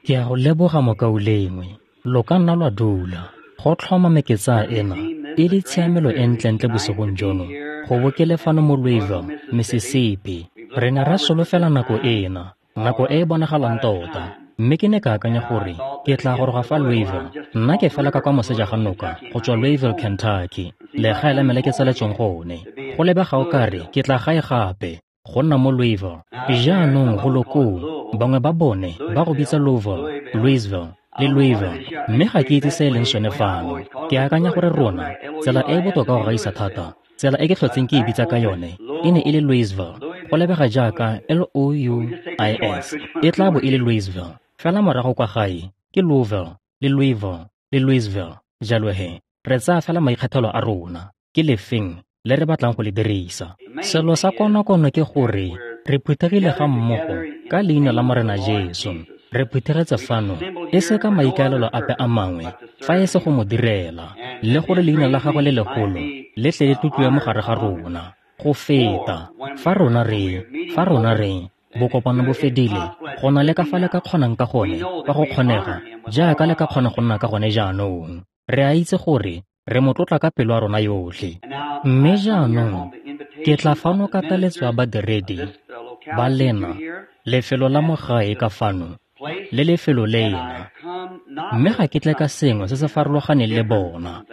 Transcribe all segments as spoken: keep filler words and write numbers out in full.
Ke a go leboga mokaulengwe, lo ka nna lwa dula. Go tlhoma meketsa ena e le tshiamelo e ntlentle bosigong jono go bo ke le fano mo Louisville, Mississippi. Re ne ra solofela nako ena, nako e e bonagalang tota. Mme ke ne ka akanya gore ke tla goroga fa Louisville. Nna ke fela ka kwa moseja ga noka go tswa Louisville, Kentucky, legae la me le ke tsaletsweng gone. Go lebega o kare ke tla gae gape go nna mo Louisville. Jaanong go lo koo, bangwe ba bone ba go bitsa Louisville, Louisville le Louisville, mme ga ke itse se e leng sone fano. Ke akanya gore rona, tsela e e botoka go gaisa thata, tsela e ke tlhotseng ke e bitsa ka yone, e ne e le Louisville. Go lebega jaaka L O U I S, e tla bo e le Louisville. Fela morago kwa gae ke Louisville le Louisville le Louisville. Jalo he, re tsaya fela maikgethelo a rona, ke lefeng le re batlang go le dirisa. Selo sa konokono ke gore re phuthegile ga mmogo ka leina la Morena Jesu. Re phuthegetse fano e se ka maikaelelo ape a mangwe fa e se go mo direla, le gore leina la gagwe le legolo le tle le tlotliwe mo gare ga rona go feta. Fa rona re, fa rona re bokopano bo fedile, go na le ka fa le ka kgonang ka gone, fa go kgonega, jaaka le ka kgona go nna ka gone jaanong. Re a itse gore re mo tlotla ka pelo ya rona yotlhe. Mme jaanong ke tla fano ka taletso ya badiredi ba lena, lefelo la mo gae ka fano le lefelo lena, mme ga ke tle ka sengwe se se farologaneng le bona,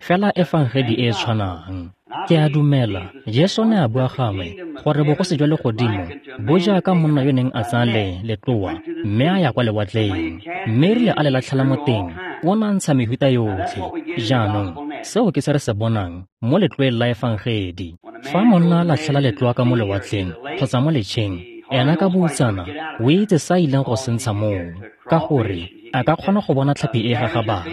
fela efangedi e e tshwanang. Ke a dumela Jesu ne a bua gangwe gore bogosi jwa legodimo bo jaaka monna yo neng a tsaya le letloa mme a ya kwa lewatleng, mme erile a le latlhela mo teng, o ne a ntsha mehuta yotlhe. Jaanong seo ke se re se bonang mo letloeng la efangedi. Fa monna a latlhela letloa ka mo lewatleng kgotsa mo letšheng, ena ka boutsana o itse sa ileng go se ntsha moo, ka gore a ka kgona go bona tlhapi e e gagabang,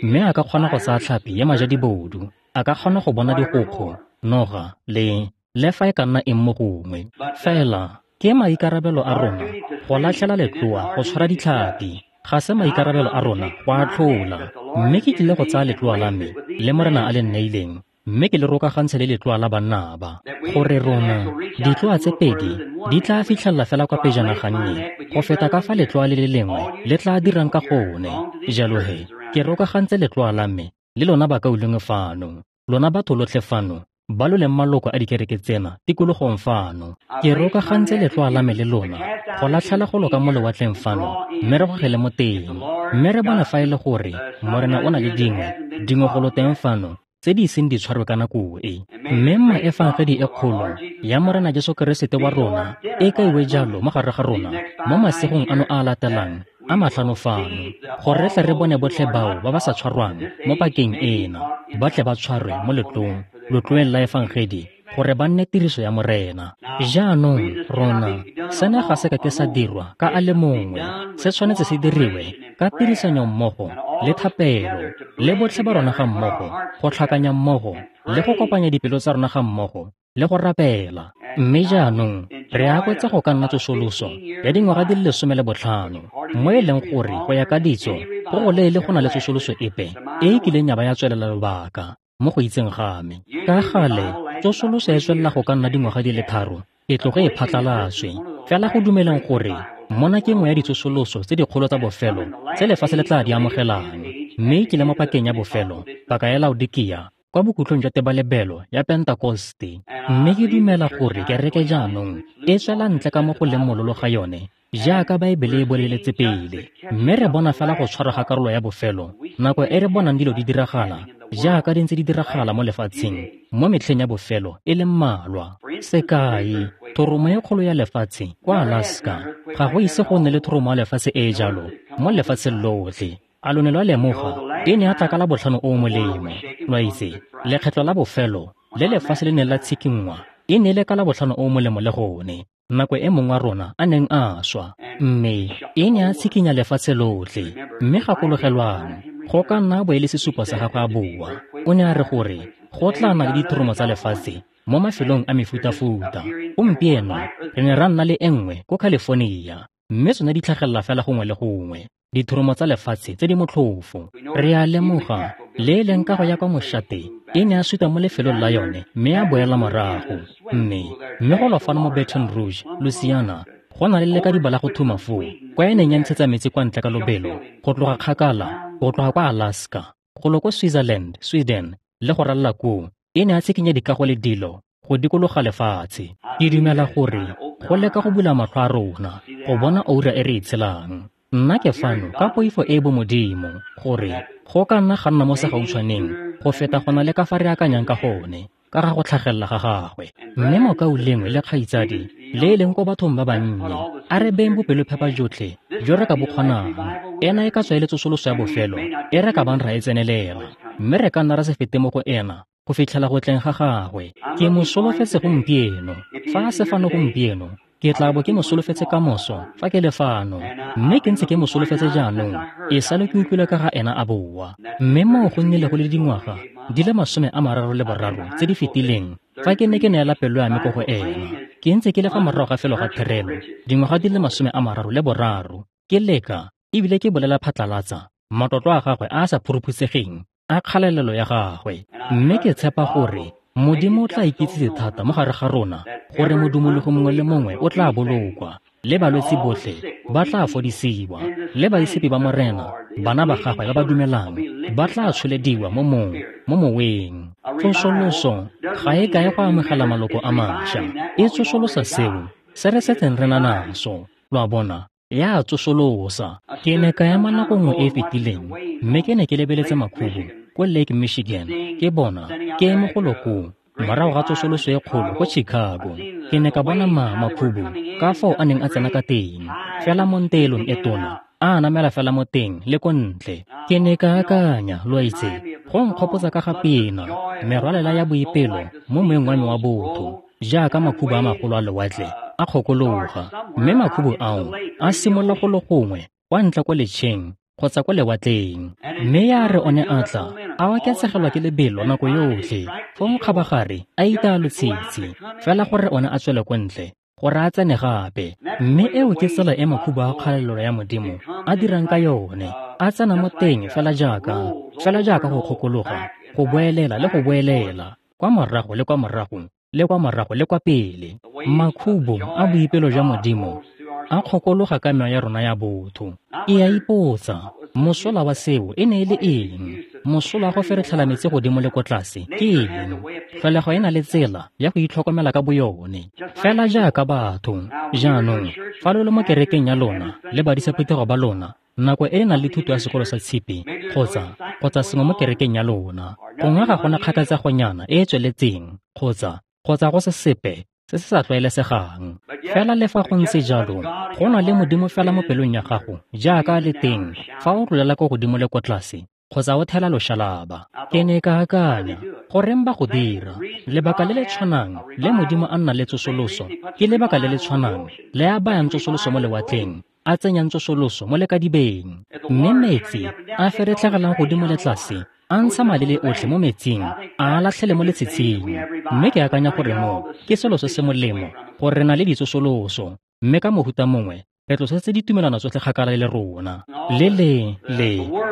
mme a ka kgona go tsaya tlhapi ya majadibodu, a ka kgona go bona digokgo, noga le le fa e ka nna eng mo gongwe. Fela ke maikarabelo a rona go latlhela letloa go tshwara ditlhapi, ga se maikarabelo a rona go atlhola. Mme ke tlile go tsaya letloa la me le Morena a le nneileng, mme ke le rokagantshe le letloa la banna ba, gore rona ditloa tse pedi di tla fitlhelela fela kwa pejana gannye go feta ka fa letloa le le lengwe le tla dirang ka gone. Jalo he, ke rokagantse letloa la me le lona bakaulengwe fano, lona batho lotlhe fano ba lo leng maloko a dikereke tsena tikologong fano. Ke rokagantse letloa la me le lona go latlhela go loka mo lewatleng fano, mme re gogele mo teng, mme re bone fa e le gore Morena o na le dingwe dingwe go lo teng fano tse di iseng di tshwarwe ka nako e. Mme mma efangedi e kgolo ya Morena Jesu Keresete wa rona e kaiwe jalo mo gare ga rona mo masigong ano a a latelang a matlhano fano, gore re tle re bone botlhe bao ba ba sa tshwarwang mo pakeng ena, ba tle ba tshwarwe mo letlong, letloeng la efangedi, gore ba nne tiriso ya Morena. Jaanong rona, sena ga se ka ke sa dirwa ka a le mongwe, se tshwanetse se diriwe ka tirisanyo mmogo le thapelo le botlhe ba rona ga mmogo, go tlhakanya mmogo le go kopanya dipelo tsa rona ga mmogo le go rapela. Mme jaanong re akwetsa go ka nna tsosoloso ya dingwaga di le lesome le botlhano, mo e leng gore go ya ka ditso go go leele go na le tsosoloso epe e e kileng ya ba ya tswelela lobaka mo go itseng ga me. Ka gale tsosoloso e tswelela go ka nna dingwaga di le tharo e tloge e phatlalatswe. Fela go dumeleng gore mona ke nngwe ya ditsosoloso tse dikgolo tsa bofelo tse lefatshe le tla di amogelang, mme ke le mo pakeng ya bofelo, paka ya Laodikia, kwa bokhutlong jwa tebalebelo ya Pentekoste. Mme ke dumela gore kereke jaanong e tswela ntle ka mo go leng mololo ga yone jaaka Baebele e boleletse pele, mme re bona fela go tshwarwa ga karolo ya bofelo nako e re bonang dilo di diragala jaaka di ntse di diragala mo lefatsheng mo metlheng ya bofelo e le mmalwa. Sekai, thoromo e kgolo ya lefatshe kwa Alaska, ga go ise go nne le thoromo ya lefatshe e e jalo mo lefatsheng lotlhe. A lo ne lwa lemoga e ne ya tla ka la botlhano o o molemo? Lwa itse, lekgetlo la bofelo le lefatshe le neng la tshikinngwa e ne e le ka la botlhano o o molemo le gone, nako e mongwe wa rona a neng a swa, mme e ne ya tshikinya lefatshe lotlhe. Mme gakologelwang, go ka nna bo e le sesupo sa gagwe a boa. O ne a re gore go tla nna le dithoromo tsa lefatshe mo mafelong a mefutafuta. Gompieno re ne ra nna le e nngwe ko California, mme tsone di tlhagelela fela gongwe le gongwe, dithoromo tsa lefatshe tse di motlhofo. Re a lemoga le e leng kago ya kwa mošate e ne ya suta mo lefelong la yone mme ya boela morago. Mme mme go lo fano mo Baton Rouge, Louisiana, Go na le lekadiba la go thuma foo, kwa e neng ya ntshetsa metsi kwa ntle ka lobelo, go tloga kgakala, go tloga kwa Alaska, golo ko Switzerland, Sweden, le go ralala koo, e ne a tshikinya dikago le dilo go dikologa lefatshe. Ke dumela gore go leka go bula matlho a rona go bona oura e re e tshelang. Nna ke fano ka poifo e bomodimo gore go ka nna ga nna mo segautshwaneng go feta go na le ka fa re akanyang ka gone ka ga go tlhagelela ga gagwe. Mme mokaulengwe le kgaitsadi le e leng ko bathong ba bannye, a re beng bopelophepa jotlhe jo re ka bo kgonang. Ena e ka tswa e le tsosoloso ya bofelo e re ka bang ra e tsenelela, mme re ka nna ra se fete mo go ena go fitlhela go tleng ga gagwe. Ke mo solofetse gompieno. Fa a se fano gompieno, ke tla bo ke mo solofetse kamoso fa ke le fano, mme ke ntse ke mo solofetse jaanong e sale ke utlwile ka ga ena a boa. Mme moo go nnile go le dingwaga di le masome a mararo le boraro tse di fetileng fa ke ne ke neela pelo ya me ko go ena. Ke ntse ke le fa morago ga felo ga therelo dingwaga di le masome a mararo le boraro, ke leka ebile ke bolela phatlalatsa matlotlo a gagwe a a sa phuruphutsegeng a kgalelelo ya gagwe. Mme ke tshepa gore Modimo o tla ikitsise thata mo gare ga rona gore modumologo mongwe le mongwe o tla bolokwa, le balwetse botlhe ba tla fodisiwa, le baitshepi ba Morena, bana ba gagwe ba ba dumelang, ba tla tsholediwa mo mong mo moweng. Tsosoloso ga e kae go amogela maloko a mašwa, e tsosolosa seo se re setseng re na naso. Lo a bona, ya tsosolosa. Ke ne ka ema nako nngwe e e fetileng, mme ke ne ke lebeletse makhubu ko Lake Michigan, ke bona ke eme golo koo morago ga tsosoloso e kgolo ko Chicago. Ke ne ka bona ma makhubu ka fao a neng a tsena ka teng, fela mo nteelong e tona, a namela fela mo teng le ko ntle. Ke ne ka akanya, lo a itse, go nkgopotsa ka ga pina, merwalela ya boipelo mo moeng wa me wa botho, jaaka makhubu a magolo a lewatle a kgokologa, mme makhubu ao a simolola go le gongwe kwa ntle ko letšheng kgotsa ko lewatleng. Mme ya re one a tla a oketsegelwa ke lebelo nako yotlhe, fong kgabagare a itaya lotshitshi fela gore one a tswele ko ntle gore a tsene gape. Mme eo ke tsela e makhubu a kgalelelo ya Modimo a dirang ka yone, a tsena mo teng fela jaaka fela jaaka go kgokologa, go boelela le go boelela, kwa morago le kwa morago le kwa morago le kwa pele. Makhubu a boipelo jwa Modimo a kgokologa ka mewa ya rona ya botho. E a ipotsa, mosola wa seo e ne e le eng? Mosola wa go feretlhela metsi godimo le ko tlase ke eng? Tlholego e na le tsela ya go itlhokomela ka boyone, fela jaaka batho. Jaanong, fa lo le mo kerekeng ya lona le badisa phuthego ba lona, nako e e nang le thuto ya sekolo sa tshipi kgotsa kgotsa sengwe mo kerekeng ya lona, gongwe ga gona kgakatsegonyana e e tsweletseng kgotsa kgotsa go se sepe se se sa tlwaelesegang. Fela le fa go ntse jalo, go na le Modimo fela mo pelong ya gago jaaka a le teng fa o tlolela ko godimo le ko tlase kgotsa o thela loshalaba. Ke ne ka akanya, goreng ba go dira? Lebaka le le tshwanang le Modimo a nna le tsosoloso ke lebaka le le tshwanang le a bayang tsosoloso mo lewatleng, a tsenyang tsosoloso mo lekadibeng. Mme metsi a feretlhegelang godimo le tlase a ntsha malele otlhe mo metsing, a a latlhele mo letshitshing. Mme ke akanya gore mo ke selo se se molemo gore re na le ditsosoloso, mme ka mohuta mongwe re tlosetse ditumelano tsotlhe kgakala le rona. Le le le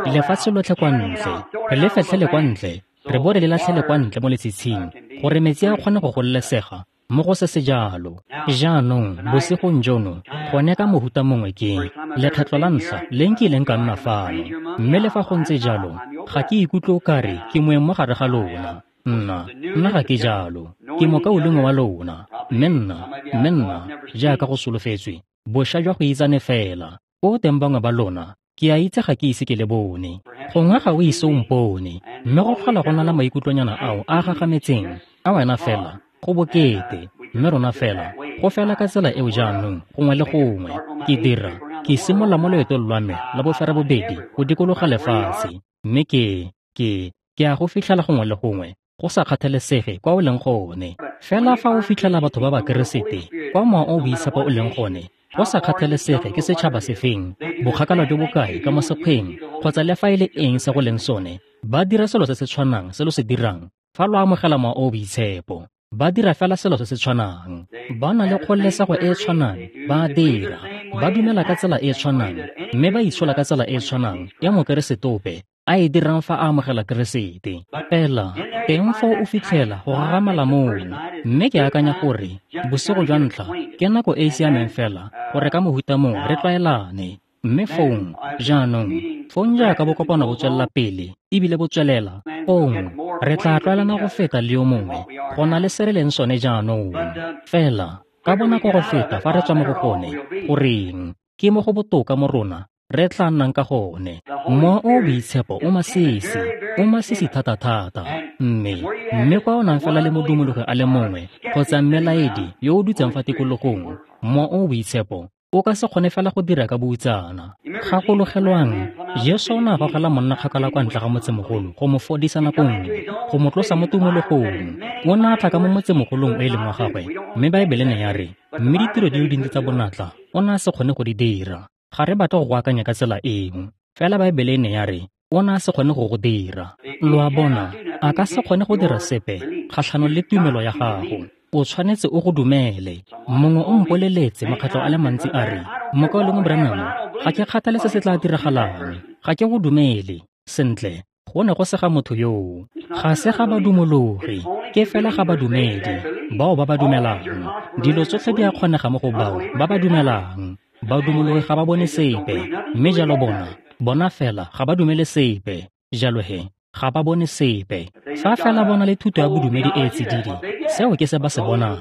lefatshe lotlhe kwa ntle, re le fetlhele kwa ntle, re bo re le latlhele kwa ntle mo letshitshing gore metsi a kgone go gololesega mo go se se jalo. Jaanong bosigong jono gone ka mohuta mongwe ke lekgetlo la ntlha le nkileng ka nna fano, mme le fa go ntse jalo ga ke ikutlwe o kare ke moeng mo gare ga lona. Nna nna ga ke jalo, ke mokaulengwe wa lona, mme nna mme nna jaaka go solofetswe bošwa jwa go itsane fela. Ko teng bangwe ba lona ke a itse ga ke ise ke le bone, gongwe ga o ise o mpone, mme go tlhola go na le maikutlonyana ao a gagametseng a wena fela go bokete, mme rona fela go fela ka tsela eo jaanong gongwe le gongwe. Ke dira ke simolola mo loetong lwa me la boferabobedi go dikologa lefatshe, mme ke ke ke a go fitlhela gongwe le gongwe go sa kgathalesege kwa o leng gone. Fela fa o fitlhela batho ba Bakeresete kwa mowa o boitshepo o leng gone, go sa kgathalesege ke setšhaba sefeng, bokgakala jo bokae ka mo sekgweng, kgotsa le fa e le eng se go leng sone, ba dira selo se se tshwanang se lo se dirang fa lo amogela mowa o boitshepo. Ba dira fela selo se se tshwanang, ba na le kgololesego e e tshwanang, ba dira, ba dumela ka tsela e e tshwanang, mme ba itshola ka tsela e e tshwanang ya Mokeresete ope a e dirang fa a amogela Keresete. Fela teng foo o fitlhela go gagamala moo, mme ke akanya gore bosigo jwa ntlha ke nako e e siameng fela gore ka mohuta mongwe re tlwaelane. Mme fong jaanong fong jaaka bokopano bo tswelela pele ebile bo tswelela, fong re tla tlwaelana go feta le yo mongwe go na le se re leng sone jaanong. Fela ka bonako go feta fa re tswa mo go gone, goreng ke mo go botoka mo rona re tla nnang ka gone. Mowa o o Boitshepo o masisi, o masisi thata-thata. Mme mme kwa o nang fela le modumologi a le mongwe kgotsa mmelaedi yo o dutseng fa tikologong, Mowa o o Boitshepo o ka se kgone fela go dira ka boutsana. Gakologelwang, Jesu o ne a gogela monna kgakala kwa ntle ga motsemogolo go mo fodisa nako nngwe, go mo tlosa mo tumologong. O ne a tla ka mo motsemogolong o e leng wa gagwe, mme Baebele ne ya re, mme ditiro di le dintsi tsa bonatla o ne a se kgone go di dira. Ga re batle go go akanya ka tsela eo, fela Baebele ne ya re o ne a se kgone go go dira. Lo a bona, a ka se kgone go dira sepe kgatlhanong le tumelo ya gago. O tshwanetse o go dumele. Mongwe o mpoleletse makgetlho a le mantsi a re, Mokaulengwe Branham, ga ke kgathale se se tla diragalang, ga ke go dumele. Sentle, go ne go se ga motho yoo. Ga se ga badumologi, ke fela ga badumedi, bao ba ba dumelang. Dilo tsotlhe di a kgonega mo go bao ba ba dumelang. Badumologi ga ba bone sepe, mme jalo bona, bona fela ga ba dumele sepe. Jalo he, ga ba bone sepe. Fa fela bona le thuto ya bodumedi e e tsididi, seo ke se ba se bonang.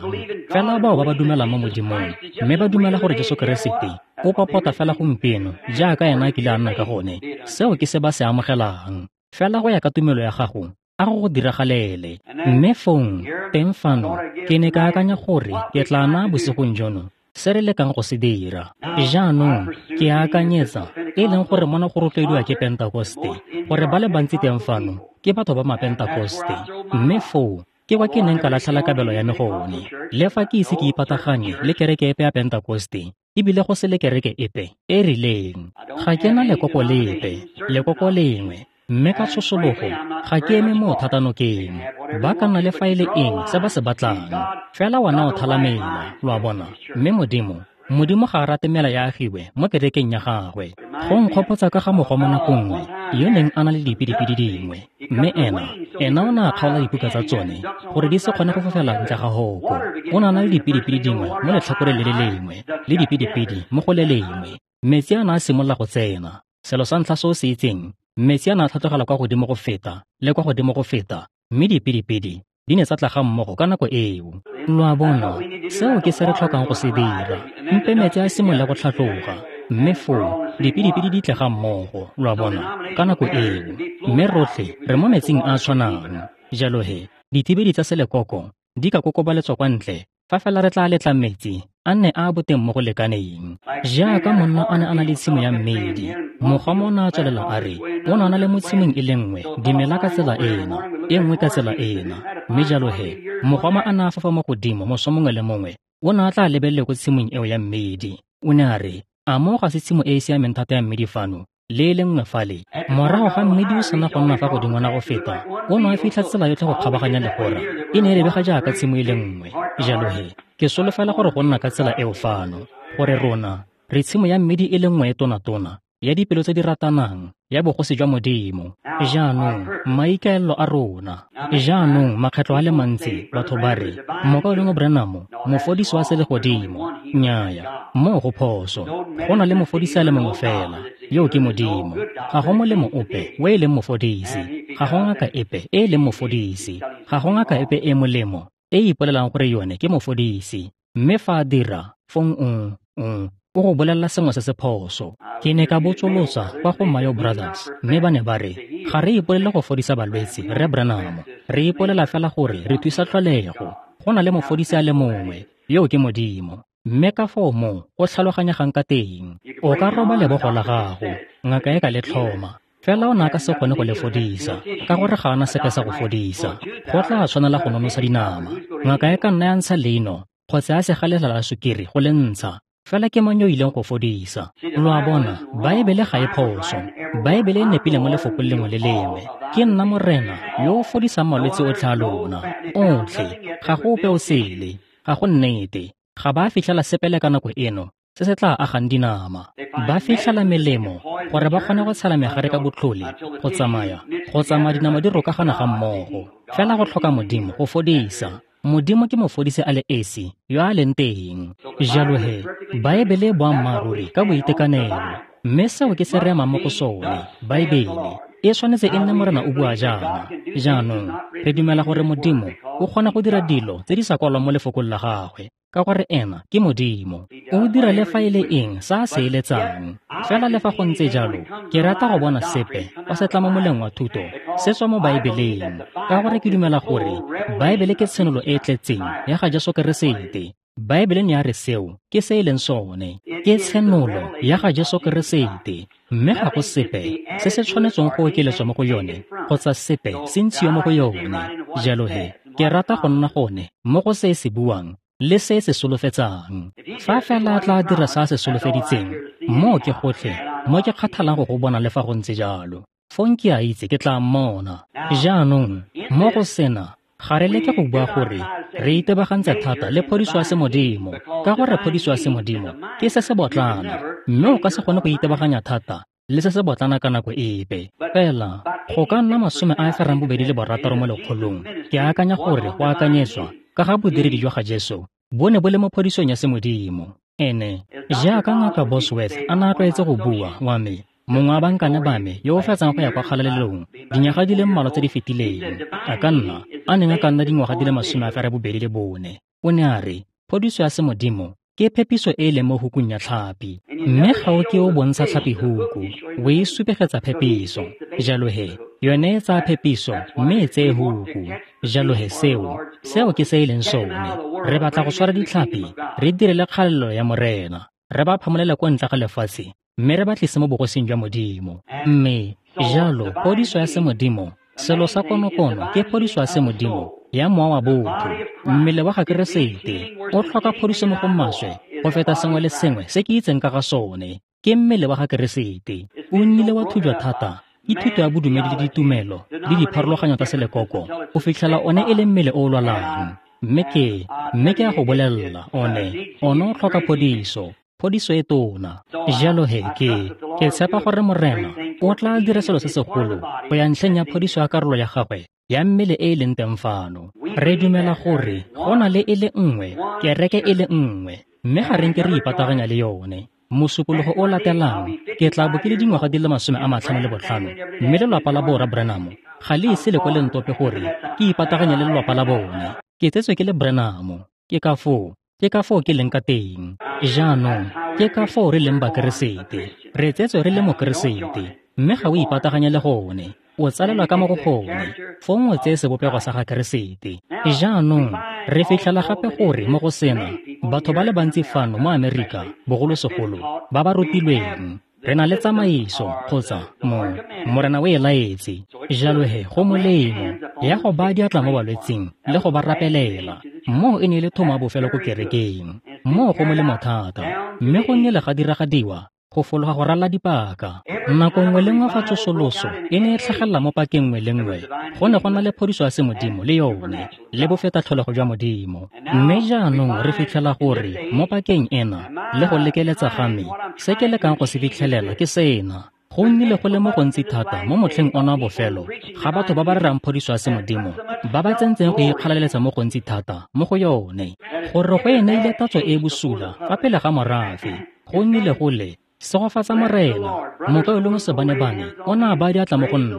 Fela bao ba ba dumelang mo Modimong, mme ba dumela gore Jesu Keresete o popota fela gompieno jaaka ena a kile a nna ka gone, seo ke se ba se amogelang. Fela go ya ka tumelo ya gago, a go go diragalele. Mme fong, teng fano, ke ne ka akanya gore ke tla naya bosigong jono se re lekang go se dira. Jaanong ke akanyetsa, e leng gore mona go rotloediwa ke Pentekoste, gore ba le bantsi teng fano ke batho ba Mapentekoste. Mme foo ke kwa ke neng ka latlhela kabelo ya me gone. Le fa ke ise ke ipataganye le kereke epe ya Pentekoste, ebile go se le kereke epe e rileng. Ga ke na lekoko lepe, lekoko lengwe, mme ka tshosologo ga ke eme mo thata nokeng. Ba ka nna le fa e le eng se ba se batlang, fela wena o thala mela, lo a bona. Mme Modimo, Modimo ga a rate mela ya agiwe mo kerekeng ya gagwe. Go nkgopotsa ka ga mogoma nako nngwe yo neng a na le dipidipidi dingwe, mme ena ena o ne a kgaola dipuka tsa tsone gore di se kgone go fofela ntle ga hoko. O ne a na le dipidipidi dingwe mo letlhakoreng le le lengwe le dipidipidi mo go le lengwe. Metsi a ne a simolola go tsena. Selo sa ntlha se o se itseng, metsi a ne a tlhatlogela kwa godimo go feta le kwa godimo go feta, mme dipidipidi di ne tsa tla ga mmogo ka nako eo. Lo a bona, seo ke se re tlhokang go se dira. Mpe metsi a simolola go tlhatloga, mme foo dipidipidi di tle ga mmogo, lo a bona, ka nako eo. Mme rotlhe re mo metsing a a tshwanang. Jalo he, dithibedi tsa selekoko di ka kokobaletswa kwa ntle fa fela re tla letla metsi a nne a a boteng mo go lekaneng. Jaaka monna a ne a na le tshimo ya mmidi, mogoma o ne a tswelela a re o ne a na le mo tshimong e le nngwe dimela ka tsela ena, e nngwe ka tsela ena. Mme jalo he, mogoma a ne a fofa mo godimo moso mongwe le mongwe, o ne a tla lebelele ko tshimong eo ya mmidi. O ne a re, a mo ga se tshimo e e siameng thata ya mmidi fano, le e le nngwe fale. Morago ga mmidi o sena go nna fa godingwana go feta, o ne a fitlha tsela yotlhe go kgabaganya legora, e ne e lebega jaaka tshimo e le nngwe. Jalo he, ke solofela gore go nna ka tsela eo fano, gore rona re tshimo ya mmidi e le nngwe e tona-tona ya dipelo tse di ratanang ya bogosi jwa Modimo. Jaanong maikaelelo a rona. Jaanong makgetlho a le mantsi batho ba re, Mokaulengwe Branham, mofodisi wa selegodimo. Nnyaya, moo go phoso. Go na le mofodisi a le mongwe fela, yo ke Modimo. Ga go molemo ope o e leng mofodisi, ga go ngaka epe e e leng mofodisi, ga go ngaka epe e molemo e e ipolelang gore yone ke mofodisi. Mme fa a dira, fong o o o go bolelela sengwe se se phoso. Ke ne ka botsolotsa kwa go Mayo Brothers, mme ba ne ba re, ga re ipolele go fodisa balwetse, Rre Branham. Re ipolela fela gore re thusa tlholego. Go na le mofodisi a le mongwe, yo ke Modimo. Mme ka foo mo o tlhaloganyegang ka teng, o ka roba lebogo la gago, ngaka e ka le tlhoma, fela o ne a ka se kgone go le fodisa, ka gore ga ana sepe sa go fodisa. Go tla tshwanela go nonosa dinama. Ngaka e ka nna ya ntsha leino kgotsa ya segalela la sukiri go le ntsha, fela ke mang yo ileng go fodisa? Lo a bona, Baebele ga e phoso. Baebele e nepile mo lefokong lengwe le lengwe. Ke nna Morena yo o fodisang malwetse otlhe a lona, otlhe. Ga go ope o sele, ga go nnete. Ga ba fitlhela sepe le ka nako eno se se tla agang dinama. Ba fitlhela melemo gore ba kgone go tshela megare ka botlhole, go tsamaya, go tsamaya dinama di rokagana ga mmogo. Fela go tlhoka Modimo go fodisa. Modimo ke mofodisi a le esi yo a leng teng. Jalo he, Baebele e boammaaruri ka boitekanelo, mme seo ke se re emang mo go sone. Baebele e tshwanetse e nne Morena o bua jaana. Jaanong re dumela gore Modimo o kgona go dira dilo tse di sa kwalwang mo lefokong la gagwe, ka gore ena ke Modimo. O dira le fa e le eng sa a se eletsang. Fela le fa go ntse jalo, ke rata go bona sepe fa se tla mo moleng wa thuto se tswa mo Baebeleng, ka gore ke dumela gore Baebele ke tshenolo e e tletseng ya ga Jesu Keresete. Baebele ne ya re seo ke se e leng sone, ke tshenolo ya ga Jesu Keresete, mme ga go sepe se se tshwanetseng go okeletswa mo go yone kgotsa sepe se ntshiwe mo go yone. Jalo he, ke rata go nna gone mo go se e se buang le se se solofetsang. Fa fela a tla dira sa se solofeditseng, moo ke gotlhe mo ke kgathalang go go bona le fa go ntse jalo. Fong ke a itse ke tla mmona. Jaanong mo go sena, ga re leke go bua gore re itebagantse thata le phodiso ya semodimo, ka gore phodiso ya semodimo ke se se botlana, mme o ka se kgone go itebaganya thata le se se botlana ka nako epe. Fela go ka nna masome a a ferang bobedi le borataro mo lekgolong, ke akanya gore go akanyetswa ka ga bodiredi jwa ga Jesu bo ne bo le mo phodisong ya semodimo. Ene jaaka Ngaka Bosworth a ne a tlwaetse go bua, wa me, mongwe wa bankane ba me yo o fetsang go ya kwa kgalalelong dinyaga di le mmalwa tse di fetileng, a ka nna a neng a ka nna dingwaga di le masome a ferabobedi le bone, o ne a re phodiso ya semodimo ke phepiso e e leng mo hukung ya tlhapi, mme ga o ke o bontsha tlhapi huku, o e supegetsa phepiso. Jalo he, yone e tsaya phepiso mme e tseye huku. Jalo he, seo seo ke se e leng sone. Re batla go tshwara ditlhapi, re direle kgalelo ya Morena, re ba phamolele kwa ntle ga lefatshe, mme re ba tlise mo bogosing jwa Modimo. Mme jalo phodiso ya semodimo, selo sa konokono ke phodiso ya semodimo ya mowa wa botho. Mmele wa ga Keresete o tlhoka phodiso mo go maswe go feta sengwe le sengwe se ke itseng ka ga sone. Ke mmele wa ga Keresete. O nnile wa thujwa thata ke thuto ya bodumedi le ditumelo le dipharologanyo tsa selekoko go fitlhela one e le mmele o o lwalang. Mme ke mme ke a go bolelela, one one o tlhoka phodiso, phodiso e tona. Jalo he, ke ke tshepa gore Morena o tla dira selo se segolo go ya ntlheng ya phodiso ya karolo ya gagwe ya mmele e e leng teng fano. Re dumela gore go na le e le nngwe, kereke e le nngwe, mme ga re nke re ipataganya le yone. Mosupologo o latelang ke tla bo ke le dingwaga di le masome a matlhano le botlhano, mme lelapa la borra Branham ga le ise le kwa le ntope gore ke ipataganya le lelapa la bone. Ke tsetswe ke le Branham, ke ka foo ke ka foo ke leng ka teng. Jaanong ke ka foo re leng Bakeresete. Re tsetswe re le Mokeresete, mme ga o ipataganya le gone, o tsalelwa ka mo go gone, fong o tseye sebopego sa ga Keresete. Jaanong re fitlhela gape gore mo go sena, batho ba le bantsi fano mo Amerika, bogolosegolo ba ba rutilweng, re na le tsamaiso kgotsa mo Morena o e laetse. Jalo he, go molemo ya go baya diatla mo balwetsing le go ba rapelela. Moo e ne e le thomo ya bofelo ko kerekeng. Moo go molemo thata, mme go nnile ga diragadiwa go fologa go ralla dipaka. Nako nngwe le nngwe fa tsosoloso e ne e tlhagelela mo pakeng nngwe le nngwe, go ne go na le phodiso ya semodimo le yone, le bofetatlholego jwa Modimo. Mme jaanong re fitlhela gore mo pakeng ena le go lekeletsa ga me, se ke lekang go se fitlhelela ke sena. Go nnile go le mo gontsi thata mo motlheng ona wa bofelo ga batho ba ba rerang phodiso ya semodimo ba ba tsentseng go ikgalaletsa mo gontsi thata mo go yone, gore go e neile tatso e e bosula fa pele ga morafe. Go nnile go le segofatsa Morena, mokaulengwe Sebanebane o ne a baya diatla mo go nna,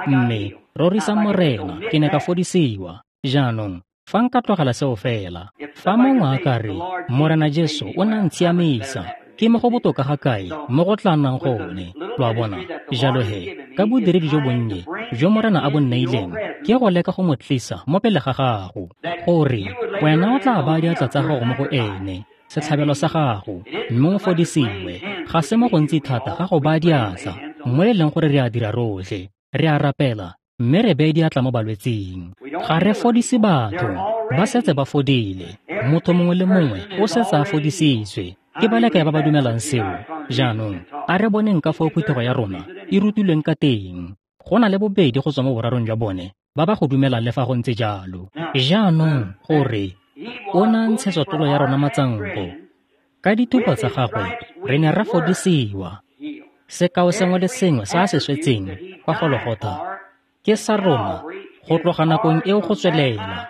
mme rorisang Morena, ke ne ka fodisiwa. Jaanong fa nka tlogela seo fela, fa mongwe a ka re Morena Jesu o ne a ntshiamisa, ke mo go botoka ga kae mo go tla nnang gone? Lo a bona? Jalo he, ka bodiredi jo bonnye jo Morena a bo nneileng, ke go leka go mo tlisa mo pele ga gago, gore wena o tla baya diatla tsa gago mo go ene, setlhabelo sa gago, mme o fodisiwe. Ga se mo gontsi thata ga go baya diatla, mo e leng gore re a dira rotlhe, re a rapela, mme re beye diatla mo balwetsing. Ga re fodise batho, ba setse ba fodile. Motho mongwe le mongwe o setse a fodisitswe. Ke ba le kae ba ba dumelang seo? Jaanong a re boneng ka foo phuthego ya rona e rutilweng ka teng. Go na le bobedi go tswa mo borarong jwa bone ba ba go dumelang le fa go ntse jalo. Jaanong gore o na ntshetswa tlolo ya rona matsanko, Ka dithupa tsa gagwe re ne ra fodisiwa. Sekao sengwe le sengwe se a se swetseng kwa Gologotha ke sa rona go tloga nakong eo go tswelela.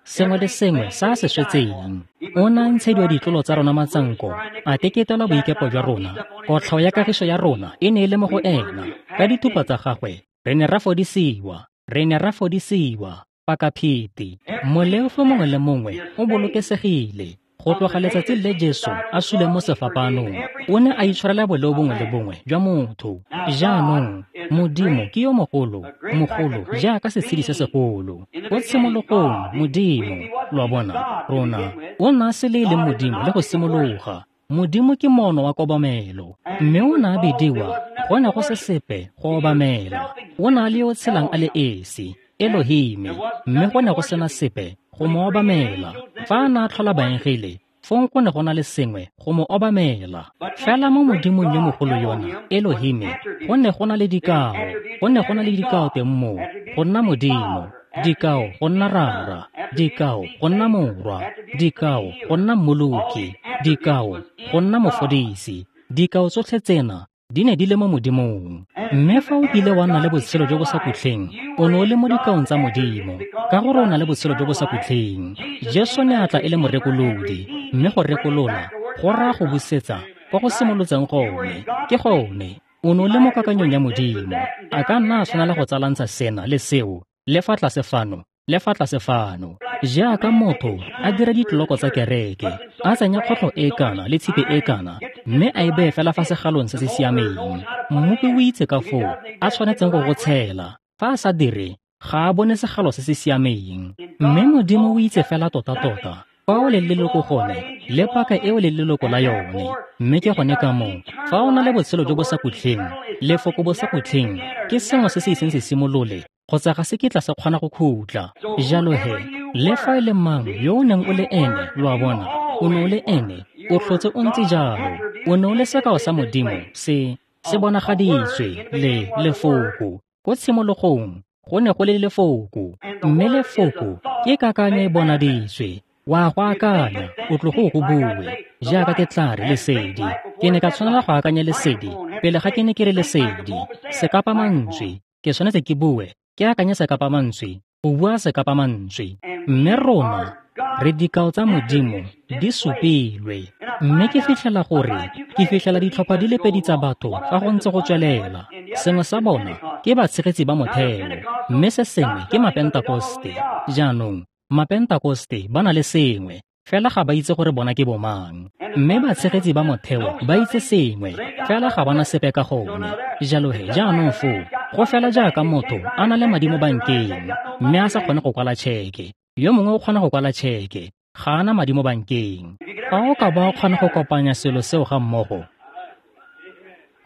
Sengwe le sengwe se a se swetseng. O ne a ntshediwa ditlolo tsa rona matsanko, a teketelwa boikepo jwa rona. Kotlhao ya kagiso ya rona e ne e le mo go ena. Ka dithupa tsa gagwe re ne ra fodisiwa, re ne ra fodisiwa. Pakapheti, moleofi mongwe le mongwe o bolokesegile. Go tloga letsatsi le Jesu a suleng mo sefapaanong, o ne a itshwarela boleo bongwe le bongwe jwa motho. Jaanong Modimo ke yo mogolo, mogolo jaaka setshedi se segolo. Ko tshimologong Modimo, lo a bona, rona, o ne a se le e leng Modimo le go simologa. Modimo ke moono wa kobamelo, mme o ne a bidiwa go ne go se sepe go obamela. O ne a le yo o tshelang a le esi, Elohime, mme go ne go sena sepe go mo obamela. Fa a ne a tlhola baengele, fong go ne go na le sengwe go mo obamela. Fela mo Modimong yo mogolo yona, Elohime, go ne go na le dikao, go ne go na le dikao teng moo, go nna Modimo, dikao go nna Rara, dikao go nna Morwa, dikao go nna Mmoloki, dikao go nna Mofodisi. Dikao tsotlhe tsena di ne di le mo Modimong. Mme fa o kile wa nna le botshelo jo bo sa khutleng, o ne o le mo dikaong tsa Modimo, ka gore o na le botshelo jo bo sa khutleng. Jesu ne a tla e le morekolodi, mme go rekolola go raya go busetsa kwa go simolotseng gone. Ke gone, o ne o le mo kakanyong ya Modimo. A ka nna a tshwanela go tsalantsha sena le seo, le fa tlase fano, le fa tlase fano. Jaaka motho a dira ditloloko tsa kereke, a tsenya kgotlho e kana le tshipi e kana, mme a e beye fela fa segalong se se siameng. Mmopi o itse ka foo a tshwanetseng go go tshela. Fa a sa dire, ga a bone segalo se se siameng. Mme Modimo o itse fela tota-tota fa o leng leloko gone le paka eo leng leloko la yone. Mme ke gone ka moo, fa o na le botshelo jo bo sa khutleng, lefoko bo sa khutleng ke sengwe se se iseng se simolole kgotsa ga se kitla se kgona go khutla. Jalo he, le fa e le mang yo o neng o le ene, lo a bona, o ne o le ene, o tlhotse o ntse jalo. O ne o le sekao sa Modimo se se bonagaditswe le lefoko. Ko tshimologong go ne go le lefoko, mme lefoko ke kakanyo e bonaditswe. Wa go akanya, o tlogo o go bue. Jaaka ke tla re lesedi, ke ne ka tshwanela go akanya lesedi pele ga ke ne ke re lesedi. Sekapamantswe, ke tshwanetse ke bue, ke akanye sekapamantswe, go bua sekapamantswe. Mme rona re dikao tsa Modimo di supilwe. Mme ke fitlhela gore ke fitlhela ditlhopha di le pedi tsa batho fa go ntse go tswelela. Sengwe sa bona ke batshegetsi ba motheo, mme se sengwe ke Mapentakoste. Jaanong Mapentakoste ba na le sengwe, fela ga ba itse gore bona ke bomang. Mme batshegetsi ba motheo ba itse sengwe, fela ga ba na sepe ka gone. Jalo he, jaanong foo, go fela jaaka motho a na le madi mo bankeng, mme a sa kgone go kwala tšheke. Yo mongwe o kgona go kwala tšheke, ga a na madi mo bankeng. Fa o ka ba o kgona go kopanya selo seo ga mmogo,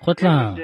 go tla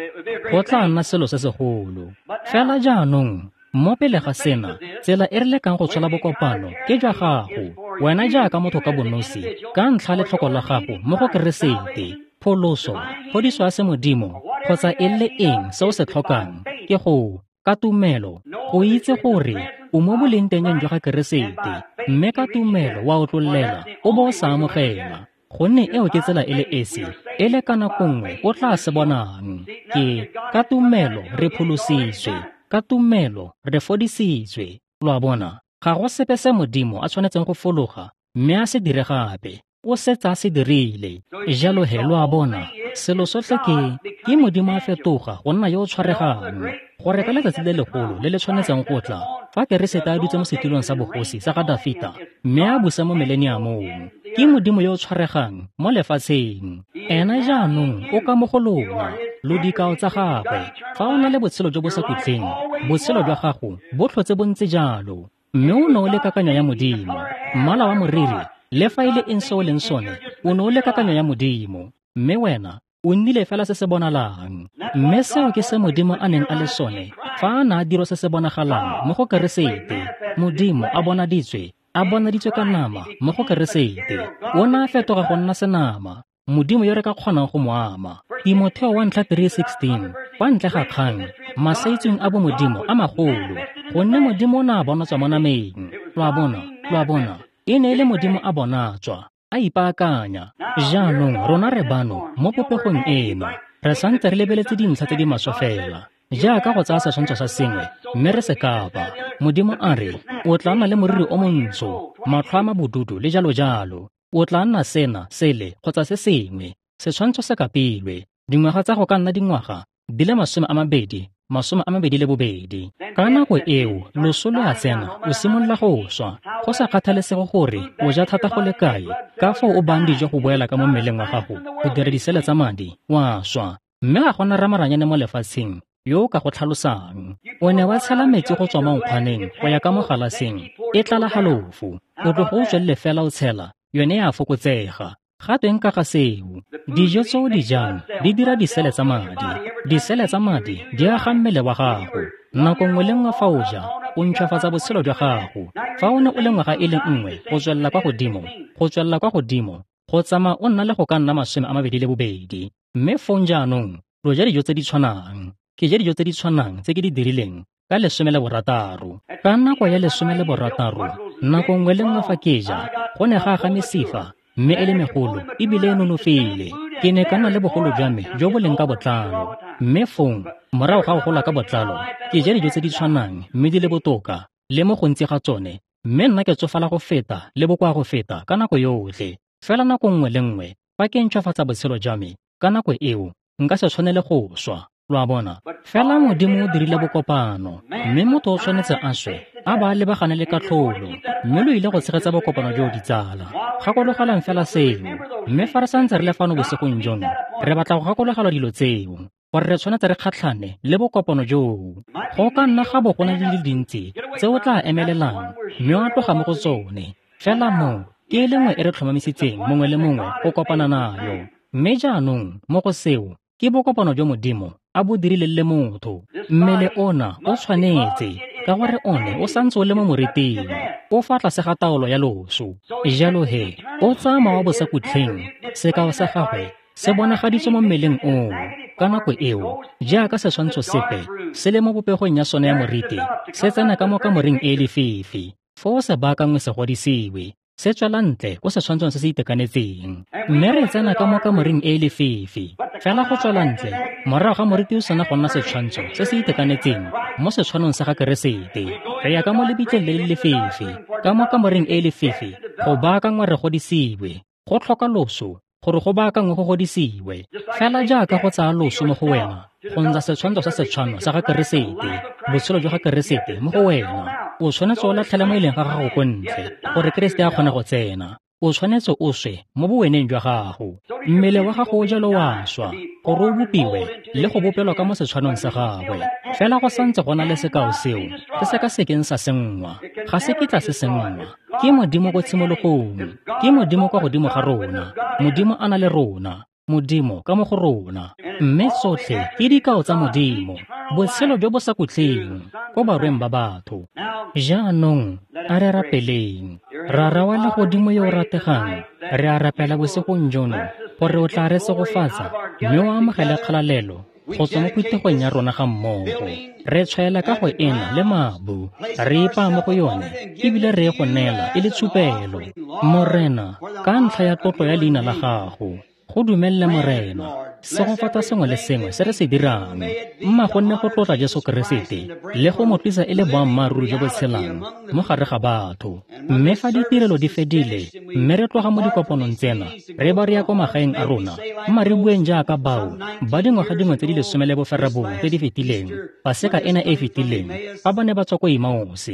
go tla nna selo se segolo. Fela jaanong, mo pele ga sena, tsela e re lekang go tshola bokopano ke jwa gago, wena jaaka motho ka bonosi, ka ntlha letlhoko la gago mo go Keresete, pholoso, phodiso ya semodimo, kgotsa e le eng se o se tlhokang, ke go, ka tumelo, go itse gore o mo bolengtengeng jwa ga Keresete, mme ka tumelo wa otlollela o bo o sa amogela. Gonne eo ke tsela e le esi, e le ka nako nngwe o tla se bonang. Ke ka tumelo re pholositswe, ka tumelo re fodisitswe. Lo a bona, ga go sepe se Modimo a tshwanetseng go fologa mme a se dire gape, o setse a se dirile. Jalo he, lo a bona, selo sotlhe ke ke Modimo a fetoga go nna yo o tshwaregang, gore ka letsatsi le legolo le le tshwanetseng go tla, fa Keresete a dutse mo setilong sa bogosi sa ga Dafita mme a busa mo mileniamong, ke Modimo yo o tshwaregang mo lefatsheng. Ena jaanong o ka mo go lona, lo dikao tsa gagwe. Fa o na le botshelo jo bo sa khutleng, botshelo jwa gago bo tlhotse bo ntse jalo, mme o ne o le kakanyo ya Modimo. Mmala wa moriri, le fa e le eng se o leng sone, o ne o le kakanyo ya Modimo, mme wena o nnile fela se se bonalang. Mme seo ke se Modimo a neng a le sone fa a ne a dira se se bonagalang mo go Keresete. Modimo a bonaditswe, a bonaditswe ka nama mo go Keresete. O ne a fetoga go nna senama, Modimo yo re ka kgonang go mo ama. Timotheo wa ntlha three sixteen, kwa ntle ga kgang, masaitsweng a bomodimo a magolo, gonne Modimo o ne a bonatswa mo nameng. Lo a bona, lo a bona, e ne e le Modimo a bonatswa, a ipaakanya. Jaanong rona re bano mo popegong eno, re santse re lebeletse dintlha tse di maswe fela, jaaka go tsaya setshwantsho sa sengwe mme re se kapa. Modimo a re, o tla nna le moriri o montsho, matlho a mabodudu le jalo jalo. O tla nna sena, sele kgotsa se sengwe. Setshwantsho se kapilwe. Dingwaga tsa go ka nna dingwaga di le masome a mabedi, masome a mabedi le bobedi. Ka nako eo, loso lo a tsena, o simolola go swa. Go sa kgathalesege gore o ja thata go le kae, ka foo o bang dijo go boela ka mo mmeleng wa gago, go dira disele tsa madi, wa swa. Mme ga gona ramaranyane mo lefatsheng yo o ka go tlhalosang. O ne wa tshela metsi go tswa mo nkgwaneng go ya ka mo galaseng, e tlala halofo. O tlogo o tswelele fela o tshela, yone ya fokotsega. Ga tweng ka ga seo? Dijo tse o di jang di dira disele tsa madi. Disele tsa madi di aga mmele wa gago. Nako nngwe le nngwe fa o ja, o ntšhwafatsa botshelo jwa gago. Fa o ne o le ngwaga e le nngwe go tswelela kwa godimo, go tswelela kwa godimo, go tsamaya o nna le go ka nna masome a mabedi le bobedi. Mme fong jaanong, lo ja dijo tse di tshwanang. Ke ja dijo tse di tshwanang tse ke di dirileng ka lesome le borataro. Ka nako ya lesome le borataro, nako nngwe le nngwe fa ke ja, go ne ga aga mesifa, mme e le megolo ebile e nonofile. Ke ne ka nna le bogolo jwa me jo bo leng ka botlalo. Mme fong, morago ga go gola ka botlalo, ke ja dijo tse di tshwanang mme di le botoka, le mo gontsi ga tsone, mme nna ke tsofala go feta le bokoa go feta ka nako yotlhe. Fela nako nngwe le nngwe fa ke ntšhwafatsa botshelo jwa me, ka nako eo nka se tshwanele go swa. Lo a bona? Fela Modimo o dirile bokopano, mme motho o tshwanetse a swe, a ba a lebagane le katlholo, mme lo ile go tshegetsa bokopano jo ditsala. Gakologelang fela seo. Mme fa re santse re le fano bosigong jono, re batla go gakologelwa dilo tseo, gore re tshwanetse re kgatlhane le bokopano joo. Go ka nna ga bo go na le di le dintsi tse o tla emelelang mme wa tloga mo go tsone. Fela mo ke e le nngwe e re tlhomamisitseng mongwe le mongwe go kopana nayo. Mme jaanong mo go seo ke bokopano jo Modimo a bo dirileng le motho. Mmele ona o tshwanetse, ka gore one o santse o le mo moriting, o fa tlase ga taolo ya loso. Jalo he, o tsaya mowa wa bosakhutleng, sekao sa gagwe se bonagaditswe mo mmeleng oo. Ka nako eo, jaaka setshwantsho sepe se le mo popegong ya sone ya moriti, se tsena ka mo kamoreng e e lefifi, foo se baakangwe se godisiwe, se tswela ntle ko setshwantshong se se itekanetseng. Mme re tsena ka mo kamoreng e e lefifi. Fela go tswela ntle, morago ga moriti o sena go nna setshwantsho se se itekanetseng mo setshwanong sa ga Keresete, re ya ka mo lebitleng le le lefifi, ka mo kamoreng e e lefifi, go baakangwa re godisiwe. Go tlhoka loso gore go baakangwe go godisiwe. Fela jaaka go tsaya loso mo go wena, go ntsha setshwantsho sa setshwano sa ga Keresete, botshelo jwa ga Keresete mo go wena, o tshwanetse o latlhele mo e leng ga gago ko ntle, gore Keresete a kgone go tsena. O tshwanetse o swe mo boweneng jwa gago. Mmele wa gago o jalo wa swa, gore o bopiwe le go bopelwa ka mo setshwanong sa gagwe. Fela go santse go na le sekao seo se se ka sekeng sa senngwa. Ga se kitla se senngwa. Ke Modimo ko tshimologong, ke Modimo kwa godimo ga rona, Modimo a na le rona, Modimo ka mo go rona. Mme tsotlhe ke dikao tsa Modimo, botshelo jo bo sa khutleng ko barweng ba batho. Jaanong a re rapeleng. Rara wa legodimo yo o rategang, re a rapela bosigong jono gore o tla re segofatsa mme o amogele kgalalelo go tswa mo phuthegong ya rona ga mmogo. Re tshwaela ka go ena le mabu, re ipaa mo go yone ebile re e go neela e le tshupelo. Morena, ka ntlha ya tlotlo ya leina la gago, go dumelele Morena, segofatsa sengwe le sengwe se re se dirang, mma go nne go tlotla Jesu Keresete le go mo tlisa e le boammaaruri jo bo tshelang mo gare ga batho. Mme fa ditirelo di fedile, mme re tloga mo dikopanong tsena, re ba re ya ko magaeng a rona, mma re bueng jaaka bao ba dingwaga dingwe tse di lesome le boferabongwe tse di fetileng, Paseka ena e e fetileng, fa ba ne ba tswa ko Emmaus.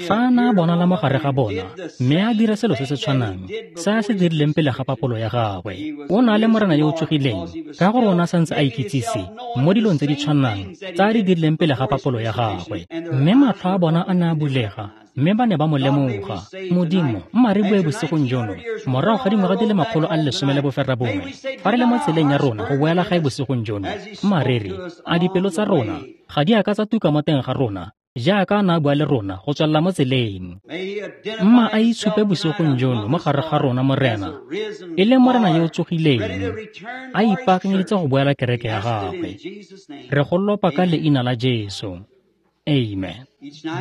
Fa a na a bonala mo gare ga bona, mme a dira selo se se tshwanang se a se dirileng pele ga papolo ya gagwe. O na le Morena yo o tsogileng, ka gore o ne a santse a ikitsise mo dilong tse di tshwanang tse a di dirileng pele ga papolo ya gagwe. Mme matlho a bona a ne a bulega, mme ba ne ba mo lemoga. Modimo, mma re bue bosigong jono, morago ga dingwaga di le makgolo a le lesome le boferabongwe, fa re le mo tseleng ya rona go boela gae bosigong jono, mma re re, a dipelo tsa rona ga di a ka tsa tuka mo teng ga rona, jaaka a ne a bua le rona go tswelela mo tseleng. Mma a itshupe bosigong jono mo gare ga rona, Morena, e le Morena yo o tsogileng, a ipaakanyeditse go boela kereke ya gagwe. Re go lopa ka leina la Jesu. Amen.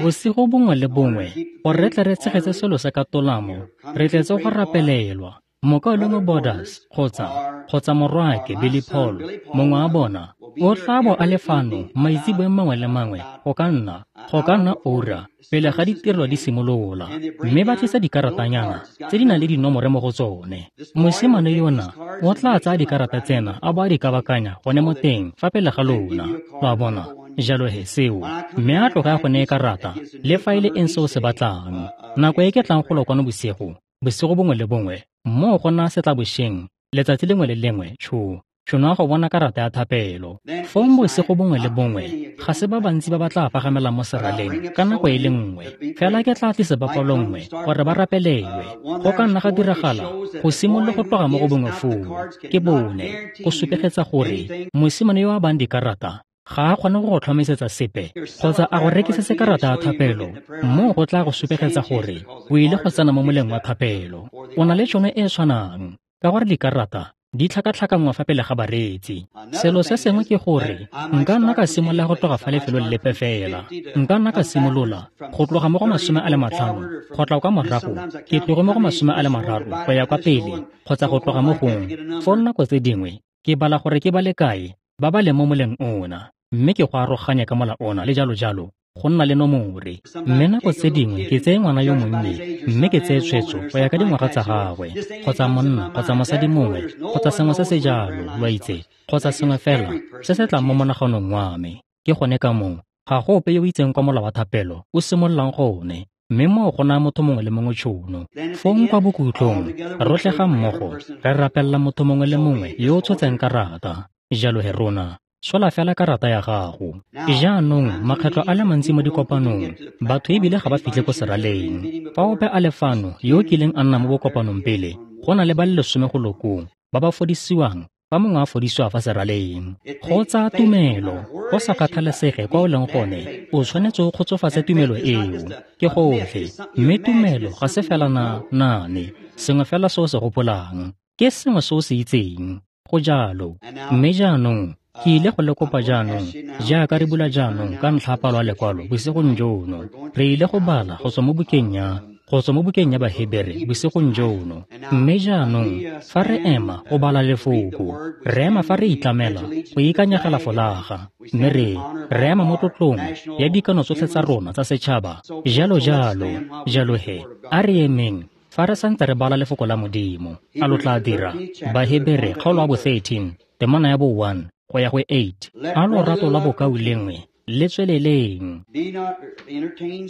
Bosigo bongwe le bongwe, gore re tle re tshegetse selo se ka tolamo, re tletse go rapelelwa. Mokaulengwe Borders kgotsa kgotsa morwaake Billy Paul, mongwe wa bona, o tla bo a le fano maitseboeng mangwe le mangwe go ka nna go ka nna ura pele ga ditirelo di simolola, mme ba tlisa dikaratanyana tse di nang le dinomore mo go tsone. Mosimane yona o tla tsaya dikarata tsena a bo a di kabakanya gone mo teng fa pele ga lona, lo a bona. Jalo he seo, mme a tloge a go neye karata le fa e le eng se o se batlang. Nako e ke tlang go lo kwano bosigo, bosigo bongwe le bongwe, moo go nna setlabošeng letsatsi lengwe le lengwe tsho tšhono ya go bona karata ya thapelo. Fong bosigo bongwe le bongwe ga se ba bantsi ba ba tla pagamelang mo seraleng ka nako e le nngwe, fela ke tla tlisa bapalo nngwe gore ba rapelelwe. Go ka nna ga diragala go simolola go tloga mo go bongwe foo ke bone, go supegetsa gore mosimane yo a bang dikarata ga a kgone go go tlhomisetsa sepe kgotsa a go rekisetse karata ya thapelo. Moo go tla go supegetsa gore o ile go tsena mo moleng wa thapelo. O na le tšhono e e tshwanang ka gore dikarata di tlhakatlhakanngwa fa pele ga bareetsi. Selo se sengwe ke gore nka nna ka simolola go tloga fa lefelong lepe fela. Nka nna ka simolola go tloga mo go masome a le matlhano go tla kwa morago ke tloge mo go masome a le mararo go ya kwa pele kgotsa go tloga mo gongwe. Fo nako tse dingwe ke bala gore ke ba le kae ba ba leng mo moleng ona, mme ke go aroganya ka mola ona le jalo jalo go nna le nomore. Mme nako tse dingwe ke tseye ngwana yo monnye mme ke tseye tshwetso go ya ka dingwaga tsa gagwe, kgotsa monna kgotsa mosadi mongwe kgotsa sengwe se se jalo, lo a itse, kgotsa sengwe fela se se tlang mo monaganong wa me. Ke gone ka moo ga go ope yo o itseng kwa mola wa thapelo o simololang gone, mme moo go naya motho mongwe le mongwe tšhono. Fong kwa bokhutlong rotlhe ga mmogo re rapelela motho mongwe le mongwe yo o tshotseng karata. Jalo he rona sola fela karata ya gago. Jaanong makgetlho a le mantsi mo dikopanong batho ebile ga ba fitlhe ko seraleng. Fa ope a le fano yo o kileng a nna mo bokopanong pele, go na le ba le lesome go lokong ba ba fodisiwang fa mongwe a fodisiwa fa seraleng. Go tsaya tumelo, go sa kgathalesege kwa o leng gone, o tshwanetse o kgotsofatse tumelo eo. Ke gotlhe, mme tumelo ga se fela na naane, sengwe fela se o se gopolang, ke sengwe se o se itseng. Go jalo. Mme jaanong ke ile go le kopa jaanong, jaaka re bula jaanong ka ntlha ya palo ya lekwalo bosigong jono, re ile go bala go tswa mo bukeng ya go tswa mo bukeng ya Bahebere bosigong jono. Mme jaanong fa re ema go bala lefoko, re ema fa re itlamela go ikanyegela folaga, mme re re ema mo tlotlong ya dikano tsotlhe tsa rona tsa setšhaba, jalo jalo. Jalo he a re emeng fa re santse re bala lefoko la Modimo. A lo tla dira? Bahebere kgaolo ya bo thirteen temana ya bo one go ya go eight. A lorato la bokaulengwe le tsweleleng.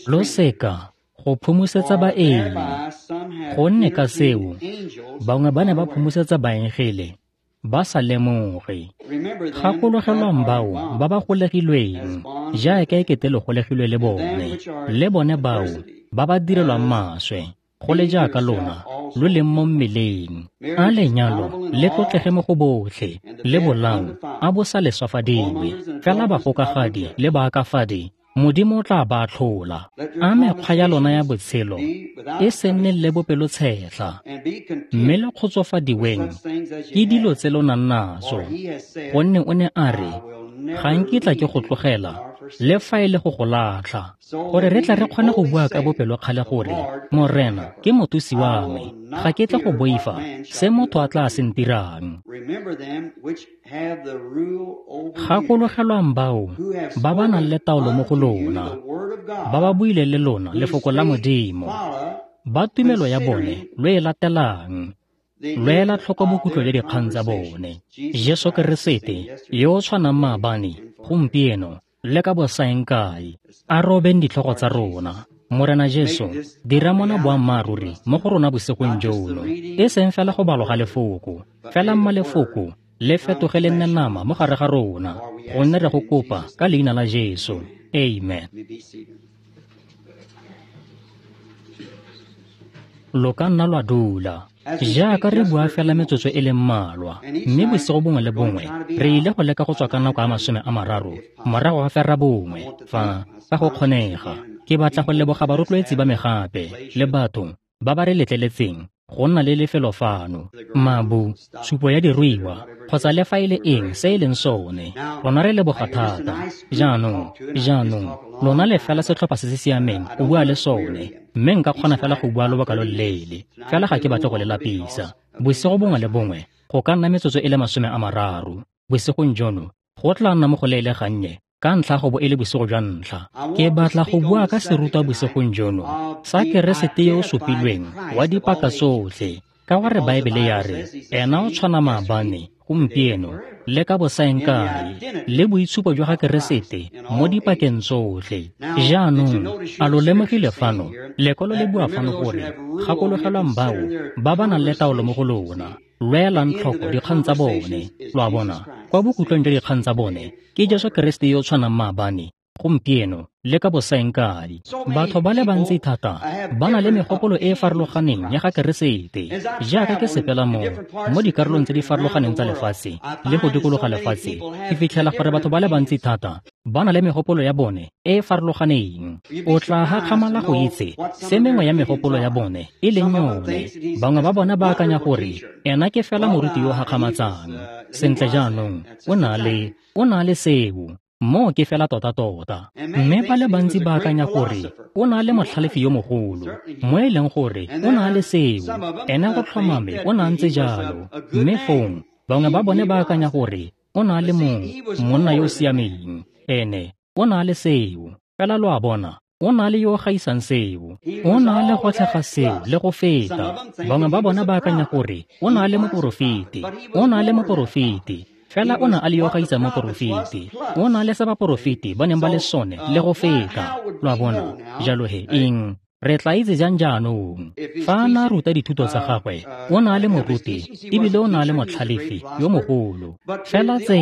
Lo seka go phomosetsa baeng, gonne ka seo bangwe ba ne ba phomosetsa baengele ba sa lemoge. Gakologelwang bao ba ba golegilweng jaaka e kete le golegilwe le bone, le bone bao ba ba direlwang maswe go le jaaka lona lo leng mo mmeleng. A lenyalo le tlotlege mo go botlhe, le bolao a bo sa leswafadiwe, fela bagokagadi le baakafadi Modimo o tla ba atlhola. A mekgwa ya lona ya botshelo e se nne le bopelotshetlha, mme le kgotsofadiweng ke dilo tse lo nang naso, gonne o ne a re, ga nkitla ke go tlogela le fa e le go go latlha, gore re tla re kgone go bua ka bopelokgale gore Morena ke mothusi wa me, ga ke tle go boifa se motho a tla se ntirang. Gakologelwang bao ba ba nang le taolo mo go lona, ba ba buileng le lona lefoko la Modimo, ba tumelo ya bone lo e latelang, lo ela tlhoko bokhutlo jwa dikgang tsa bone. Jesu Keresete yo o tshwanang maabane, gompieno le ka bosaeng kae. A robeng ditlhogo tsa rona. Morena Jesu, dira mona boammaaruri mo go rona bosigong jono, e seng fela go balwa ga lefoko, fela mma lefoko le fetoge le nne nama mo gare ga rona, gonne re go kopa ka leina la Jesu. Amen. Lo ka nna lwa dula. Jaaka re bua fela metsotso e le mmalwa, mme bosigo bongwe le bongwe re ile go leka go tswa ka nako ya masome a mararo morago ga fera bongwe fa fa go kgonega. Ke batla go leboga barotloetsi ba me gape le batho ba ba re letleletseng go nna le lefelo fano, mabu, tshupo ya diruiwa kgotsa le fa e le eng se e leng sone. Rona re leboga thata. Jaanong, jaanong lona le fela setlhopha se se siameng go bua le sone, mme nka kgona fela go bua lobaka lo loleele, fela ga ke batle go le lapisa. Bosigo bongwe le bongwe go ka nna metsotso e le masome a mararo. Bosigong jono go tla nna mo go leele gannye ka ntlha go bo e le bosigo jwa ntlha. Ke batla go bua ka serutwa bosigong jono sa Keresete yo o supilweng wa dipaka tsotlhe, ka gore Baebele ya re ena o tshwana maabane, gompieno le ka bosaengkae, le boitshupo jwa ga Keresete mo dipakeng tsotlhe. Jaanong a lo lemogile fano lekwalo le bua fano gore gakologelwang bao ba ba nang le taolo mo go lona, lwelang tlhoko dikgang tsa bone. Lo a bona, kwa bokhutlong jwa dikgang tsa bone ke Jesu Keresete yo o tshwanang maabane, gompieno le ka bosaengkae. Batho ba le bantsi thata ba na le megopolo e e farologaneng ya ga Keresete. Jaaka ke sepela mo mo dikarolong tse di farologaneng tsa lefatshe le go dikologa lefatshe, ke fitlhela gore batho ba le bantsi thata ba na le megopolo ya bone e e farologaneng. O tla hakgamala go itse se mengwe ya megopolo ya bone e leng yone. Bangwe ba bona ba akanya gore ena ke fela moruti yo hakgamatsang. Sentle jaanong o na le o na le seo, moo ke fela tota-tota. Mme ba le bantsi ba akanya gore o na le motlhalefi yo mogolo, mo e leng gore o na le seo, ena go tlhomame o na ntse jalo. Mme fong bangwe ba bone ba akanya gore o na le mong monna yo o siameng, ene o na le seo. Fela lo a bona, o na le yo o gaisang seo, o na le gotlhe ga seo le go feta. Bangwe ba bona ba akanya gore o na le moporofeti, o na le moporofeti, fela o na a le yo gaisang moporofeti, o na le se baporofeti ba neng ba le sone le go feta. Lo a bona, jalo he eng re tla itse jang jaanong? Fa a na ruta dithuto tsa gagwe, o na le moruti ebile o na le motlhalefi yo mogolo. Fela tse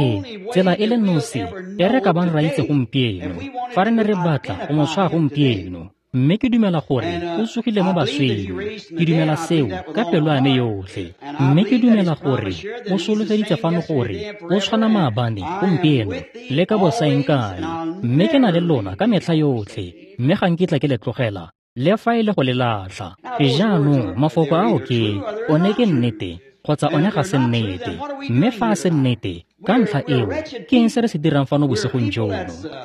tsela e le nosi e re ka bang ra itse gompieno, fa re ne re batla go mo tshwaya gompieno, mme ke dumela gore o tsogile mo baswing. Ke dumela seo ka pelo ya me yotlhe. Mme ke dumela gore o solofeditse fano gore o tshwana maabane, gompieno le ka bosaengkae. Mme ke na le lona ka metlha yotlhe, mme ga nkitla ke le tlogela le fa e le go le latlha. Jaanong mafoko ao ke one ke nnete kgotsa one ga se nnete. Mme fa a se nnete, ka ntlha eo ke eng se re se dirang fano bosigong jono?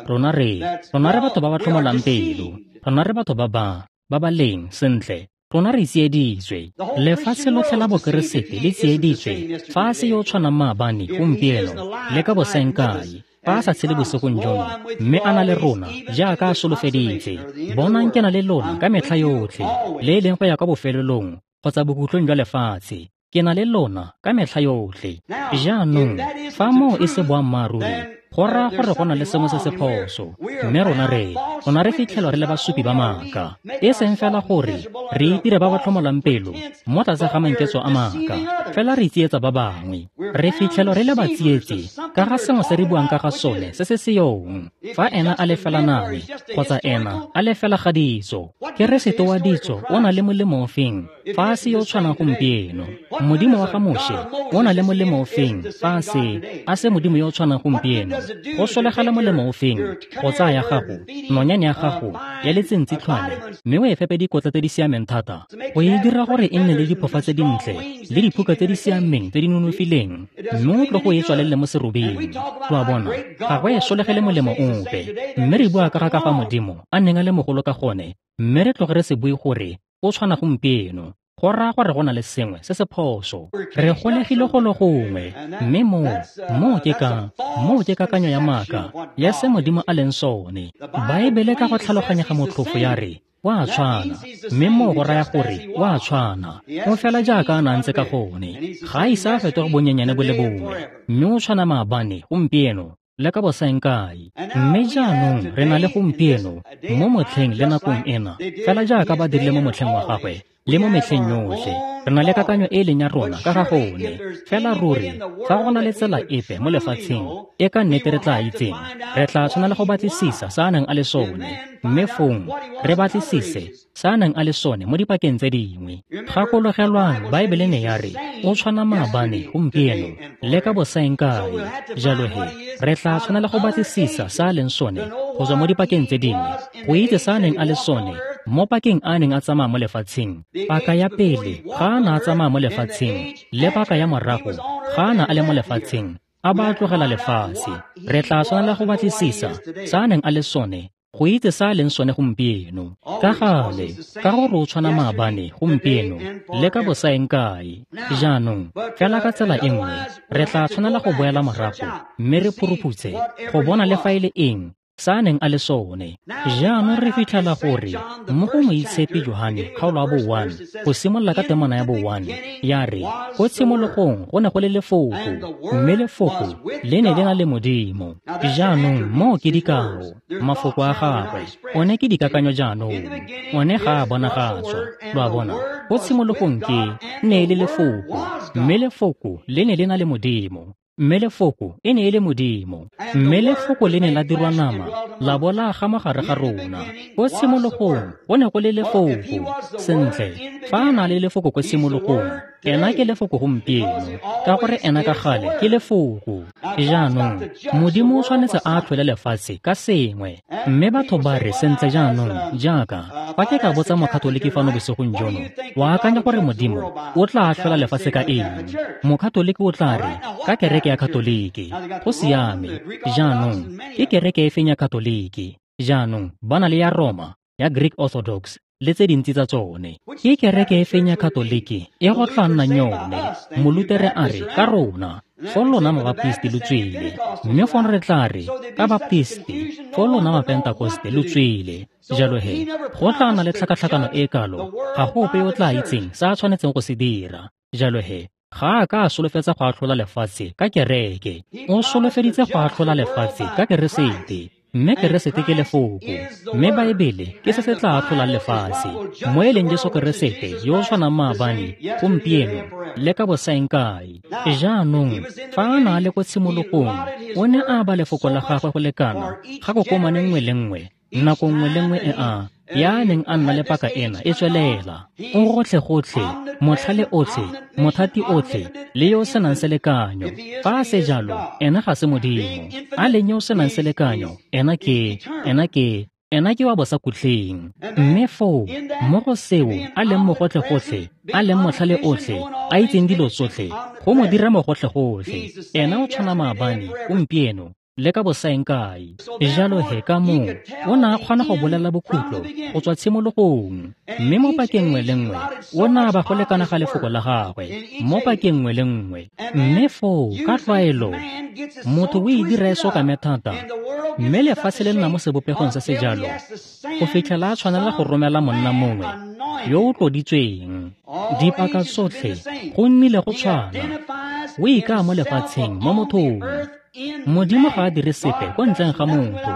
Rona re rona re batho ba ba tlhomolang pelo, rona re batho ba ba ba ba leng sentle, rona re tsieditswe. Lefatshe lotlhe la Bokeresete le tsieditswe fa a se yo o tshwanang maabane, gompieno le ka bosaengkae. Fa a sa tshele bosigong jono, mme a na le rona jaaka a solofeditse, bonang ke na le lona ka metlha yotlhe, le e leng go ya kwa bofelelong kgotsa bokhutlong jwa lefatshe. Ke na le lona ka metlha yotlhe. Jaanong fa moo e se boammaaruri, go raya gore go na le sengwe se se phoso. Mme rona re rona re fitlhelwa re le basupi ba maaka, e seng fela gore re itire ba ba tlhomolang pelo mo tlase ga manketso a maaka, fela re tsietsa ba bangwe. Re fitlhelwa re le batsietsi ka ga sengwe se re buang ka ga sone se se seyong. Fa ena a le fela name kgotsa ena a le fela ga ditso, Keresete wa ditso o na le molemo ofeng fa a se yo o tshwanang gompieno? Modimo wa ga Moshe o na le molemo ofeng fa a se a se modimo yo o tshwanang gompieno? Go solegela molemo ofeng go tsaya ya gago nonyane ya gago ya letsentsitlhwane mme o e fepe dikotla tse di siameng thata go e dira gore e nne le diphofa tse dintle le diphuka tse di siameng tse di nonofileng, mme o tlo go e tswalelele mo serobeng? Lo a bona, ga go e solegele molemo ope. Mme re bua ka ga ka fa Modimo a neng a le mogolo ka gone, mme re tloge re se bue gore o tshwana gompieno. Go raya gore go na le sengwe se se phoso. Re golegile go le gongwe, mme moo moo ke ka moo ke kakanyo ya maaka ya se Modimo a leng sone. Baebele ka go tlhaloganyega motlhofo ya re wa tshwana, mme moo go raya gore wa tshwana, o fela jaaka a na ntse ka gone. Ga a ise a fetoge bonyenyane bo le bongwe, mme o tshwana maabane, gompieno le ka bosaengkae. Mme jaanong re na le gompieno mo motlheng le nakong ena, fela jaaka ba dirile mo motlheng wa gagwe le mo metlheng yotlhe. Re na le kakanyo e e leng ya rona ka ga gone. Fela ruri fa go na le tsela epe mo lefatsheng e ka nnete re tla itseng, re tla tshwanela go batlisisa se a neng a le sone, mme fong re batlisise se a neng a le sone mo dipakeng tse dingwe. Gakologelwang, Baebele ne ya re o tshwana maabane, gompieno le ka bosaengkae. Jalo he re tla tshwanela go batlisisa se a leng sone go tswa mo dipakeng tse dingwe, go itse se a neng a le sone mo pakeng a neng a tsamaya mo lefatsheng. Paka ya pele ga a na a tsamaya mo lefatsheng, le paka ya morago ga a na a le mo lefatsheng, a ba a tlogela lefatshe. Re tla tshwanela go batlisisa se a neng a le sone go itse sa a leng sone gompieno. Ka gale, ka gore o tshwana maabane gompieno le ka bosaeng kae. Jaanong, fela ka tsela e nngwe, re tla tshwanela go boela morago mme re phuruphutse go bona le fa e le eng sa a neng a le sone. Jaanong re fitlhela gore mo go Moitshepi Johane kgaolo ya bo one, go simolola ka temana ya bo one, ya re, ko tshimologong go ne go le lefoko, mme lefoko le ne le na le Modimo. Jaanong moo ke dikao, mafoko a gagwe, one ke dikakanyo jaanong, one ga a bonagatswa. Lo a bona, ko tshimologong ke ne e le lefoko, mme lefoko le ne le na le Modimo. Mme lefoko e ne e le Modimo, mme lefoko le ne la dirwa nama, la bo la aga mo gare ga rona. Ko tshimologong go ne go le lefoko. Sentle, fa a na le lefoko ko tshimologong, ena ke lefoko gompieno, ka gore ena ka gale ke lefoko. Jaanong, Modimo o tshwanetse a atlhole lefatshe ka sengwe. Mme batho ba re, sentle jaanong, jaaka fa ke ka botsa mokatoliki fano bosigong jono, wa akanya gore Modimo o tla atlhola lefatshe ka eng? Mokatoliki o tla re, ka kereke ya Katoliki. Go siame. Jaanong, ke kereke e feng ya Katoliki? Jaanong, ba na le ya Roma, ya Greek Orthodox, le tse dintsi tsa tsone. Ke kereke e feng ya Katoliki e go tla nnang yone? Molutere a re, ka rona, fo lona Mabaptisti lo tswile. Mme fong re tla re, ka Baptisti, fo lona Mapentakoste lo tswile. Jalo he, go tla nna le tlhakatlhakano e kalo, ga go ope yo o tla itseng se a tshwanetseng go se dira. Jalo he, ga a ka a solofetsa go atlhola lefatshe ka kereke. O solofeditse go atlhola lefatshe ka Keresete. Mme Keresete ke lefoko, mme Baebele ke se se tla atlholang lefatshe. Mo e leng Jesu Keresete yo o tshwanang maabane, gompieno, le ka bosaeng kae. Jaanong, fa a na le ko tshimologong, o ne a ba lefoko la gagwe go lekana ga kokomane nngwe le nngwe, nako nngwe le nngwe e a ya neng a nna le paka ena e tswelela. O gotlhe-gotlhe, motlhale otlhe, mothati otlhe, le yo o senang selekanyo. Fa a se jalo, ena ga se Modimo. A leng yo o senang selekanyo, ena ke, ena ke, ena ke wa bosakhutleng. Mme foo, mo go seo a leng mogotlhe-gotlhe, a leng motlhale otlhe, a itseng dilo tsotlhe, go mo dira mogotlhe-gotlhe. Ena o tshwana maabane, gompieno, le ka bosaeng kae. Jalo he ka moo, o ne a kgona go bolela bokhutlo go tswa tshimologong. Mme mo pakeng nngwe le nngwe, o ne a ba go lekana ga lefoko la gagwe, mo pakeng nngwe le nngwe. Mme foo, ka tlwaelo, motho o e dira e sokame thata, mme lefatshe le nna mo sebopegong se se jalo, go fitlhela a tshwanela go romela monna mongwe yo o tloditsweng. Dipaka tsotlhe go nnile go tshwana. O ikaya mo lefatsheng mo mothong. Modimo ga a dire sepe ko ntleng ga motho.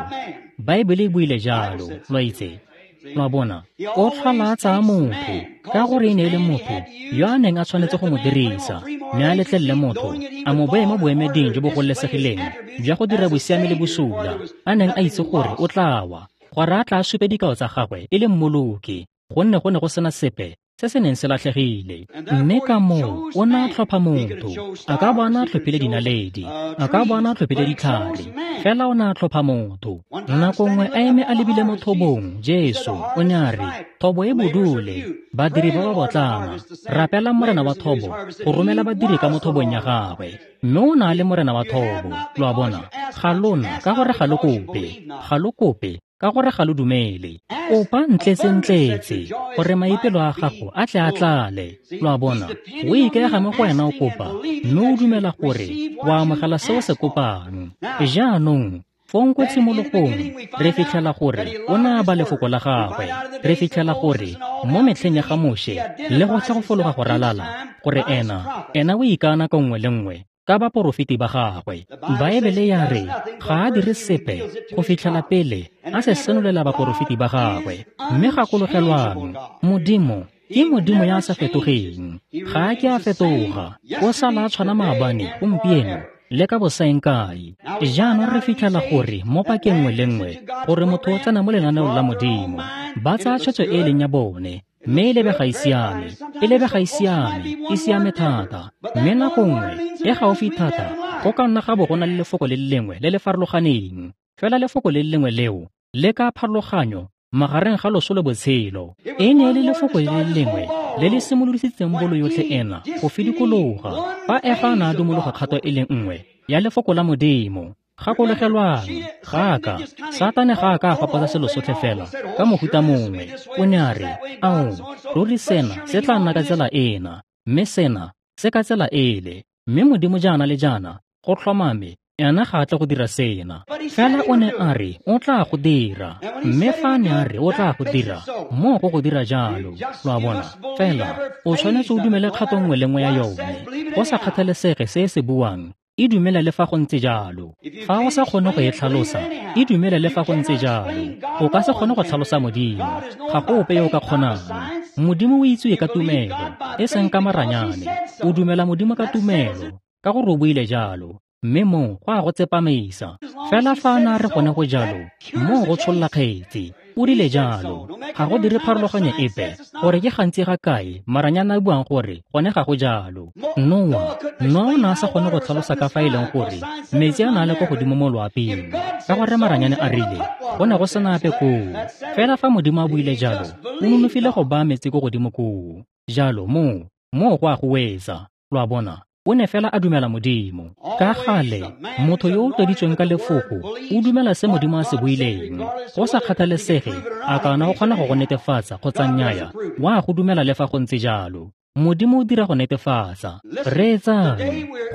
Baebele e buile jalo, lo itse. Lo a bona, o tlhola a tsaya motho, ka gore e ne e le motho yo a neng a tshwanetse go mo dirisa, mme a letlelele motho a mo beye mo boemeding jo bo gololesegileng jwa go dira bosiami le bosula, a neng a itse gore o tla wa, gore a tla supe dikao tsa gagwe e le mmoloki, gonne go ne go sena sepe se se neng se latlhegile. Mme ka moo o ne a tlhopha motho. A ka bo a ne a tlhophile dinaledi, a ka bo a ne a tlhophile ditlhare, fela o ne a tlhopha motho. Nako nngwe a eme a lebile mo thobong, Jesu o ne a re, thobo e bodule, badiri ba ba botlana, rapelang morena wa thobo go romela badiri ka mo thobong ya gagwe. Mme o ne a le morena wa thobo. Lo a bona, ga lona ka gore ga lo kope, ga lo kope ka gore ga lo dumele. Kopa ntletse-ntletse gore maipelo a gago a tle a tlale. Lo a bona, o ikaega mo go wena o kopa, mme o dumela gore o amogela se o se kopang. Jaanong, fong ko tshimologong, re fitlhela gore o ne a ba lefoko la gagwe. Re fitlhela gore mo metlheng ya ga Moshe le gotlhe go fologa go ralala, gore ena, ena o ikana ka nngwe le nngwe ka baporofeti ba gagwe. Baebele ya re ga a dire sepe go fitlhela pele a se senolela baporofeti ba gagwe. Mme gakologelwang, Modimo ke Modimo ya sa fetogeng. Ga a ke a fetoga. O sala a tshwana maabane, gompieno, le ka bosaeng kae. Jaanong re fitlhela gore mo pakeng nngwe le nngwe gore motho o tsena mo lenaneong la Modimo, ba tsaya tshwetso e e leng ya bone, mme e lebega e siame, e lebega e siame, e siame thata. Mme nako nngwe e gaufi thata, go ka nna ga bo go na le lefoko le le lengwe le le farologaneng. Fela lefoko le le lengwe leo le ka pharologanyo magareng ga loso le botshelo. E ne e le lefoko le le lengwe le le simolodisitseng bolo yotlhe ena go fidikologa. Fa Efa a ne a dumologa kgato e le nngwe ya lefoko la Modimo, Gakologelwang, ga a ka, Satane ga a ka a faposa selo sotlhe fela ka mohuta mongwe. O ne a re, ao, ruri sena se tla nna ka tsela ena, mme sena se ka tsela ele, mme Modimo jaana le jaana, go tlhomame, ena ga a tle go dira sena. Fela o ne a re o tla go dira, mme fa a ne a re o tla go dira, moo go go dira jalo. Lo a bona? Fela o tshwanetse o dumele kgato nngwe le nngwe ya yone, go sa kgathalesege se e se buang. E dumele le fa go ntse jalo. Fa o sa kgone go e tlhalosa, e dumele le fa go ntse jalo. O ka se kgone go tlhalosa Modimo, ga go ope yo o ka kgonang. Modimo o itsiwe ka tumelo, e seng ka maranyane. O dumela Modimo ka tumelo, ka gore o buile jalo, mme moo go a go tsepamisa. Fela fa a ne a re gone go jalo, moo go tsholla kgetsi. O rile jalo. Ga go dire pharologanyo epe gore ke gantsi ga kae maranyane a buang gore gone ga go jalo. Noa, Noa o ne a sa kgone go tlhalosa ka fa e leng gore metsi a ne a le kwa godimo mo loaping, ka gore maranyane a rile go ne go sena ape koo. Fela fa Modimo a buile jalo, o nonofile go baya metsi ko godimo koo. Jalo moo, moo go a go wetsa. Lo a bona? O ne fela a dumela Modimo. Ka gale, motho yo o tloditsweng ka lefoko o dumela se Modimo a se buileng. Go sa kgathalesege a kana o kgona go go netefatsa kgotsa nnyaya, wa go dumela le fa go ntse jalo. Modimo o dira go netefatsa. Reetsang,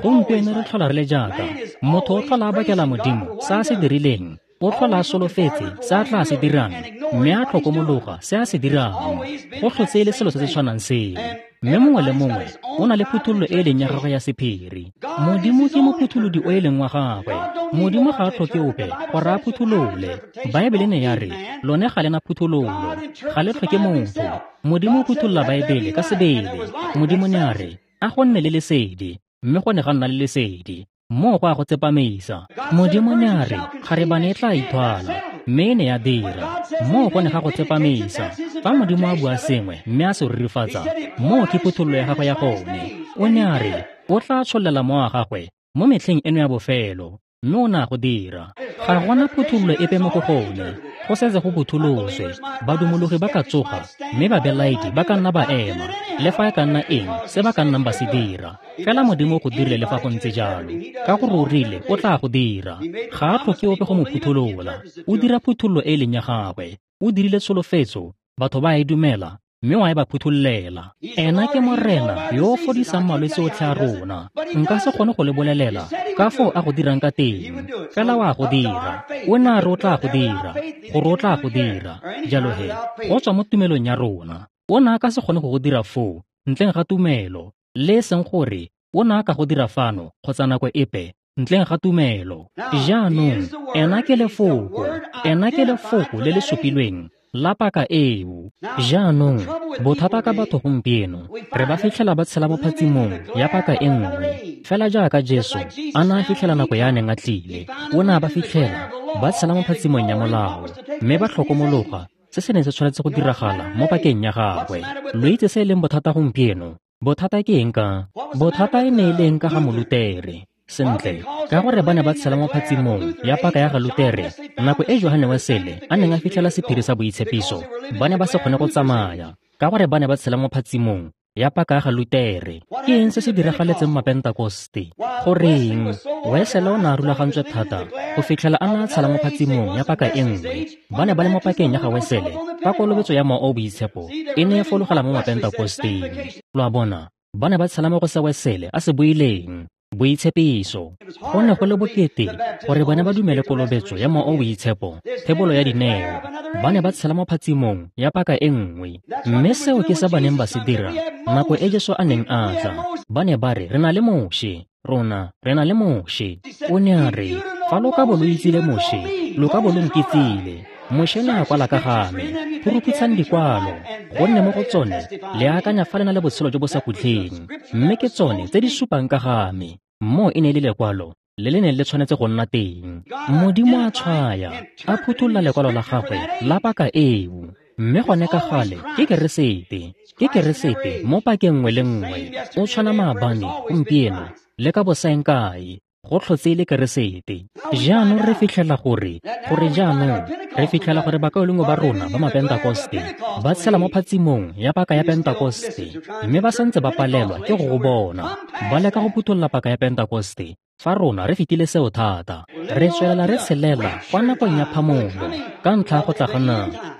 gompieno re tlhola re le jaaka motho o tlhola a bakela Modimo se a se dirileng, o tlhola a solofetse se a tla se dirang, mme a tlhokomologa se a se dirang. Go tlhotse e le selo se se tshwanang seo. Mme mongwe le mongwe o na le phuthololo e leng ya gagwe ya sephiri. Modimo ke mophutholodi o e leng wa gagwe. Modimo ga a tlhoke ope gore a phutholole. Baebele ne ya re lone ga le na phuthololo, ga le tlhoke motho. Modimo o phutholola Baebele ka sebele. Modimo ne a re a go nne le lesedi, mme go ne ga nna le lesedi. Moo go a go tsepamisa. Modimo ne a re kgarebane e tla ithwala, mme e ne ya dira. Moo go ne ga go tsepamisa. Fa Modimo a bua sengwe mme a se rurifatsa, moo ke phuthololo ya gagwe ya gone. O ne a re o tla tshollela mowa wa gagwe mo metlheng eno ya bofelo, mme o ne a go dira. Ga gona phuthololo epe mo go gone, go setse go phutholoswe. Badumologi ba ka tsoga, mme babelaedi ba ka nna ba ema, le fa e ka nna eng se ba ka nnang ba se dira. Fela Modimo o go dirile le fa go ntse jalo, ka gore o rile o tla go dira. Ga a tlhoke ope go mo phutholola. O dira phuthololo e leng ya gagwe. O dirile tsholofetso, batho ba e dumela, mme wa e ba phuthollela. Ena ke Morena yo o fodisang malwetse otlhe a rona. Nka se kgone go le bolelela ka foo a go dirang ka teng, fela wa go dira. O ne a re o tla go dira, gore o tla go dira. Jalo he, go tswa mo tumelong ya rona. O ne a ka se kgone go go dira foo ntleng ga tumelo, le e seng gore o ne a ka go dira fano kgotsa nako epe ntleng ga tumelo. Jaanong ena ke lefoko, ena ke lefoko le le supilweng la paka eo. Jaanong bothata ka batho gompieno, re ba fitlhela ba tshela mo phatsimong ya paka e nngwe. Fela jaaka Jesu a ne a fitlhela nako ya a neng a tlile, o ne a ba fitlhela ba tshela mo phatsimong ya molao, mme ba tlhokomologa se se neng se tshwanetse go diragala mo pakeng ya gagwe. Lo itse se e leng bothata gompieno? Bothata ke eng ka? Bothata e ne e le eng ka ga Molutere? Sentle, ka gore ba ne ba tshela mo phatsimong ya paka ya ga Lutere, nako e Johane Wesele a neng a fitlhela sephiri sa boitshepiso, ba ne ba se kgone go tsamaya, ka gore ba ne ba tshela mo phatsimong ya paka ya ga Lutere. Ke eng se se diragaletseng Mapentakoste? Goreng Wesele o ne a rulagantswe thata go fitlhela a ne a tshela mo phatsimong ya paka e nngwe. Ba ne ba le mo pakeng ya ga Wesele fa kolobetso ya Mowa o o Boitshepo e ne e fologela mo Mapentakosteng. Lo a bona, ba ne ba tshela mo go se Wesele a se buileng, boitshepiso. Go ne go le bokete gore bone ba dumele kolobetso ya Mowa o o Boitshepo, thebolo ya dineo. Ba ne ba tshela mo phatsimong ya paka e nngwe, mme seo ke se ba neng ba se dira nako e Jesu a neng a tla. Ba ne ba re, re na le Moshe, rona re na le Moshe. O ne a re, fa lo ka bo lo itsile Moshe, lo ka bo lo nkitsile. Moshe ne a kwala ka ga me. Phuruphutsang dikwalo, gonne mo go tsone le akanya fa le na le botshelo jo bo sa khutleng, mme ke tsone tse di supang ka ga me. Moo e ne e le lekwalo le le neng le tshwanetse go nna teng. Modimo a tshwaya, a phuthulla lekwalo la gagwe la paka eo. Mme gone ka gale ke Keresete, ke Keresete mo pakeng nngwe le nngwe. O tshwana maabane, gompieno, le ka bosaeng kae. Go tlhotse e le Keresete. Jaanong re fitlhela gore, gore jaanong re fitlhela gore bakaulengwe ba rona ba Mapentakoste ba tshela mo phatsimong ya paka ya Pentakoste, mme ba santse ba palelwa ke go go bona. Ba leka go phuthulla paka ya Pentakoste, Fa rona re fetile seo thata, re tswelela re tshelela kwa nakong ya phamolo ka ntlha ya go tla ga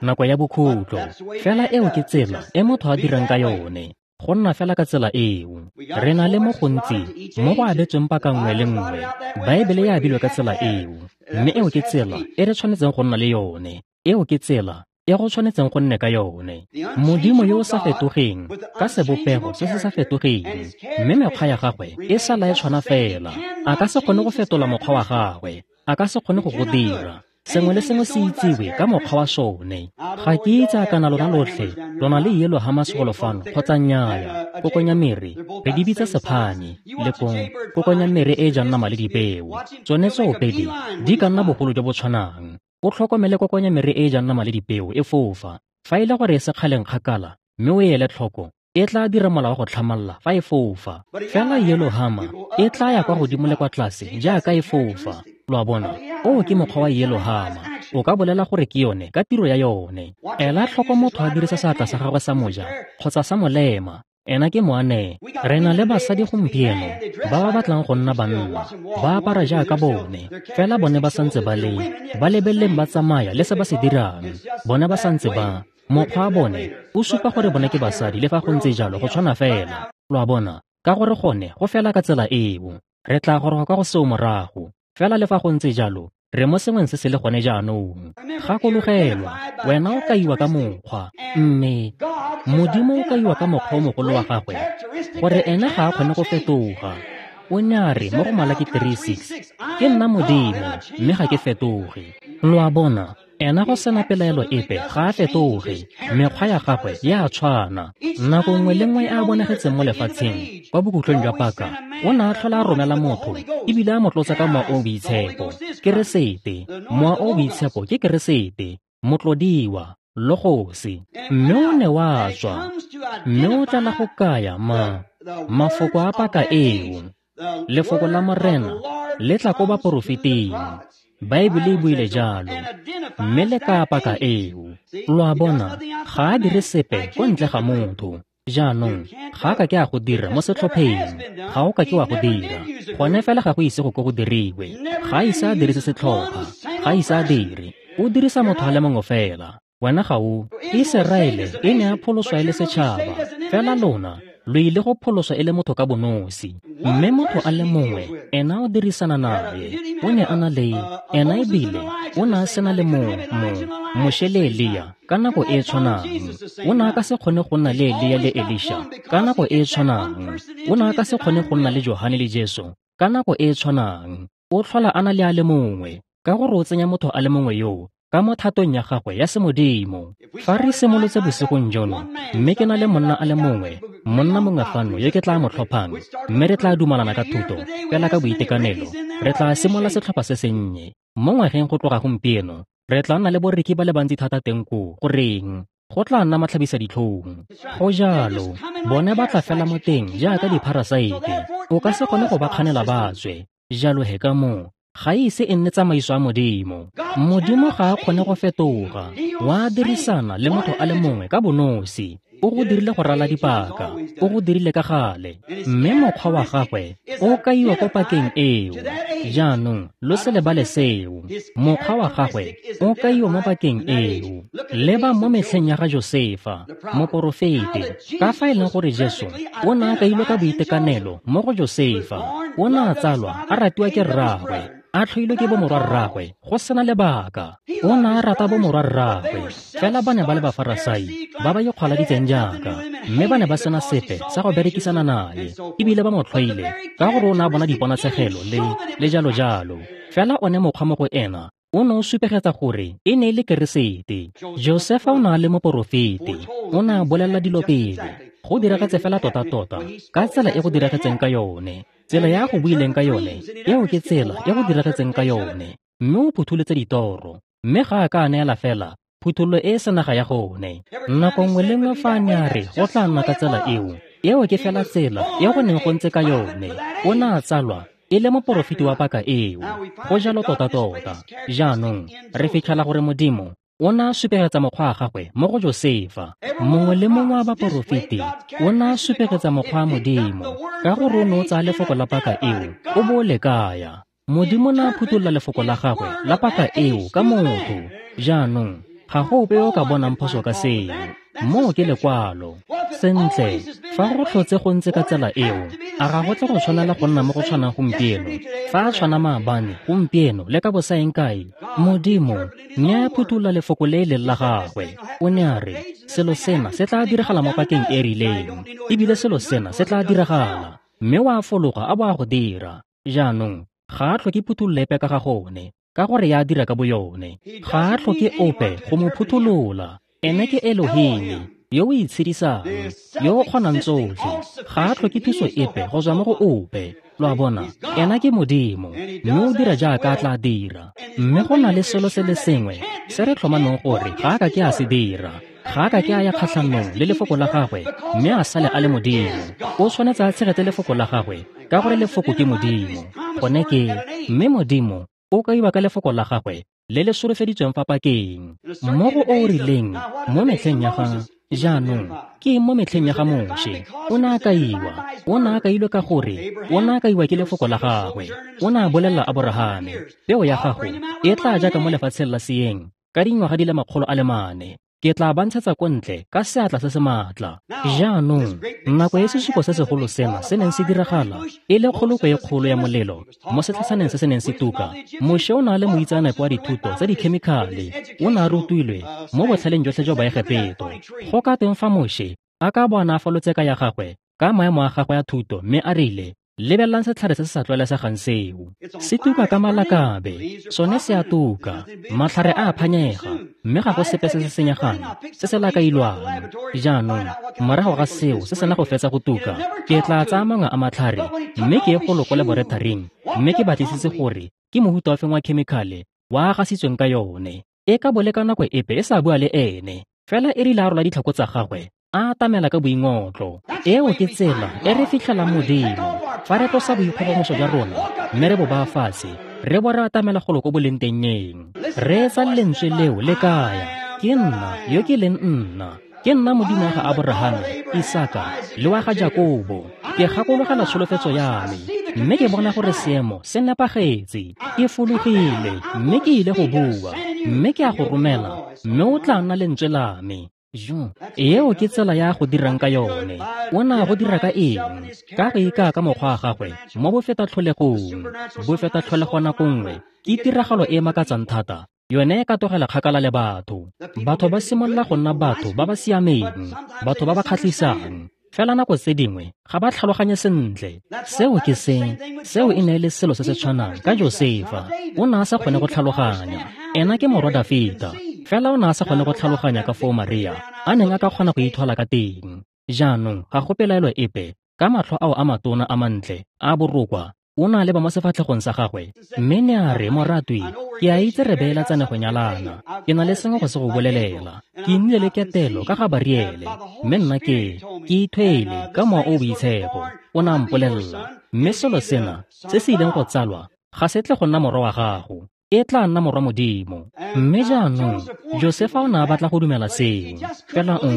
nako ya bokhutlo. Fela eo ke tsela e motho a dirang ka yone, go nna fela ka tsela eo. Re na le mo gontsi mo go abetsweng paka nngwe le nngwe. Baebele e abilwe ka tsela eo, mme eo ke tsela e re tshwanetseng go nna le yone. Eo ke tsela e go tshwanetseng go nne ka yone. Modimo yo o sa fetogeng ka sebopego se se sa fetogeng, mme mekgwa ya gagwe e sala e tshwana fela. A ka se kgone go fetola mokgwa wa gagwe, a ka se kgone go go dira. Sengwe le sengwe se itsiwe ka mokgwa wa sone. Ga ke itse a kana lona lotlhe lona le yellow hammers golo fano kgotsa nnyaya. Kokonyamere re di bitsa sephane, lekong kokonyamere e jang nama le dipeo. Tsone tsoopedi di ka nna bogolo jo bo tshwanang. O tlhokomele kokonyamere e jang nama le dipeo e fofa. Fa e le gore e sekgaleng kgakala mme o e ele tlhoko, e tla dira mola wa go tlhamalla fa e fofa. Fela yellow hammer e tla ya kwa godimo le kwa tlase jaaka e fofa. Lo a bona, oo ke mokgwa wa yellow hammer. O ka bolela gore ke yone ka tiro ya yone. Ela tlhoko motho a dirisa seatla sa gagwe sa moja kgotsa sa molema. Ena ke moane. Re na le basadi gompieno ba ba batlang go nna banna, ba apara jaaka bone, fela bone ba santse ba le ba lebeleleng ba tsamaya le se ba se dirang. Bone ba santse ba mokgwa wa bone o supa gore bone ke basadi, le fa go ntse jalo go tshwana fela. Lo a bona, ka gore gone go fela ka tsela eo. Re tla goroga kwa go seo morago. Fela le fa go ntse jalo, re mo sengweng se se le gone jaanong. Gakologelwa, wena o kaiwa ka mokgwa, mme Modimo o kaiwa ka mokgwa o mogolo wa gagwe, gore ene ga a kgone go fetoga. O ne a re mo go Malaki three six, ke nna Modimo, mme ga ke fetoge. Lo a bona, ena go sena pelaelo epe ga a fetoge. Mekgwa ya gagwe ya tshwana. Nako nngwe le nngwe a bonagetseng mo lefatsheng kwa bokhutlong jwa paka, o ne a tlhola a romela motho ebile a mo tlotsa ka mowa o o boitshepo. Keresete, mowa o o boitshepo ke Keresete, motlodiwa, Logose. Mme o ne wa tswa, mme o tlala go kaya ma mafoko a paka eo. Lefoko la Morena le tla ko baporofeting. Baebele e buile jalo, mme le ka paka eo. Lo a bona, ga a dire sepe ko ntle ga motho. Jaanong ga a ka ke a go dira mo setlhopheng, ga o ka ke wa go dira. Gone fela ga go ise go ko go diriwe. Ga a ise a dirise setlhopha, ga a ise a dire. O dirisa motho a le mongwe fela. Wena ga o. Iseraele e ne a pholoswa e le setšhaba, fela lona lo ile go pholoswa e le motho ka bonosi. Mme motho a le mongwe ena o dirisana naye. O ne a na le ena, ebile o ne a sena le mo mo Moshe le Elia ka nako e tshwanang. O ne a ka se kgone go nna le Elia le Elisha ka nako e tshwanang. O ne a ka se kgone go nna le Johane le Jesu ka nako e tshwanang. O tlhola a na le a le mongwe, ka gore o tsenya motho a le mongwe yoo ka mo thatong ya gagwe ya semodimo. Fa re simolotse bosigong jono, mme ke na le monna a le mongwe, monna mongwe fano yo ke tla mo tlhophang, mme re tla dumalana ka thuto fela ka boitekanelo, re tla simolola setlhopha se sennye. Mo ngwageng go tloga gompieno, re tla nna le boreki ba le bantsi thata teng koo. Goreng? Go tla nna matlhabisa ditlhong. Go jalo, bone ba tla fela mo teng jaaka dipharasaete. O ka se kgone go ba kganela ba tswe. Jalo he ka moo, ga ise e nne tsamaiso ya Modimo. Modimo ga a kgone go fetoga. Wa dirisana le motho a le mongwe ka bonosi. O go dirile go rala dipaka, o go dirile ka gale, mme mokgwa wa gagwe o kaiwa ko pakeng eo. Jaanong lo se lebale seo. Mokgwa wa gagwe o kaiwa mo pakeng eo. Leba mo metlheng ya ga Josefa, moporofete, ka fa e leng gore Jesu o ne a kailwe ka boitekanelo mo go Josefa. O ne a tsalwa a ratiwa ke rraagwe, a tlhoilwe ke bomorwarraagwe go sena lebaka. O ne a rata bomorwarraagwe, fela ba ne ba le Bafarasai ba ba ikgwaladitseng jaaka, mme ba ne ba sena sepe sa go berekisana naye, ebile ba mo tlhoile ka gore o ne a bona diponatshegelo le le jalo jalo. Fela one mokgwa mo go ena o ne o supegetsa gore e ne e le Keresete. Josefa o ne a le moporofete, o ne a bolelela dilo pele. Go diragetse fela tota-tota ka tsela e go diragetseng ka yone. Tsela ya go buileng ka yone, eo ke tsela e go diragetseng ka yone. Mme o phutholotse ditoro, mme ga a ka a neela fela phuthololo e e senaga ya gone. Nako nngwe le nngwe fa a ne a re go tla nna ka tsela eo, eo ke fela tsela e go neng go ntse ka yone. O ne a tsalwa e le moporofeti wa paka eo. Go jalo tota-tota. Jaanong re fitlhela gore Modimo O ne a supegetsa mokgwa wa gagwe mo go Josefa. Mongwe le mongwe wa baporofeti o ne a supegetsa mokgwa wa Modimo, ka gore o ne o tsaya lefoko la paka eo o bo o le kaya. Modimo ne a phutolola lefoko la gagwe la paka eo ka motho. Jaanong ga go ope yo o ka bonang phoso ka seo. Moo ke lekwalo. Sentle, fa go tlhotse go ntse ka tsela eo, a ga go tle go tshwanela go nna mo go tshwanang gompieno? Fa a tshwana maabane, gompieno le ka bosaeng kae, Modimo ne a phutolola lefoko le e leng la gagwe. O ne a re, selo sena se tla diragala mo pakeng e e rileng, ebile selo sena se tla diragala. Mme wa fologa a bo a go dira. Jaanong, ga a tlhoke phuthololo epe ka ga gone, ka gore ya dira ka boyone. Ga a tlhoke ope go mo phutolola. Ene ke Elohim, yo o itshedisang, yo o kgonang tsotlhe. Ga a tlhoke thuso epe go tswa mo go ope. Lo a bona, ena ke Modimo, mme o dira jaaka a tla dira. Mme go na le selo se le sengwe se re tlhomameng gore ga a ka ke a se dira. Ga a ka ke a ya kgatlhanong le lefoko la gagwe, mme a sale a le Modimo. O tshwanetse a tshegetse lefoko la gagwe, ka gore lefoko ke Modimo. Gone ke, mme Modimo o kaiwa ka lefoko la gagwe le le solofeditsweng fa pakeng. Mo go o rileng mo metlheng ya ga jaanong, ke mo metlheng ya ga Moshe, o ne a kaiwa. O ne a kailwe ka gore o ne a kaiwa ke lefoko la gagwe. O ne a bolelela Aborahame, peo ya gago e tla jaaka mo lefatsheng la seeng ka dingwaga di le makgolo a le mane. Ke tla ba ntshetsa ko ntle ka seatla se se maatla. Jaanong, nako e sesupo se segolo sena se neng se diragala, e le kgolokwe e kgolo ya molelo mo setlhatshaneng se se neng se tuka, Moshe o ne a le moitseanape wa dithuto tsa dikhemikhale. O ne a rutilwe mo botlhaleng jotlhe jwa Baegepeto. Go ka tweng fa Moshe a ka bo a ne a falotse ka ya gagwe ka maemo a gagwe a thuto mme a rile, lebelelang setlhare se se sa tlwaelesegang seo. Se tuka ka malakabe, sone se a tuka, matlhare a a phanyega, mme ga go sepe se se senyegang se se lakailwang. Jaanong, morago ga seo se sena go fetsa go tuka, ke tla tsaya mangwe a matlhare mme ke ye golo ko laboratoring mme ke batlisise gore ke mohuta ofe wa khemikhale wa a gasitsweng ka yone. E ka bo le ka nako epe e sa bua le ene, fela e rile a rola ditlhako tsa gagwe, a atamela ka boingotlo. Eo ke tsela e re fitlhelang Modimo. Fa re tlosa boikgogomoso jwa rona mme re bo baya fatshe, re bo re atamela golo ko boleng tennyeng. Reetsa lentswe leo le kaya, ke nna yo ke leng nna. Ke nna Modimo wa ga Aborahame, Isaka le wa ga Jakobo. Ke gakologela tsholofetso ya me, mme ke bona gore seemo se nepagetse. Ke fologile mme ke ile go bua, mme ke a go romela, mme o tla nna lentswe la me. Jo, eo ke tsela ya go dirang ka yone. O ne a go dira ka eng? Ka go ikaya ka mokgwa wa gagwe mo bofetatlholegong. Bofetatlholego nako nngwe ke tiragalo e e makatsang thata. Yone e ka tlogela kgakala le batho. Batho ba simolola go nna batho ba ba siameng, batho ba ba kgatlhisang. Fela nako tse dingwe ga ba tlhaloganye sentle. Seo ke se, seo e ne e le selo se se tshwanang ka Josefa. O ne a sa kgone go tlhaloganya. Ena ke morwa Dafita. Fela o ne a sa kgone go tlhaloganya ka foo Maria a neng a ka kgona go ithwala ka teng. Jaanong ga go pelaelo epe ka matlho ao a matona a mantle a borokwa, o ne a leba mo sefatlhegong sa gagwe mme ne a re, moratwi, ke a itse re beeletsane go nyalana. Ke na le sengwe go se go bolelela. Ke nnile le ketelo ka ga Bariele, mme nna ke ke ithwele ka mowa o boitshepo. O ne a mpolelela, mme selo sena se se ileng go tsalwa ga se tle go nna morwa wa gago, e tla nna morwa Modimo. Mme jaanong Josefa o ne a batla go dumela seo, fela o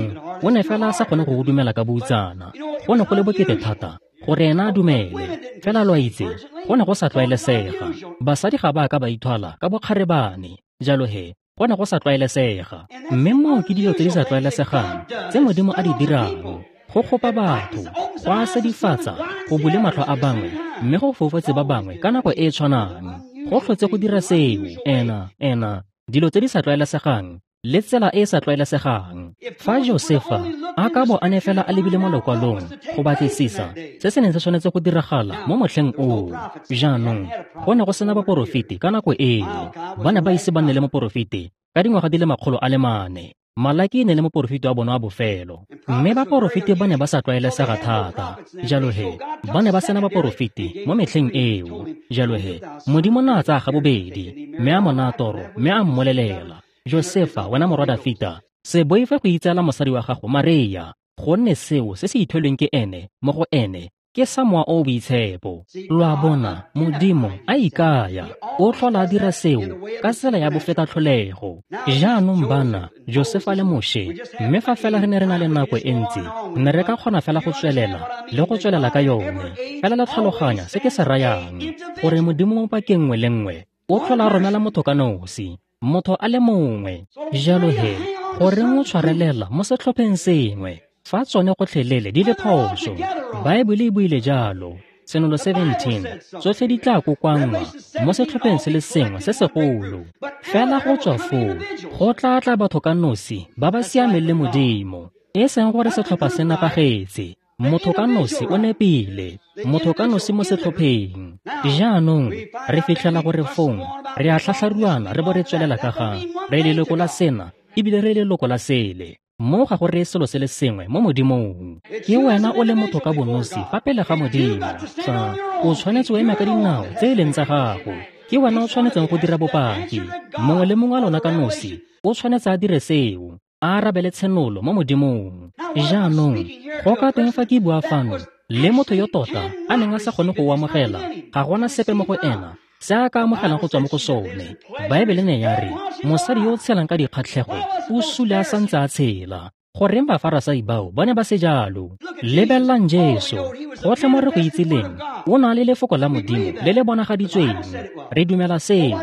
o ne fela a sa kgone go go dumela ka boutsana. Go ne go le bokete thata gore ena a dumele. Fela lo a itse, go ne go sa tlwaelesega. Basadi ga ba ka ba ithwala ka bokgarebane, jalo he go ne go sa tlwaelesega. Mme moo ke dilo tse di sa tlwaelesegang tse Modimo a di dirang, go kgopa batho, go a sedifatsa, go bule matlho a bangwe, mme go foufatse ba bangwe ka nako e e tshwanang. Go tlhotse go dira seo, ena, ena, dilo tse di sa tlwaelesegang le tsela e e sa tlwaelesegang. Fa Josefa a ka bo a ne fela a lebile mo lokwalong go batlisisa se se neng se tshwanetse go diragala mo motlheng oo. Jaanong, go ne go sena baporofeti ka nako eo. Ba ne ba ise ba nne le moporofeti ka dingwaga di le makgolo a le mane. Malaki e ne le moporofeti wa bona wa bofelo, mme baporofeti ba ne ba sa tlwaelesega thata. Jalo he, ba ne ba sena baporofeti mo metlheng eo. Jalo he, Modimo ne a tsaya ga bobedi, mme a mo naya toro, mme a mmolelela, Josefa, wena morwa Dafita, se boife go itseela mosadi wa gago Maria, gonne seo se se ithwelweng ke ene mo go ene Ke sa Mowa o o Boitshepo. Lo a bona, Modimo a ikaya, o tlhola a dira seo ka tsela ya bofetatlholego. Jaanong bana, Josefa le Moshe, mme fa fela re ne re na le nako e ntsi, ne re ka kgona fela go tswelela le go tswelela ka yone. Fela le tlhaloganya se ke se rayang, gore Modimo mo pakeng nngwe le nngwe o tlhola a romela motho ka nosi, motho a le mongwe. Jalo he, goreng o tshwarelela mo setlhopheng sengwe fa tsone gotlhelele di le phoso? Baebele e buile jalo, Tshenolo seventeen, tsotlhe di tla kokoanngwa mo setlhopheng se le sengwe se segolo. Fela go tswa foo, go tla tla batho ka nosi ba ba siameng le Modimo. E seng gore setlhopha se nepagetse, motho ka nosi o nepile, motho ka nosi mo setlhopheng. Jaanong re fitlhela gore fong re a tlhatlharuana re bo re tswelela ka ga re leloko la sena ebile re leloko la sele. Mo ga go reye selo se le sengwe mo Modimong. Ke wena o le motho ka bonosi fa pele ga Modimo. Fa o tshwanetse o eme ka dinao tse e leng tsa gago. Ke wena o tshwanetseng go dira bopaki. Mongwe le mongwe wa lona ka nosi o tshwanetse a dire seo, a arabele tshenolo mo Modimong. Jaanong go ka teng fa ke bua fano le motho yo tota a neng a sa kgone go o amogela, ga gona sepe mo go ena se a ka amogelang go tswa mo go sone. Baebele ne ya re mosadi yo o tshelang ka dikgatlhego o sule a santse a tshela. Goreng Bafarasai bao ba ne ba se jalo? Lebelelang Jesu, gotlhe mo re go itsileng, o na le lefoko la Modimo le le bonagaditsweng. Re dumela seo.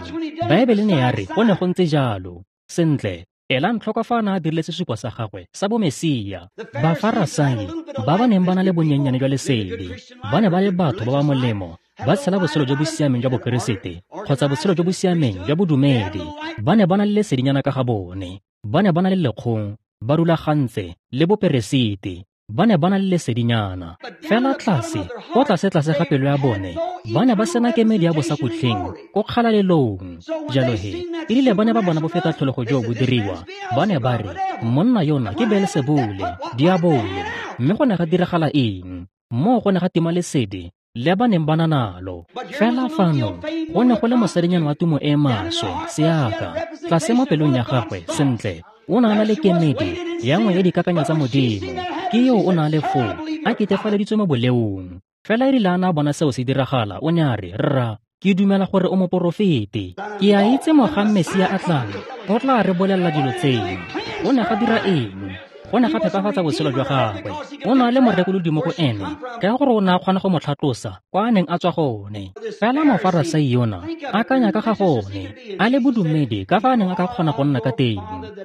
Baebele ne ya re go ne go ntse jalo. Sentle, elang tlhoko fa a ne a dirile sesupo sa gagwe sa bomesia. Bafarasai ba ba neng ba na le bonyenyane jwa lesedi, ba ne ba le batho ba ba molemo, ba tshela botshelo jo bo siameng jwa Bokeresete kgotsa botshelo jo bo siameng jwa bodumedi. Ba ne ba na le lesedinyana ka ga bone, ba ne ba na le lekgong, ba rulagantse le boperesiti, ba ne ba na le lesedinyana. Fela tlase, ko tlase-tlase ga pelo ya bone, ba ne ba sena kemedi ya bosakhutleng ko kgalalelong. Jalo he, erile ba ne ba bona bofetatlholego jo bo diriwa, ba ne ba re, monna yona ke Beelsebule, diabolo. Mme go ne ga diragala eng? Moo go ne ga tima lesedi le ba neng ba na nalo. Fela fano go ne go le mosadinyana wa tumo e maswe, seaka, tlase mo pelong ya gagwe. Sentle, o ne a na le kemedi ya nngwe ya dikakanyo tsa Modimo. Ke eo o ne a le foo, a ketefaleditswe mo boleong. Fela erile a ne a bona seo se diragala, o ne a re, rra, ke dumela gore o moporofeti. Ke a itse mogang Mesia a tlang, o tla re bolelela dilo tseno. O ne ga dira eng? Go ne ga phepafatsa botshelo jwa gagwe. O ne a le morekolodi mo go ene, ka gore o ne a kgona go mo tlhatlosa kwa a neng a tswa gone. Fela Mofarasai yona akanya ka ga gone, a le bodumedi ka fa a neng a ka kgona go nna ka teng.